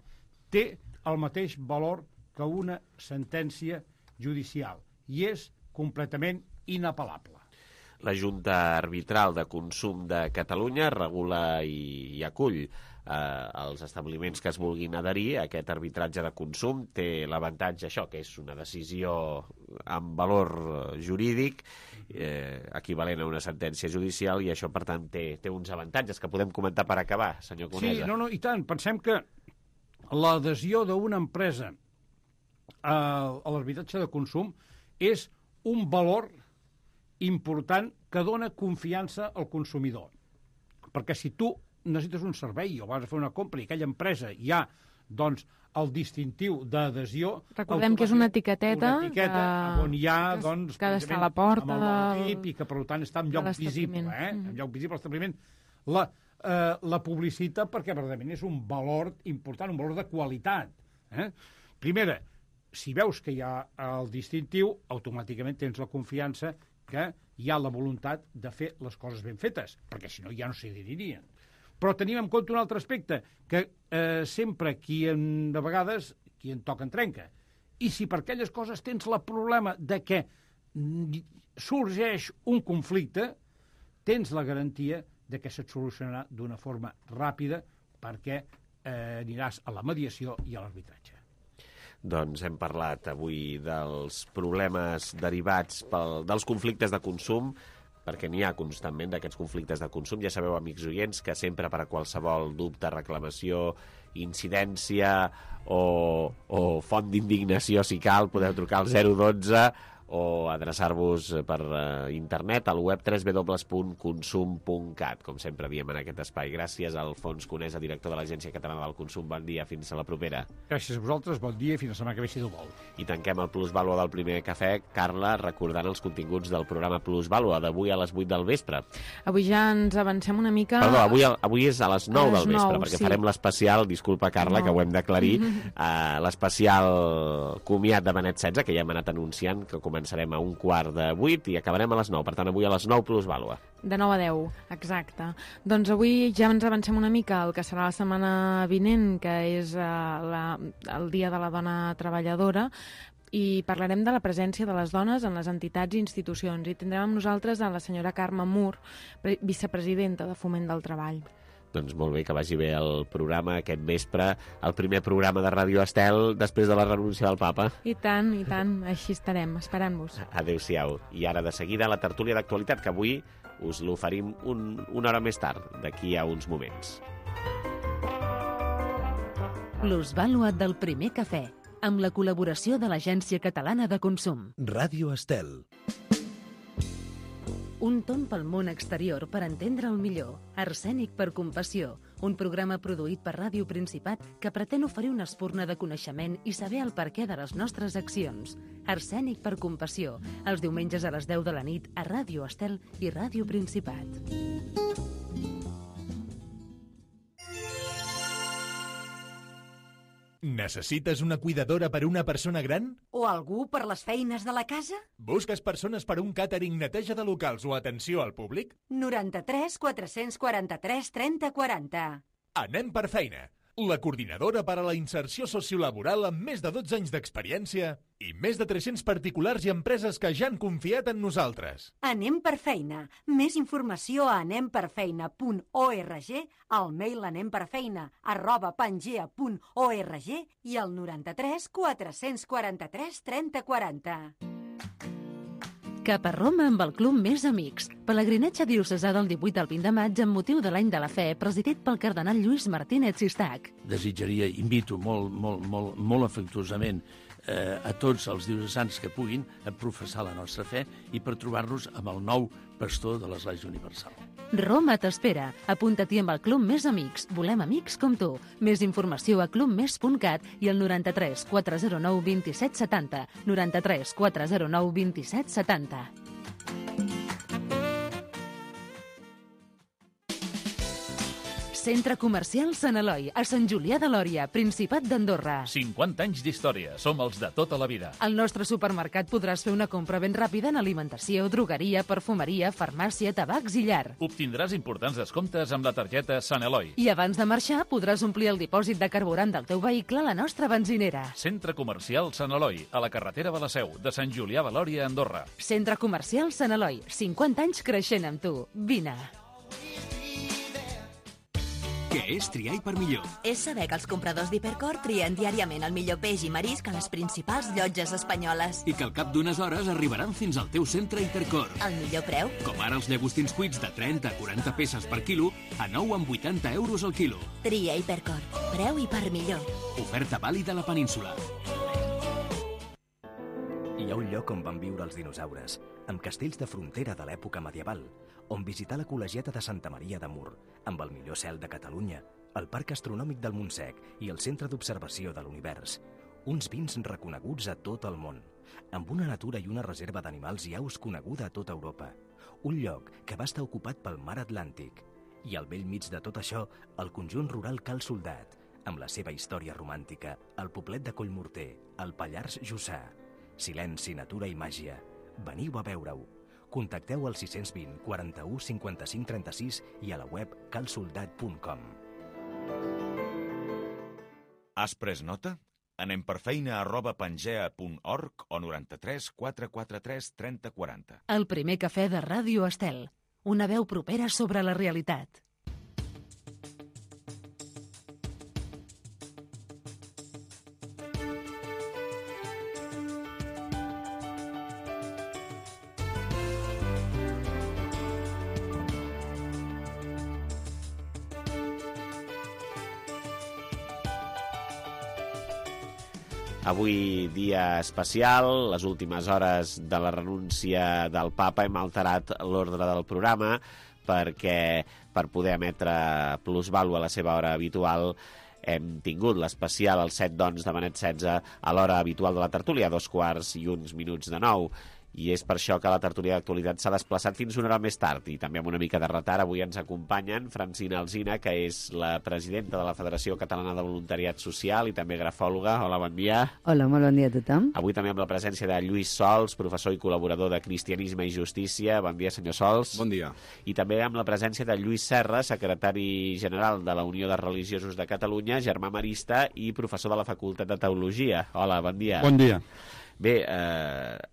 té el mateix valor que una sentència judicial i és completament inapel·lable. La Junta Arbitral de Consum de Catalunya regula i acull els establiments que es vulguin adherir a aquest arbitratge de consum. Té l'avantatge, això, que és una decisió amb valor jurídic, equivalent a una sentència judicial, i això, per tant, té uns avantatges que podem comentar per acabar, senyor Conesa. Sí, i tant. Pensem que l'adhesió d'una empresa a l'arbitratge de consum és un valor important que dona confiança al consumidor. Perquè si tu necessites un servei o vas a fer una compra i aquella empresa hi ha, doncs, el distintiu d'adhesió... Recordem que és una etiqueta on hi ha, doncs, que ha d'estar a la porta i que, per tant, està en lloc visible. En lloc visible, l'establiment la publicita perquè, verdaderament, és un valor important, un valor de qualitat. Primera, si veus que hi ha el distintiu, automàticament tens la confiança que hi ha la voluntat de fer les coses ben fetes, perquè si no ja no s'hi adheririen. Però tenim en compte un altre aspecte, que sempre de vegades qui en toca en trenca. I si per aquelles coses tens el problema de que sorgeix un conflicte, tens la garantia de que se't solucionarà d'una forma ràpida perquè aniràs a la mediació i a l'arbitratge. Doncs hem parlat avui dels problemes derivats dels conflictes de consum, perquè n'hi ha constantment d'aquests conflictes de consum. Ja sabeu, amics oients, que sempre per a qualsevol dubte, reclamació, incidència o font d'indignació, si cal, podeu trucar al 012 o adreçar-vos per internet al web www.consum.cat, com sempre diem en aquest espai. Gràcies a Alfons Conesa, director de l'Agència Catalana del Consum. Bon dia, fins a la propera. Gràcies a vosaltres, bon dia i fins la setmana que ve, si Déu vol. I tanquem el Plusvàlua del primer cafè, Carla, recordant els continguts del programa Plusvàlua d'avui a les 8 del vespre. Avui ja ens avancem una mica... Perdó, avui és a les 9 del vespre, perquè farem l'especial, disculpa, Carla, que ho hem d'aclarir, l'especial comiat de Benet XVI, que ja hem anat anunciant, que començarem a 7:15 i acabarem a les 9. Per tant, avui a les 9 Plusvàlua. De 9 a 10, exacte. Doncs avui ja ens avancem una mica el que serà la setmana vinent, que és el Dia de la Dona Treballadora, i parlarem de la presència de les dones en les entitats i institucions. I tindrem amb nosaltres a la senyora Carme Mur, vicepresidenta de Foment del Treball. Doncs molt bé, que vagi bé el programa aquest vespre, el primer programa de Ràdio Estel després de la renúncia del papa. I tant, així estarem, esperant-vos. Adéu-siau. I ara de seguida la tertúlia d'actualitat, que avui us l'oferim una hora més tard, d'aquí a uns moments. Plusvàlua del primer cafè, amb la col·laboració de l'Agència Catalana de Consum. Ràdio Estel. Un tomb pel món exterior per entendre'l millor. Arsènic per compassió, un programa produït per Ràdio Principat que pretén oferir una espurna de coneixement i saber el perquè de les nostres accions. Arsènic per compassió, els diumenges a les 10 de la nit a Ràdio Estel i Ràdio Principat. Necessites una cuidadora per a una persona gran? O algú per les feines de la casa? Busques persones per a un càtering, neteja de locals o atenció al públic? 93 443 30 40. Anem per feina. la coordinadora per a la inserció sociolaboral amb més de 12 anys d'experiència i més de 300 particulars i empreses que ja han confiat en nosaltres. Anem per feina. Més informació a anemperfeina.org, al mail anemperfeina@pangea.org i al 93 443 3040. Cap a Roma amb el Club Més Amics. Pelegrinatge diocesà del 18 al 20 de maig amb motiu de l'Any de la Fe, presidit pel cardenal Lluís Martínez Sistac. Desitjaria, invito molt afectuosament a tots els diocesans que puguin a professar la nostra fe i per trobar-nos amb el nou pastor de l'Església Universal. Roma t'espera. Apunta-t'hi amb el Club Més Amics. Volem amics com tu. Més informació a clubmes.cat i al 93 409 27 70. 93 409 27 70. Centre Comercial Sant Eloi, a Sant Julià de Lòria, Principat d'Andorra. 50 anys d'història. Som els de tota la vida. Al nostre supermercat podràs fer una compra ben ràpida en alimentació, drogueria, perfumeria, farmàcia, tabacs i llar. Obtindràs importants descomptes amb la targeta Sant Eloi. I abans de marxar podràs omplir el dipòsit de carburant del teu vehicle a la nostra benzinera. Centre Comercial Sant Eloi, a la carretera de la Seu, de Sant Julià de Lòria, Andorra. Centre Comercial Sant Eloi, 50 anys creixent amb tu. Vine. Què és triar per millor? És saber que els compradors d'Hipercor trien diàriament el millor peix i marisc a les principals llotges espanyoles. I que al cap d'unes hores arribaran fins al teu centre Hipercor. El millor preu? Com ara els llagostins cuits de 30 a 40 peces per quilo a 9,80 euros al quilo. Tria Hipercor. Preu i per millor. Oferta vàlida a la península. Hi ha un lloc on van viure els dinosaures, amb castells de frontera de l'època medieval, on visitar la col·legiata de Santa Maria de Mur, amb el millor cel de Catalunya, el Parc Astronòmic del Montsec i el Centre d'Observació de l'Univers. Uns vins reconeguts a tot el món, amb una natura i una reserva d'animals i aus coneguda a tota Europa. Un lloc que va estar ocupat pel mar Atlàntic. I al bell mig de tot això, el conjunt rural Cal Soldat, amb la seva història romàntica, el poblet de Collmorter, el Pallars Jussà. Silenci, natura i màgia. Veniu a veure-ho. Contacteu al 620 41 55 36 i a la web calsoldat.com. Has pres nota? Anem per feina@pangea.org o 93 443 3040. El primer cafè de Ràdio Estel. Una veu propera sobre la realitat. Avui dia especial, les últimes hores de la renúncia del papa, hem alterat l'ordre del programa perquè per poder emetre plusvàlua a la seva hora habitual hem tingut l'especial al 7 de Benet 16 a l'hora habitual de la tertúlia, 2:01 i és per això que la tertúlia d'actualitat s'ha desplaçat fins una hora més tard i també amb una mica de retard. Avui ens acompanyen Francina Alsina, que és la presidenta de la Federació Catalana de Voluntariat Social i també grafòloga. Hola, bon dia. Hola, molt bon dia a tothom. Avui també amb la presència de Lluís Sols, professor i col·laborador de Cristianisme i Justícia. Bon dia, senyor Sols. Bon dia. I també amb la presència de Lluís Serra, secretari general de la Unió de Religiosos de Catalunya, germà marista i professor de la Facultat de Teologia. Hola, bon dia. Bon dia. Bé,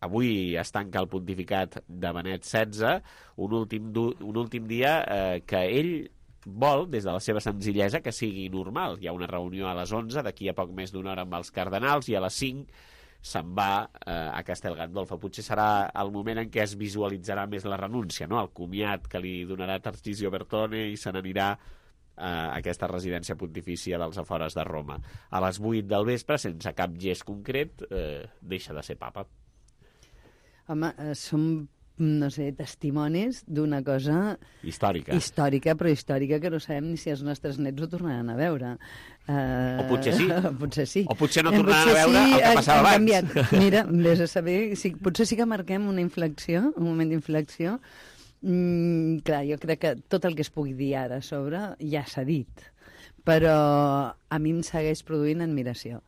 avui es tanca el pontificat de Benet XVI, un últim dia que ell vol, des de la seva senzillesa, que sigui normal. Hi ha una reunió a les 11, d'aquí a poc més d'una hora amb els cardenals, i a les 5 se'n va a Castel Gandolfo. Potser serà el moment en què es visualitzarà més la renúncia, no? El comiat que li donarà Tarcisio Bertone i se n'anirà a aquesta residència pontifícia dels afores de Roma. A les 8 del vespre, sense cap gest concret, deixa de ser papa. Home, som, no sé, testimonis d'una cosa... Històrica. Històrica, però històrica, que no sabem ni si els nostres nets ho tornaran a veure. O potser sí. Potser sí. O potser no tornaran a veure el que passava abans. Canviat. Mira, vés a saber, potser sí que marquem una inflexió, un moment d'inflexió. Clar, jo crec que tot el que es pugui dir ara a sobre ja s'ha dit, però a mi em segueix produint admiració.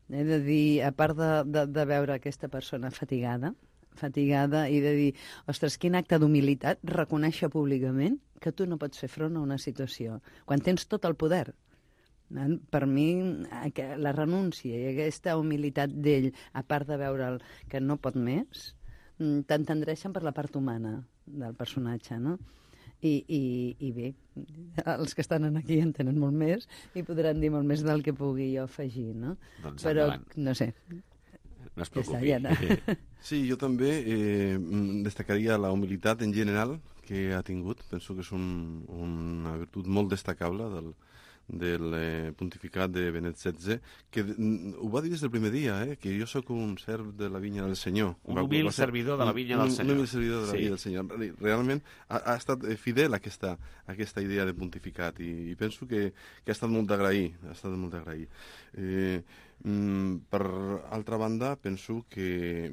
He de dir, a part de veure aquesta persona fatigada i de dir, ostres, quin acte d'humilitat reconèixer públicament que tu no pots fer front a una situació quan tens tot el poder. Per mi, la renúncia i aquesta humilitat d'ell, a part de veure'l que no pot més, t'entendreixen per la part humana del personatge, no? I bé, els que estan aquí en tenen molt més i podran dir molt més del que pugui jo afegir, no? Doncs però, endavant. No sé. No es preocupi. Sí, jo també destacaria la humilitat en general que ha tingut. Penso que és una virtut molt destacable del pontificat de Benet XVI, que ho va dir des del primer dia, que jo sóc un serv de la vinya del Senyor. Un humil servidor de la vinya del Senyor. Un humil servidor de la vinya del Senyor. Realment ha estat fidel a aquesta idea de pontificat i penso que ha estat molt d'agrair. Per altra banda, penso que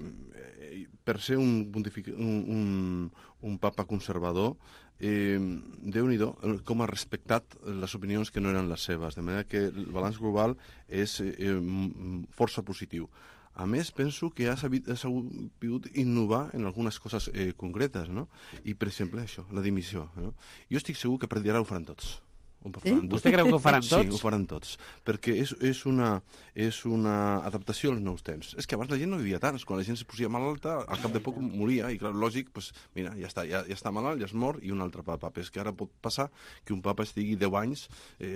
per ser un papa conservador, Déu-n'hi-do com ha respectat les opinions que no eren les seves, de manera que el balanç global és força positiu. A més, penso que ha sabut innovar en algunes coses concretes, no? I, per exemple, això, la dimissió. No? Jo estic segur que per dir ara ho faran tots. Vostè creu que ho faran tots? Sí, ho faran tots, perquè és una adaptació als nous temps. És que abans la gent no vivia tant, quan la gent se posia malalta, al cap de poc moria, i clar, lògic, pues, mira, ja està malalt, ja es mor, i un altre papa. És que ara pot passar que un papa estigui 10 anys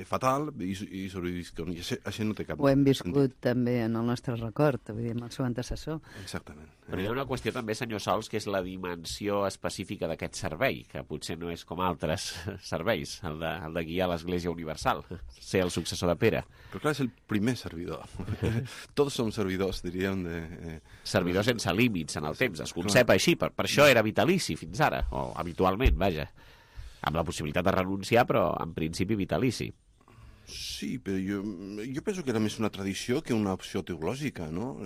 fatal i sobrevisqui. Això no té cap sentit. Ho hem viscut també en el nostre record, vull dir, amb el seu antecessor. Exactament. Però hi ha una qüestió també, senyor Sols, que és la dimensió específica d'aquest servei, que potser no és com altres serveis, el de guiar l'Església Universal, ser el successor de Pere. Però clar, és el primer servidor. Tots som servidors, diríem. Servidors sense límits en el temps, es concep així, per això era vitalici fins ara, o habitualment, vaja. Amb la possibilitat de renunciar, però en principi vitalici. Sí, però jo penso que era més una tradició que una opció teològica, no?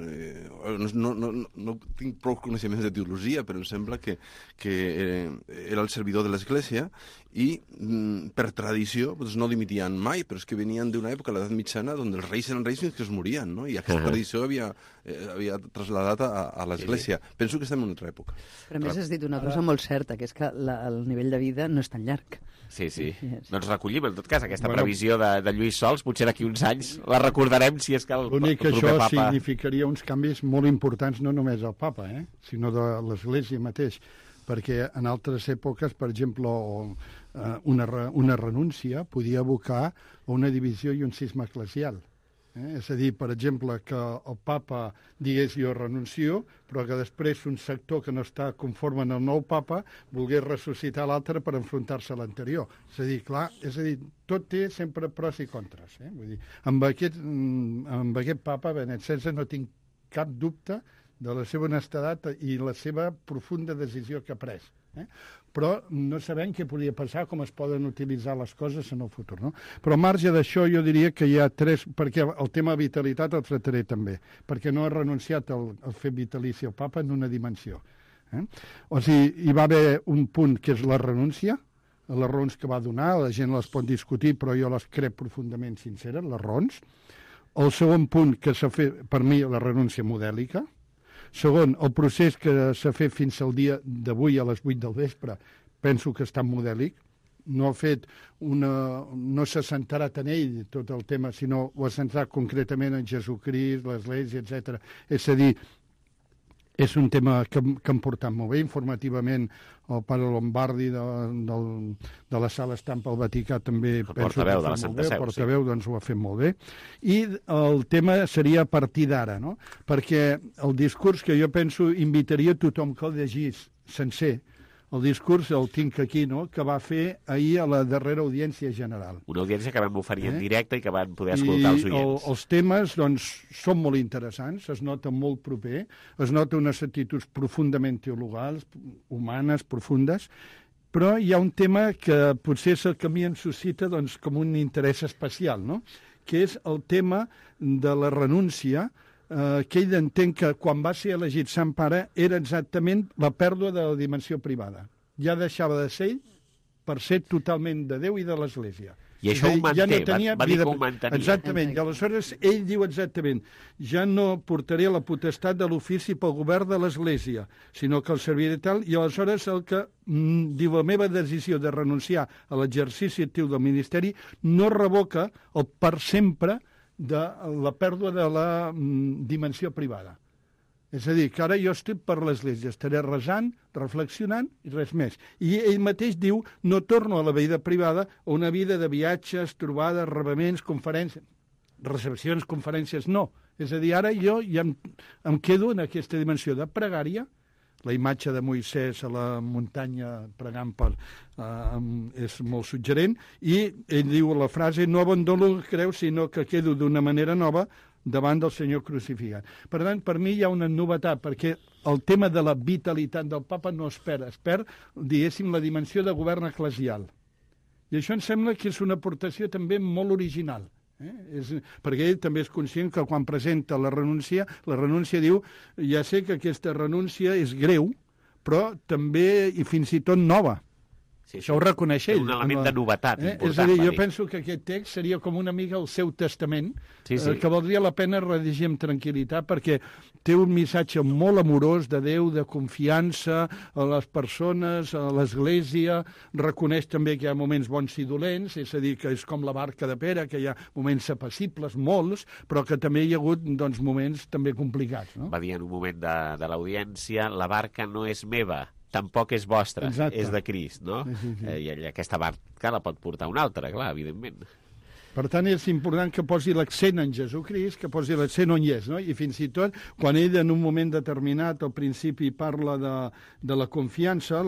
No tinc prou coneixements de teologia, però em sembla que era el servidor de l'Església i per tradició doncs no dimitien mai, però és que venien d'una època, l'edat mitjana, on els reis eren reis fins que es morien, no? I aquesta tradició havia trasladat a l'Església. Penso que estem en una altra època. Però a més has dit una cosa molt certa, que és que el nivell de vida no és tan llarg. Sí. Doncs recollim, en tot cas, aquesta previsió de Lluís Sols, potser d'aquí uns anys la recordarem si és que el proper papa... L'únic que això significaria uns canvis molt importants, no només al papa, sinó de l'Església mateix, perquè en altres èpoques, per exemple, una renúncia podia abocar a una divisió i un cisma eclesial. És a dir, per exemple, que el papa digués jo renuncio, però que després un sector que no està conforme en el nou papa volgués ressuscitar l'altre per enfrontar-se a l'anterior. És a dir, tot té sempre pros i contres. Vull dir, amb aquest papa, Benet XVI, no tinc cap dubte de la seva honestedat i la seva profunda decisió que ha pres. Però no sabem què podria passar, com es poden utilitzar les coses en el futur. No? Però al marge d'això jo diria que hi ha tres, perquè el tema vitalitat el tractaré també, perquè no ha renunciat al fet vitalici el papa en una dimensió. O sigui, hi va haver un punt que és la renúncia, les raons que va donar, la gent les pot discutir, però jo les crec profundament sinceres, les raons. El segon punt que s'ha fet, per mi, la renúncia modèlica. Segon, el procés que s'ha fet fins al dia d'avui a les 8 del vespre, penso que està modèlic. No s'ha centrat en ell tot el tema, sinó ho ha centrat concretament en Jesucrist, l'Església, etc. És a dir, és un tema que hem portat molt bé. Informativament, el pare Lombardi de la Sala Estampa al Vaticà també penso que ho ha fet molt bé. El portaveu doncs ho ha fet molt bé. I el tema seria a partir d'ara, no? Perquè el discurs que jo penso invitaria tothom que el llegís sencer, el discurs el tinc aquí, no?, que va fer ahir a la darrera audiència general. Una audiència que vam oferir en directe i que van poder escoltar els oients. Els temes, doncs, són molt interessants, es nota molt proper, es nota unes actituds profundament teologals, humanes, profundes, però hi ha un tema que potser és el que a mi em suscita doncs, com un interès especial, no?, que és el tema de la renúncia, que ell entén que quan va ser elegit Sant Pare era exactament la pèrdua de la dimensió privada. Ja deixava de ser ell per ser totalment de Déu i de l'Església. I això ho manté, ja no tenia va dir que ho mantenia. Exactament, i aleshores ell diu exactament, ja no portaré la potestat de l'ofici pel govern de l'Església, sinó que el serviré tal, i aleshores el que diu, la meva decisió de renunciar a l'exercici actiu del ministeri no revoca el per sempre de la pèrdua de la dimensió privada. És a dir, que ara jo estic per l'Església, estaré resant, reflexionant i res més. I ell mateix diu, no torno a la vida privada, a una vida de viatges, trobades, rebaments, conferències, recepcions, conferències, no. És a dir, ara jo ja em quedo en aquesta dimensió de pregària, la imatge de Moisès a la muntanya pregant és molt suggerent, i ell diu la frase, no abandono el que creu, sinó que quedo d'una manera nova davant del Senyor crucificat. Per tant, per mi hi ha una novetat, perquè el tema de la vitalitat del papa no es perd, diguéssim, la dimensió de govern eclesial. I això em sembla que és una aportació també molt original. Perquè ell també és conscient que quan presenta la renúncia diu, ja sé que aquesta renúncia és greu, però també i fins i tot nova. Sí, això ho reconeix ell. Un element de novetat important. És a dir, jo penso que aquest text seria com una mica el seu testament, que valdria la pena rellegir amb tranquil·litat, perquè té un missatge molt amorós de Déu, de confiança a les persones, a l'Església, reconeix també que hi ha moments bons i dolents, és a dir, que és com la barca de Pere, que hi ha moments apassibles, molts, però que també hi ha hagut moments també complicats. No? Va dir en un moment de l'audiència, la barca no és meva, tampoc és vostra, és de Crist, no? Sí. I aquesta barca la pot portar un altre, clar, evidentment. Per tant, és important que posi l'accent en Jesucrist, que posi l'accent on hi és, no? I fins i tot, quan ell en un moment determinat, al principi, parla de la confiança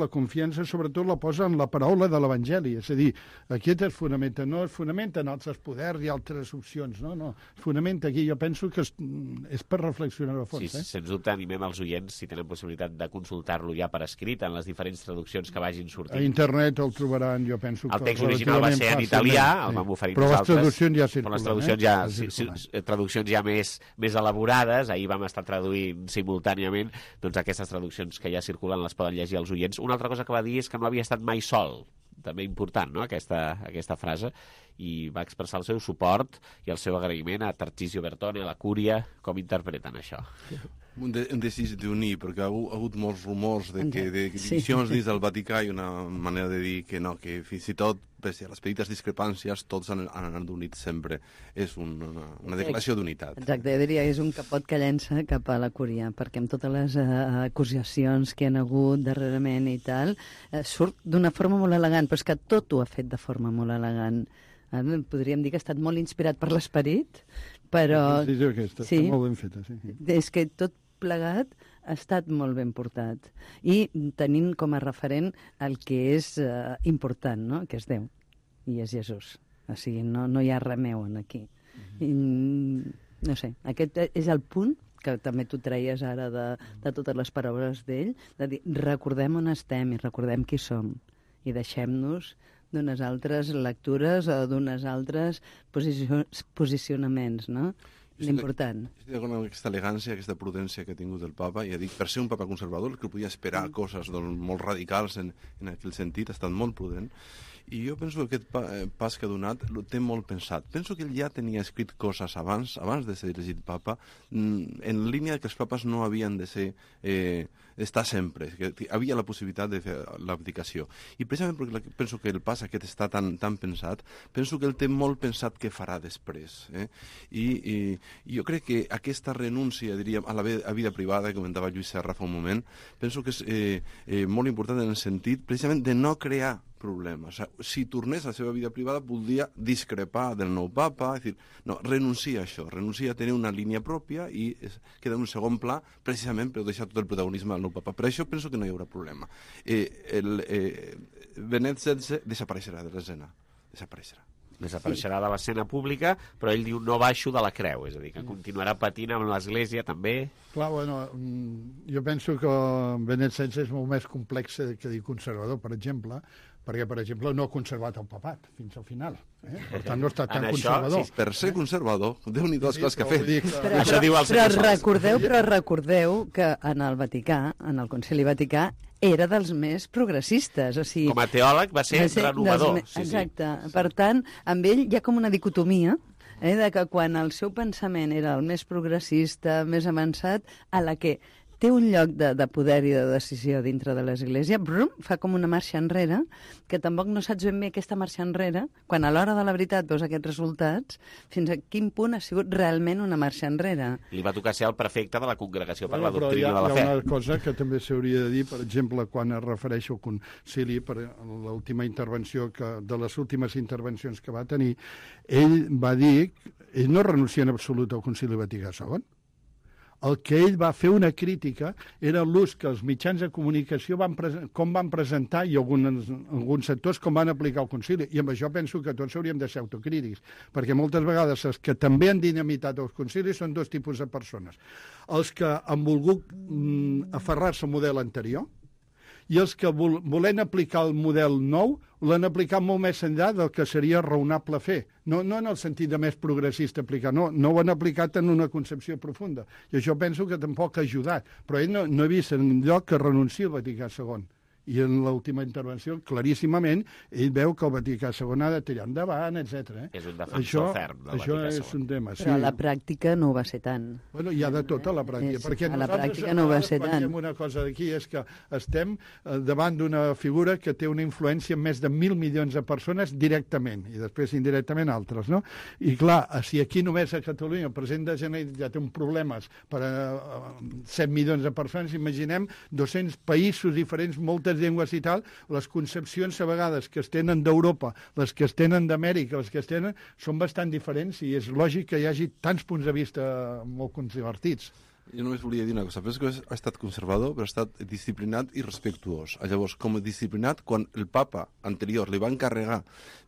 sobretot la posa en la paraula de l'Evangeli. És a dir, aquest es fonamenta, no es fonamenta en altres poders i altres opcions, no. Es fonamenta aquí. Jo penso que és per reflexionar a fons. Sí, sens dubte animem els oients, si tenen possibilitat de consultar-lo ja per escrit, en les diferents traduccions que vagin sortint. A internet el trobaran, jo penso. El text original va ser en italià, el vam oferir nosaltres. Traduccions ja circulen, les traduccions ja més elaborades, ahir vam estar traduint simultàniament, doncs aquestes traduccions que ja circulen les poden llegir els oients. Una altra cosa que va dir és que no havia estat mai sol, també important, no?, aquesta frase, i va expressar el seu suport i el seu agraïment a Tarcisio Bertone, a la Cúria. Com interpreten això? Un desig d'unir, perquè ha hagut molts rumors de divisions dins del Vaticà, i una manera de dir que no, que fins i tot, pese a les petites discrepàncies, tots han anat units sempre. És una declaració d'unitat. Exacte, jo diria que és un capot que llença cap a la Cúria, perquè amb totes les acusacions que han hagut darrerament i tal, surt d'una forma molt elegant, però és que tot ho ha fet de forma molt elegant. Podríem dir que ha estat molt inspirat per l'esperit, però... Sí, molt ben feta, sí. És que tot plegat ha estat molt ben portat. I tenint com a referent el que és important, no?, que és Déu, i és Jesús. O sigui, no hi ha remeu aquí. I, no sé, aquest és el punt que també tu treies ara de totes les paraules d'ell, de dir, recordem on estem i recordem qui som, i deixem-nos d'unes altres lectures o d'unes altres posicionaments, no? L'important. Estic d'acord amb aquesta elegància, aquesta prudència que ha tingut el papa, i ha dit, per ser un papa conservador, que podia esperar coses molt radicals en aquell sentit, ha estat molt prudent, i jo penso que aquest pas que ha donat ho té molt pensat. Penso que ell ja tenia escrit coses abans de ser elegit papa, en línia que els papes no havien de ser estar sempre, que havia la possibilitat de fer l'abdicació. I precisament perquè penso que el pas aquest està tan pensat, penso que ell té molt pensat què farà després. I jo crec que aquesta renúncia, diríem, a la vida privada, que comentava Lluís Serra fa un moment, penso que és molt important en el sentit, precisament, de no crear problemes. O sigui, si tornés a la seva vida privada, podria discrepar del nou papa, és dir, no, renuncia a això, renuncia a tenir una línia pròpia i queda en un segon pla, precisament per deixar tot el protagonisme al nou papa. Per això penso que no hi haurà problema. Benet XVI desapareixerà de l'escena. Desapareixerà de l'escena pública, però ell diu no baixo de la creu, és a dir, que continuarà patint amb l'Església també. Clar, bueno, jo penso que Benet XVI és molt més complex que dir conservador, per exemple, perquè, per exemple, no ha conservat el papat fins al final. Per tant, no està tan conservador. Sí, per ser conservador, Déu-n'hi-do les coses que ha fet. Però recordeu que en el Vaticà, en el Concili Vaticà, era dels més progressistes. O sigui, com a teòleg va ser renovador. Exacte. Per tant, amb ell hi ha com una dicotomia, de que quan el seu pensament era el més progressista, més avançat, a la que té un lloc de poder i de decisió dintre de l'Església, fa com una marxa enrere, que tampoc no saps ben bé aquesta marxa enrere, quan a l'hora de la veritat veus aquests resultats, fins a quin punt ha sigut realment una marxa enrere. Li va tocar ser el prefecte de la Congregació per la Doctrina de la Fe. Hi ha una cosa que també s'hauria de dir, per exemple, quan es refereix al concili, per l'última intervenció, de les últimes intervencions que va tenir, ell va dir, ell no renuncia en absolut al concili Vaticà II. El que ell va fer una crítica era l'ús que els mitjans de comunicació com van presentar i alguns sectors com van aplicar el concili. I amb això penso que tots hauríem de ser autocrítics, perquè moltes vegades els que també han dinamitat els concilis són dos tipus de persones. Els que han volgut aferrar-se al model anterior i els que volent aplicar el model nou l'han aplicat molt més enllà del que seria raonable fer. No en el sentit de més progressista aplicar, no ho han aplicat en una concepció profunda. I això penso que tampoc ha ajudat. Però ell no ha vist enlloc que renunciï al Vaticà II. I en l'última intervenció, claríssimament, ell veu que el Vaticà II ha de tirar endavant, etc. És un defensor ferm del Vaticà II. Això és un tema, sí. Però a la pràctica no ho va ser tant. Bueno, hi ha de tot a la pràctica. Perquè a la pràctica no va ser tant. Una cosa d'aquí és que estem davant d'una figura que té una influència en més de 1.000 milions de persones directament, i després indirectament altres, no? I clar, si aquí només a Catalunya el president de Generalitat ja té un problemes per a 7 milions de persones, imaginem 200 països diferents, moltes llengües i tal, les concepcions a vegades que es tenen d'Europa, les que es tenen d'Amèrica, les que es tenen, són bastant diferents i és lògic que hi hagi tants punts de vista molt controvertits. Jo només volia dir una cosa. Penso que ha estat conservador, però ha estat disciplinat i respectuós. Llavors, com a disciplinat, quan el papa anterior li va encarregar,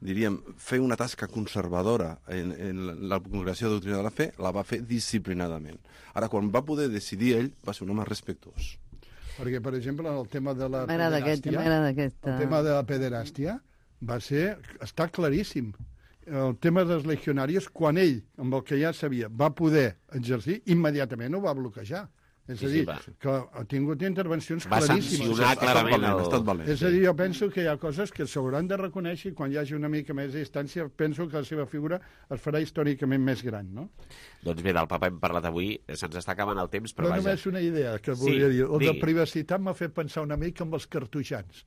diríem, fer una tasca conservadora en la Congregació de Doctrina de la Fe, la va fer disciplinadament. Ara, quan va poder decidir ell, va ser un home respectuós. Perquè, per exemple, el tema de la pederàstia, el tema de la pederàstia està claríssim. El tema dels legionaris, quan ell, amb el que ja sabia, va poder exercir, immediatament ho va bloquejar. És a dir, que ha tingut intervencions claríssimes. Va sancionar clarament. És a dir, jo penso que hi ha coses que s'hauran de reconèixer i quan hi hagi una mica més de distància penso que la seva figura es farà històricament més gran, no? Doncs bé, del papa hem parlat avui, se'ns està acabant el temps, però vaja. Només una idea que volia dir. El de privacitat m'ha fet pensar una mica amb els cartoixans.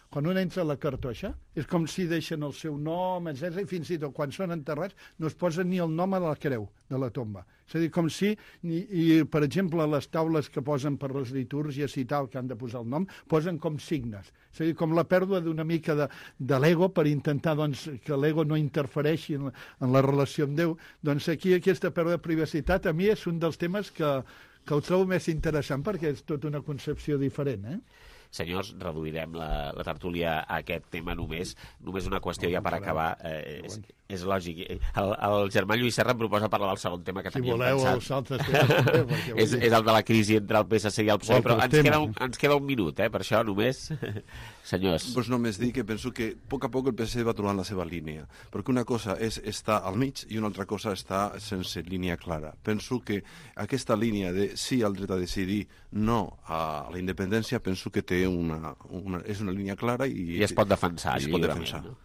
Quan un entra a la cartoixa, és com si deixen el seu nom, etc. I fins i tot quan són enterrats no es posen ni el nom a la creu de la tomba. És a dir, com si, per exemple, les taules que posen per les litúrgies i tal, que han de posar el nom, posen com signes. És a dir, com la pèrdua d'una mica de l'ego per intentar que l'ego no interfereixi en la relació amb Déu. Doncs aquí aquesta pèrdua de privacitat a mi és un dels temes que ho trobo més interessant perquè és tota una concepció diferent, Senyors, reduirem la tertúlia a aquest tema només una qüestió ja per acabar. És lògic. El germà Lluís Serra em proposa parlar del segon tema que teníem pensat. Si voleu, els altres temes. És el de la crisi entre el PSC i el PSOE, però ens queda un minut, per això només. Senyors. Doncs només dir que penso que a poc el PSC va trobant la seva línia, perquè una cosa és estar al mig i una altra cosa està sense línia clara. Penso que aquesta línia de sí al dret a decidir, no a la independència, penso que té és una línia clara i es pot defensar. No?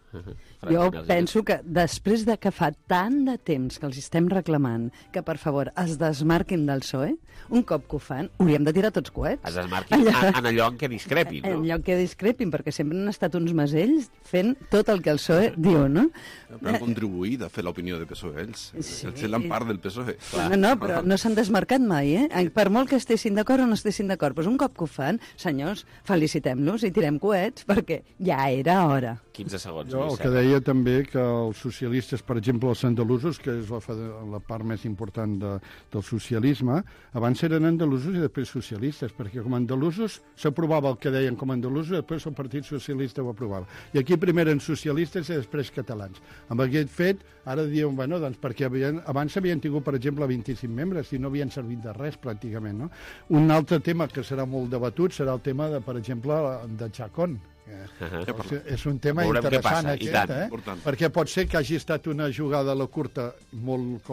Jo penso que després de que fa tant de temps que els estem reclamant que, per favor, es desmarquin del PSOE, un cop que ho fan, hauríem de tirar tots coets. Es desmarquin en allò en què discrepin, no? En allò en què discrepin, perquè sempre han estat uns masells fent tot el que el PSOE diu, no? Però han contribuït a fer l'opinió del PSOE, ells. Sí. Ells són part del PSOE. No, però no s'han desmarcat mai, Per molt que estessin d'acord o no estessin d'acord. Però un cop que ho fan, senyors, felicitem-los i tirem coets, perquè ja era hora. 15 segons. Jo el que deia també que els socialistes, per exemple, els andalusos, que és la part més important del socialisme, abans eren andalusos i després socialistes, perquè com a andalusos s'aprovava el que deien com a andalusos i després el Partit Socialista ho aprovava. I aquí primer eren socialistes i després catalans. Amb aquest fet, ara diuen, bueno, doncs perquè abans havien tingut, per exemple, 25 membres i no havien servit de res, pràcticament, no? Un altre tema que serà molt debatut serà el tema, per exemple, de Chacón, És un tema interessant aquest, perquè pot ser que hagi estat una jugada a la curta molt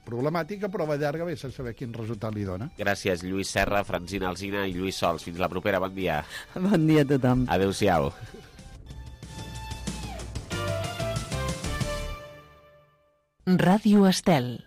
problemàtica, però a la llarga ve sense saber quin resultat li dona. Gràcies, Lluís Serra, Francina Alsina i Lluís Sols. Fins la propera, bon dia. Bon dia a tothom. Adéu-siau. Ràdio Estel.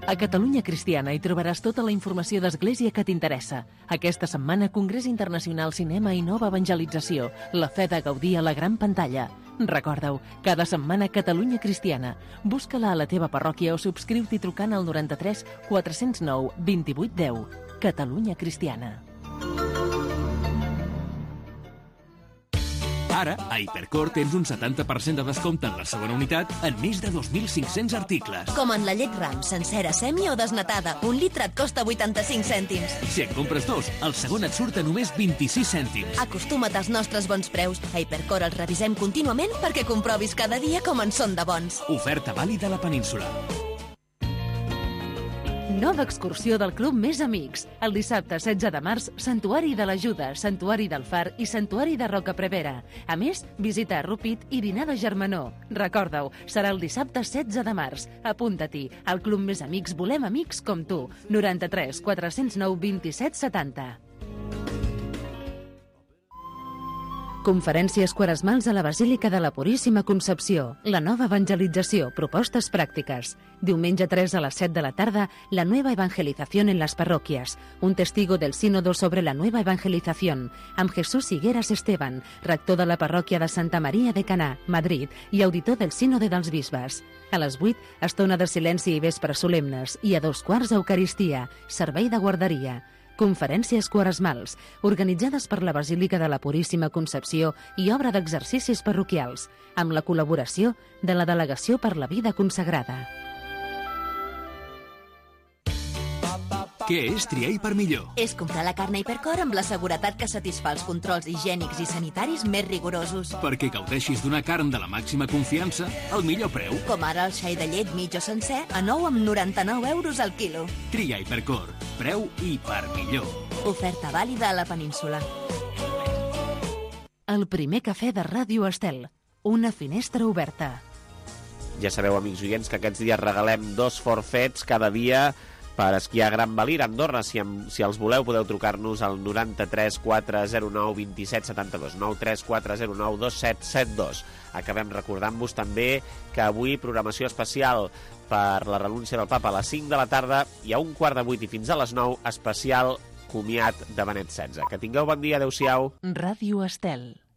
A Catalunya Cristiana hi trobaràs tota la informació d'Església que t'interessa. Aquesta setmana, Congrés Internacional Cinema i Nova Evangelització. La fe de gaudir a la gran pantalla. Recorda-ho, cada setmana Catalunya Cristiana. Busca-la a la teva parròquia o subscriu-t'hi trucant al 93 409 28 10. Catalunya Cristiana. Ara, a Hipercor tens un 70% de descompte en la segona unitat en més de 2.500 articles. Com en la llet Ram, sencera, semi o desnatada. Un litre et costa 85 cèntims. Si en compres dos, el segon et surt a només 26 cèntims. Acostuma't als nostres bons preus. A Hipercor els revisem contínuament perquè comprovis cada dia com en són de bons. Oferta vàlida a la península. Nova excursió del Club Més Amics. El dissabte 16 de març, Santuari de l'Ajuda, Santuari del Far i Santuari de Rocaprevera. A més, visita a Rupit i dinar de germanor. Recorda-ho, serà el dissabte 16 de març. Apunta-t'hi. Al Club Més Amics volem amics com tu. 93 409 27 70. Conferències quaresmals a la Basílica de la Puríssima Concepció. La nova evangelització, propostes pràctiques. Diumenge 3 a les 7 de la tarda, la nueva evangelización en las parroquias. Un testigo del sínodo sobre la nueva evangelización, amb Jesús Higueras Esteban, rector de la parròquia de Santa Maria de Caná, Madrid, i auditor del sínode dels bisbes. A les 8, estona de silenci i vespres solemnes, i a 2:15 Eucaristia, servei de guarderia. Conferències quaresmals, organitzades per la Basílica de la Puríssima Concepció i obra d'exercicis parroquials, amb la col·laboració de la Delegació per la Vida Consagrada. Què és triar Hipermillor? És comprar la carn a Hipercor amb la seguretat que satisfà els controls higiènics i sanitaris més rigorosos. Perquè gaudeixis d'una carn de la màxima confiança al millor preu. Com ara el xai de llet mig o sencer a 9,99 euros al quilo. Tria Hipercor. Preu Hipermillor. Oferta vàlida a la península. El primer cafè de Ràdio Estel. Una finestra oberta. Ja sabeu, amics oients, que aquests dies regalem 2 forfets cada dia per esquiar a Gran Valira, Andorra. Si els voleu, podeu trucar-nos al 93 409 27 72, 93 409 2772. Acabem recordant-vos també que avui programació especial per la renúncia del papa a les 5 de la tarda i a 7:15 i fins a les 9, especial comiat de Benet XVI. Que tingueu bon dia, adeu-siau. Ràdio Estel.